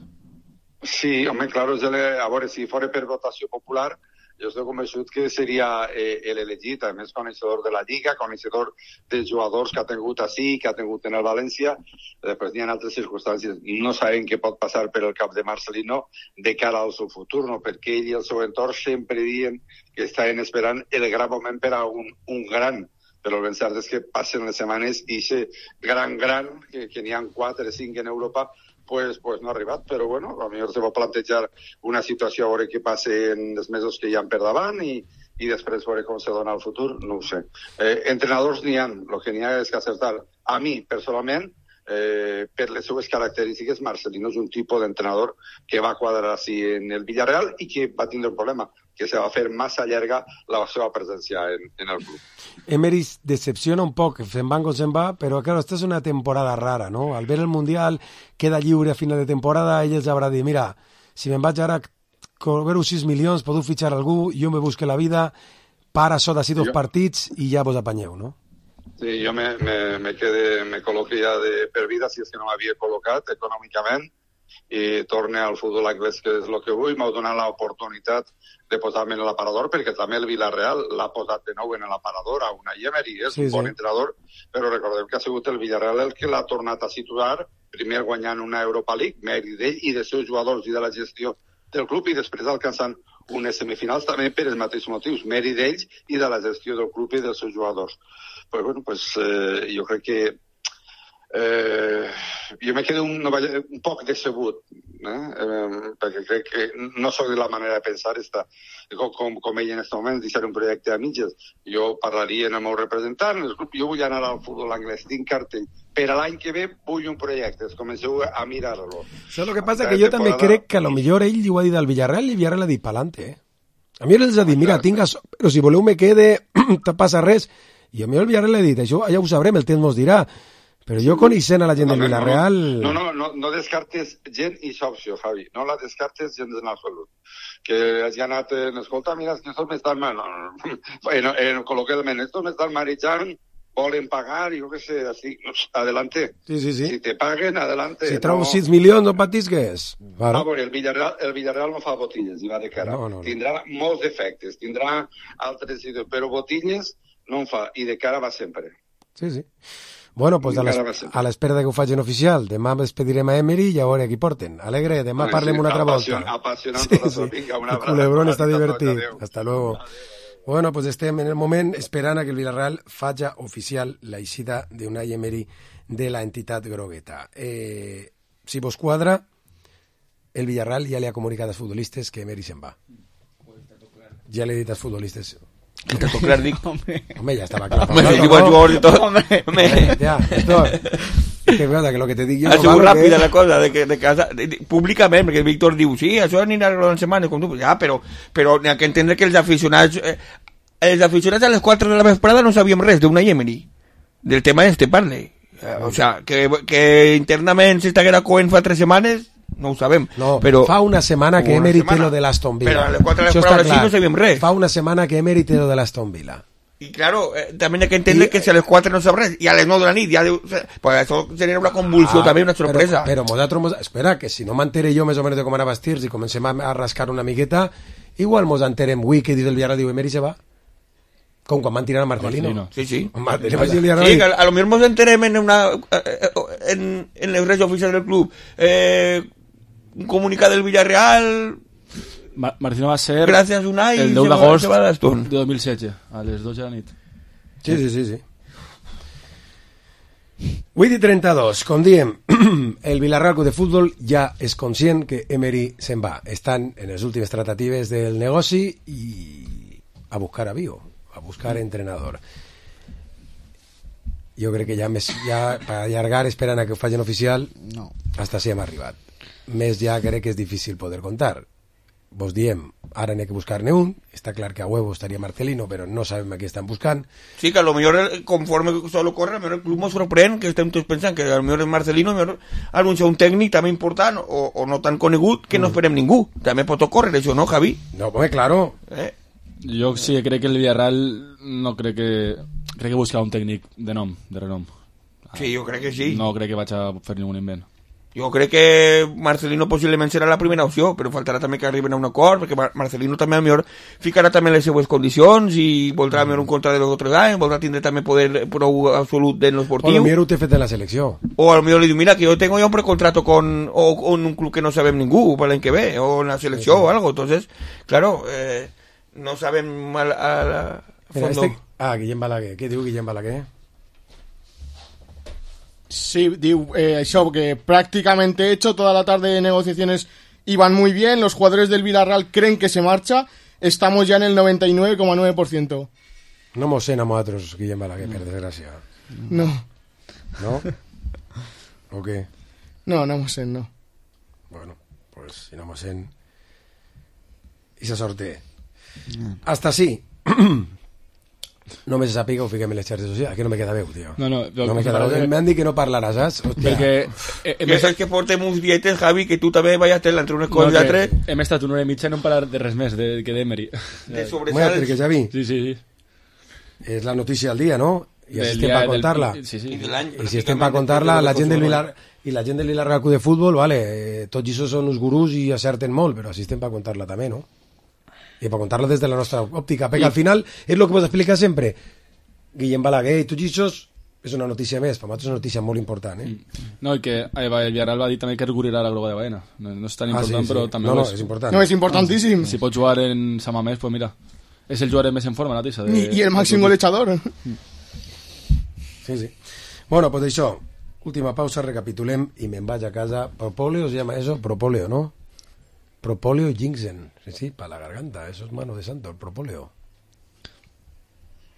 Sí, home, claro, a veure, si fora per votació popular, jo estic convençut que seria eh, l'elegit, a més coneixedor de la Lliga, coneixedor dels jugadors que ha tingut així, que ha tingut en el València, després n'hi ha altres circumstàncies. No sabem què pot passar per el cap de Marcelino de cara al seu futur, no? Perquè ell i el seu entorn sempre diuen que estaven esperant el gran moment per a un, un gran, però el ben cert és que passen les setmanes i aquest gran, gran, que, que n'hi ha quatre, cinc en Europa, Pues, pues no ha arribat, però bueno, a millor se va plantejar una situació a veure què passa en els mesos que hi ha per davant i, i després veure com se dona el futur, no ho sé. Eh, entrenadors n'hi ha, el que n'hi ha és que acertar. A mi, personalment, eh, per les seues característiques, Marcelino és un tipus d'entrenador que va quadrar així en el Villarreal i que va tindre un problema, que se va fer massa llarga la seva presència en, en el club. Emery decepciona un poc, se'n va com se'n va, però claro, esta és una temporada rara, ¿no? Al ver el Mundial, queda lliure a final de temporada, ell els haurà dit, mira, si me'n vaig ara cobro sis milions, podeu fitxar algú, jo me busque la vida, para això d'ací dos partits i ja vos apanyeu, no? Sí, jo me, me, me, quedé, me col·loqué ja de per vida, si és que no m'havia col·locat econòmicament, i torne al futbol anglès, que és el que vull. M'ha donat l'oportunitat de posar-me en l'aparador, perquè també el Villarreal l'ha posat de nou en l'aparador a una Emery, és sí, un bon sí. entrenador, però recordem que ha sigut el Villarreal el que l'ha tornat a situar, primer guanyant una Europa League, mèrit d'ell i dels seus jugadors i de la gestió del club, i després alcançant unes semifinals també per els mateixos motius, mèrit d'ells i de la gestió del club i dels seus jugadors. Però bueno, pues, eh, jo crec que eh, jo me quedo un, un poc decebut, eh? Eh, perquè crec que no soc de la manera de pensar esta, com, com, com ell en aquest moment, deixar un projecte a mitges. Jo parlaria amb el meu representant, el club, jo vull anar al futbol anglès, tinc cartell. Per a l'any que ve vull un projecte, comenceu a mirar-lo. Això és el que passa, que jo també crec que a lo millor ell ho ha dit al Villarreal i el Villarreal ha dit pa'lante, eh? A mi els ha dit, mira, tingues, però si voleu me quede, no passa res. I a mi el Villarreal ha dit, això ja ho sabrem, el temps mos dirà. Però jo coneixent a la gent del Villarreal... No, no, no, no descartes gent i opció, Javi. No la descartes gent en absolut. Que hagi anat, en escolta, mira, que estos m'estan... No, en, en, col·loquialment, estos m'estan marejant, volen pagar, jo què sé, así, adelante. Sí, sí, sí. Si te paguen, adelante. Si trobo sis milions, no patisques. Vale. No, el Villarreal, el Villarreal no fa botilles, i va de cara. No, no, no. Tindrà molts defectes, tindrà altres idees, però botilles no en fa, i de cara va sempre. Sí, sí. Bueno, pues a l'espera que ho facin oficial. Demà despedirem a Emery i a veure qui porten. Alegre, demà parlem una altra volta. Apassionant tot això. Vinga, una abraçada. El culebrón està divertit. Hasta luego. Bueno, pues estem en el moment esperant a que el Villarreal faci oficial la eixida d'Unai Emery de la entitat grogueta. Eh, si vos quadra, el Villarreal ja li ha comunicat als futbolistes que Emery se'n va. Ja li he dit als futbolistes... Que está todo claro, digo. Hombre, ya estaba claro. Hombre, igual jugador y todo. Hombre, ya, esto... Que verdad, que lo que te digo... Ha sigut ràpida la cosa, de que de casa... De, de, públicament, perquè el Víctor diu, sí, això anirà a la setmana, com tu... Ja, però, però n'hi ha que entendre que els aficionats... Eh, els aficionats a les quatre de la vesprada no sabíem res d'Unai Emery. Del tema este parle. Eh, o sea, que, que internament s'estaguera coent fa tres setmanes... No ho sabem, no, però... Fa una setmana que Emery té lo de l'Aston Villa. Però a les quatre de les paraules sí no sabíem res. Fa una setmana que Emery té lo de l'Aston Villa. Y claro, eh, también hay que entender I, que si a les quatre no sap res, y a les nou de la nit, ja deu, pues això genera una convulsió ah, també, una sorpresa. Però, però nosaltres, espera, que si no m'entere jo més o menys de com anava vestits i comencem a, a rascar una miqueta, igual mos enterem avui que diu el Villarreal, diu Emery se va. Com quan van tirar a Marcelino. Marcelino. Sí, sí. Marcelino, sí, sí, que a, a lo mejor nos enterem en una en, en les redes oficials del club. Eh, un comunicat del Villarreal... Mar Marcelino va ser... Gràcies, Unai, el deu d'agost de dos mil setze, a les dotze de la nit. Sí, sí, sí, sí. vuit i trenta-dos, com diem, el Villarreal Club de Futbol ja és conscient que Emery se'n va. Estan en les últimes tractatives del negoci i a buscar avió, a buscar entrenador. Jo crec que ja, més, ja per allargar esperant a que ho facin oficial, no. Hasta si hem arribat. Més ja crec que és difícil poder contar. Vos diem, ara n'hi ha que buscar-ne un, està clar que a huevo estaria Marcelino, però no sabem a qui estan buscant. Sí, que a lo millor, conforme solo corre, a lo millor el club mos sorprèn, que estem tots pensant que a lo millor és Marcelino, a lo millor anuncia un tècnic també important, o, o no tan conegut, que no esperem ningú. També pot ocórrer això, no, Javi? No, home, claro. Eh? Jo sí crec que el Villarreal no crec que... Crec que busca un tècnic de nom, de renom. Sí, jo crec que sí. No crec que vaig a fer ningú invent. Jo crec que Marcelino possiblement serà la primera opció, però faltarà també que arriben a un acord, perquè Mar Marcelino també a millor ficarà també les seues condicions i voldrà mm. un contrat de dos o tres anys, voldrà tindre també poder prou absolut en l'esportiu. O a lo millor ho té fet en la selecció. O a lo millor li diu, mira, que jo tengo ya un precontrato con, o, con un club que no sabem ningú per l'any que ve, o en la selecció sí, sí. o algo. Entonces, claro, eh, no sabem a, a, a, a Mira, este... Ah, Guillem Balaguer. Què diu Guillem Balaguer? Sí, diu eh, això, que prácticamente hecho, toda la tarde de negociaciones iban muy bien, los jugadores del Villarreal creen que se marcha, estamos ya en el noventa y nueve coma nueve por ciento. No mos en a nosaltres, Guillem Balaguer, per desgràcia. No. No? ¿O qué? No, no mos en, no. Bueno, pues si no mos en... I se sorte. Hasta sí. No me sàpiga o fiquem en les xarxes socials, que no me queda veu, tio. No, no, no me queda veu. M'han dit que no parlaràs, saps? Hòstia. Perquè eh, ja saps que portem uns dietes, Javi, que tu també vayas tela entre unes coses i altres. Hem estat una hora i mitja i no hem parlat de res més de, que d'Emery. De sobresalts. Bueno, perquè Javi, sí, sí, sí. És la notícia del dia, no? I així estem per contar-la. Sí, sí. I de l'any. I si estem per contar-la, la gent del Vilar... I la gent del Villarreal Club de Futbol, vale, eh, tots això són uns gurús i acerten molt, però així estem per contar-la també, no? I per contar-la des de la nostra òptica, perquè al final és el que vos explica sempre Guillem Balaguer i tots això és una notícia més, per nosaltres és una notícia molt important, eh? No, i que el Villarreal va dir també que recurirà la groga de Baena. No, no és tan important, ah, sí, sí. però també no, no, és... és important. No, és importantíssim. Si pot jugar en San Mamés, pues mira, és el jugador més en forma, la tisa. De... I el màxim golejador. Sí, sí. Bueno, pues això, última pausa, recapitulem i me'n vaig a casa. Propóleo se llama eso, propóleo, ¿no? Propóleo ginseng. Sí, sí, para la garganta, eso es mano de santo, el propóleo.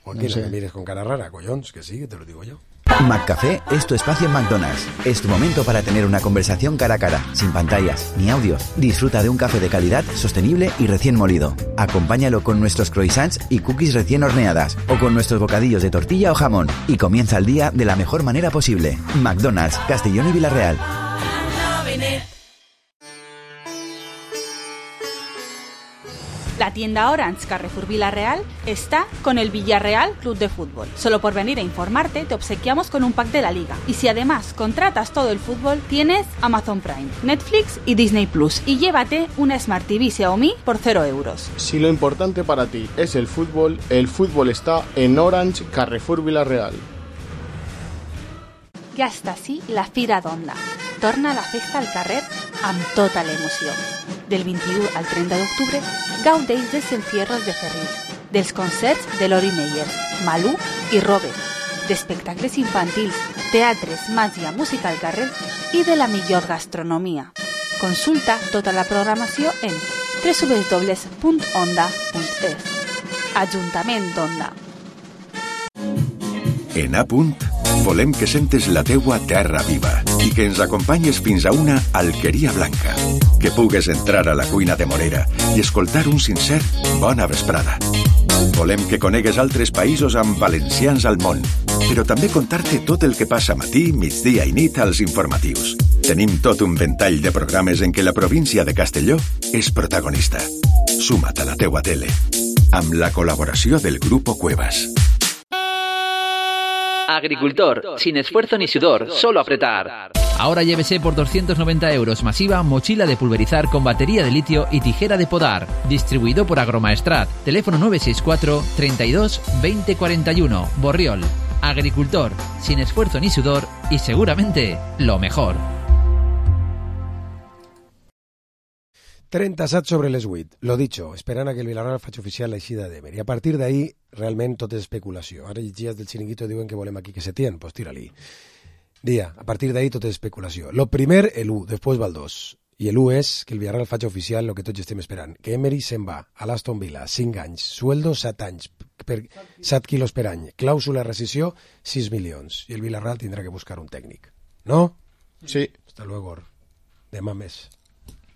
Joaquín, no sé. Me mires con cara rara, collons, que sí, que te lo digo yo. McCafé es tu espacio en McDonald's. Es tu momento para tener una conversación cara a cara, sin pantallas ni audios. Disfruta de un café de calidad, sostenible y recién molido. Acompáñalo con nuestros croissants y cookies recién horneadas o con nuestros bocadillos de tortilla o jamón y comienza el día de la mejor manera posible. McDonald's, Castellón y Villarreal. La tienda Orange Carrefour Villarreal está con el Villarreal Club de Fútbol. Solo por venir a informarte te obsequiamos con un pack de la liga. Y si además contratas todo el fútbol, tienes Amazon Prime, Netflix y Disney Plus. Y llévate una Smart T V Xiaomi por cero euros. Si lo importante para ti es el fútbol, el fútbol está en Orange Carrefour Villarreal. Ja està així la Fira d'Onda. Torna la festa al carrer amb tota l'emoció. Del vint-i-u al trenta d'octubre, gaudeix dels encierros de Ferrís, dels concerts de Lori Meyers, Malú i Robert, d'espectacles infantils, teatres, màgia, música al carrer i de la millor gastronomia. Consulta tota la programació en w w w punt onda punt es. Ajuntament d'Onda. En A Punt, volem que sentes la teua terra viva i que ens acompanyes fins a una alqueria blanca. Que pugues entrar a la cuina de Morera i escoltar un sincer bona vesprada. Volem que conegues altres països amb valencians al món, però també contar-te tot el que passa matí, migdia i nit als informatius. Tenim tot un ventall de programes en què la província de Castelló és protagonista. Suma't a la teua tele, amb la col·laboració del Grupo Cuevas. Agricultor, sin esfuerzo ni sudor, solo apretar. Ahora llévese por doscientos noventa euros masiva mochila de pulverizar con batería de litio y tijera de podar. Distribuido por Agromaestrat. Teléfono nueve seis cuatro, treinta y dos, veinte cuarenta y uno. Borriol. Agricultor, sin esfuerzo ni sudor y seguramente lo mejor. trenta-set sobre les vuit. Lo dicho, esperant a que el Villarreal faci oficial l'eixida d'Emery. A partir d'ahí, realment tot és especulació. Ara llegies del Chiringuito diuen que volem aquí que se tien, pues tira-li. Dia, a partir d'ahí tot és especulació. Lo primer, el u, després va el dos. I el u és que el Villarreal faci oficial el que tots estem esperant. Que Emery se'n va a l'Aston Villa, cinc anys, sueldo set anys, per set quilos per any, clàusula de rescisió, sis milions. I el Villarreal tindrà que buscar un tècnic. No? Sí. Hasta luego. Demà més.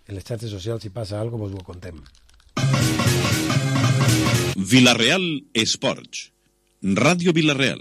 En les xarxes socials, si passa alguna cosa, vos ho contem. Villarreal Esports. Ràdio Villarreal.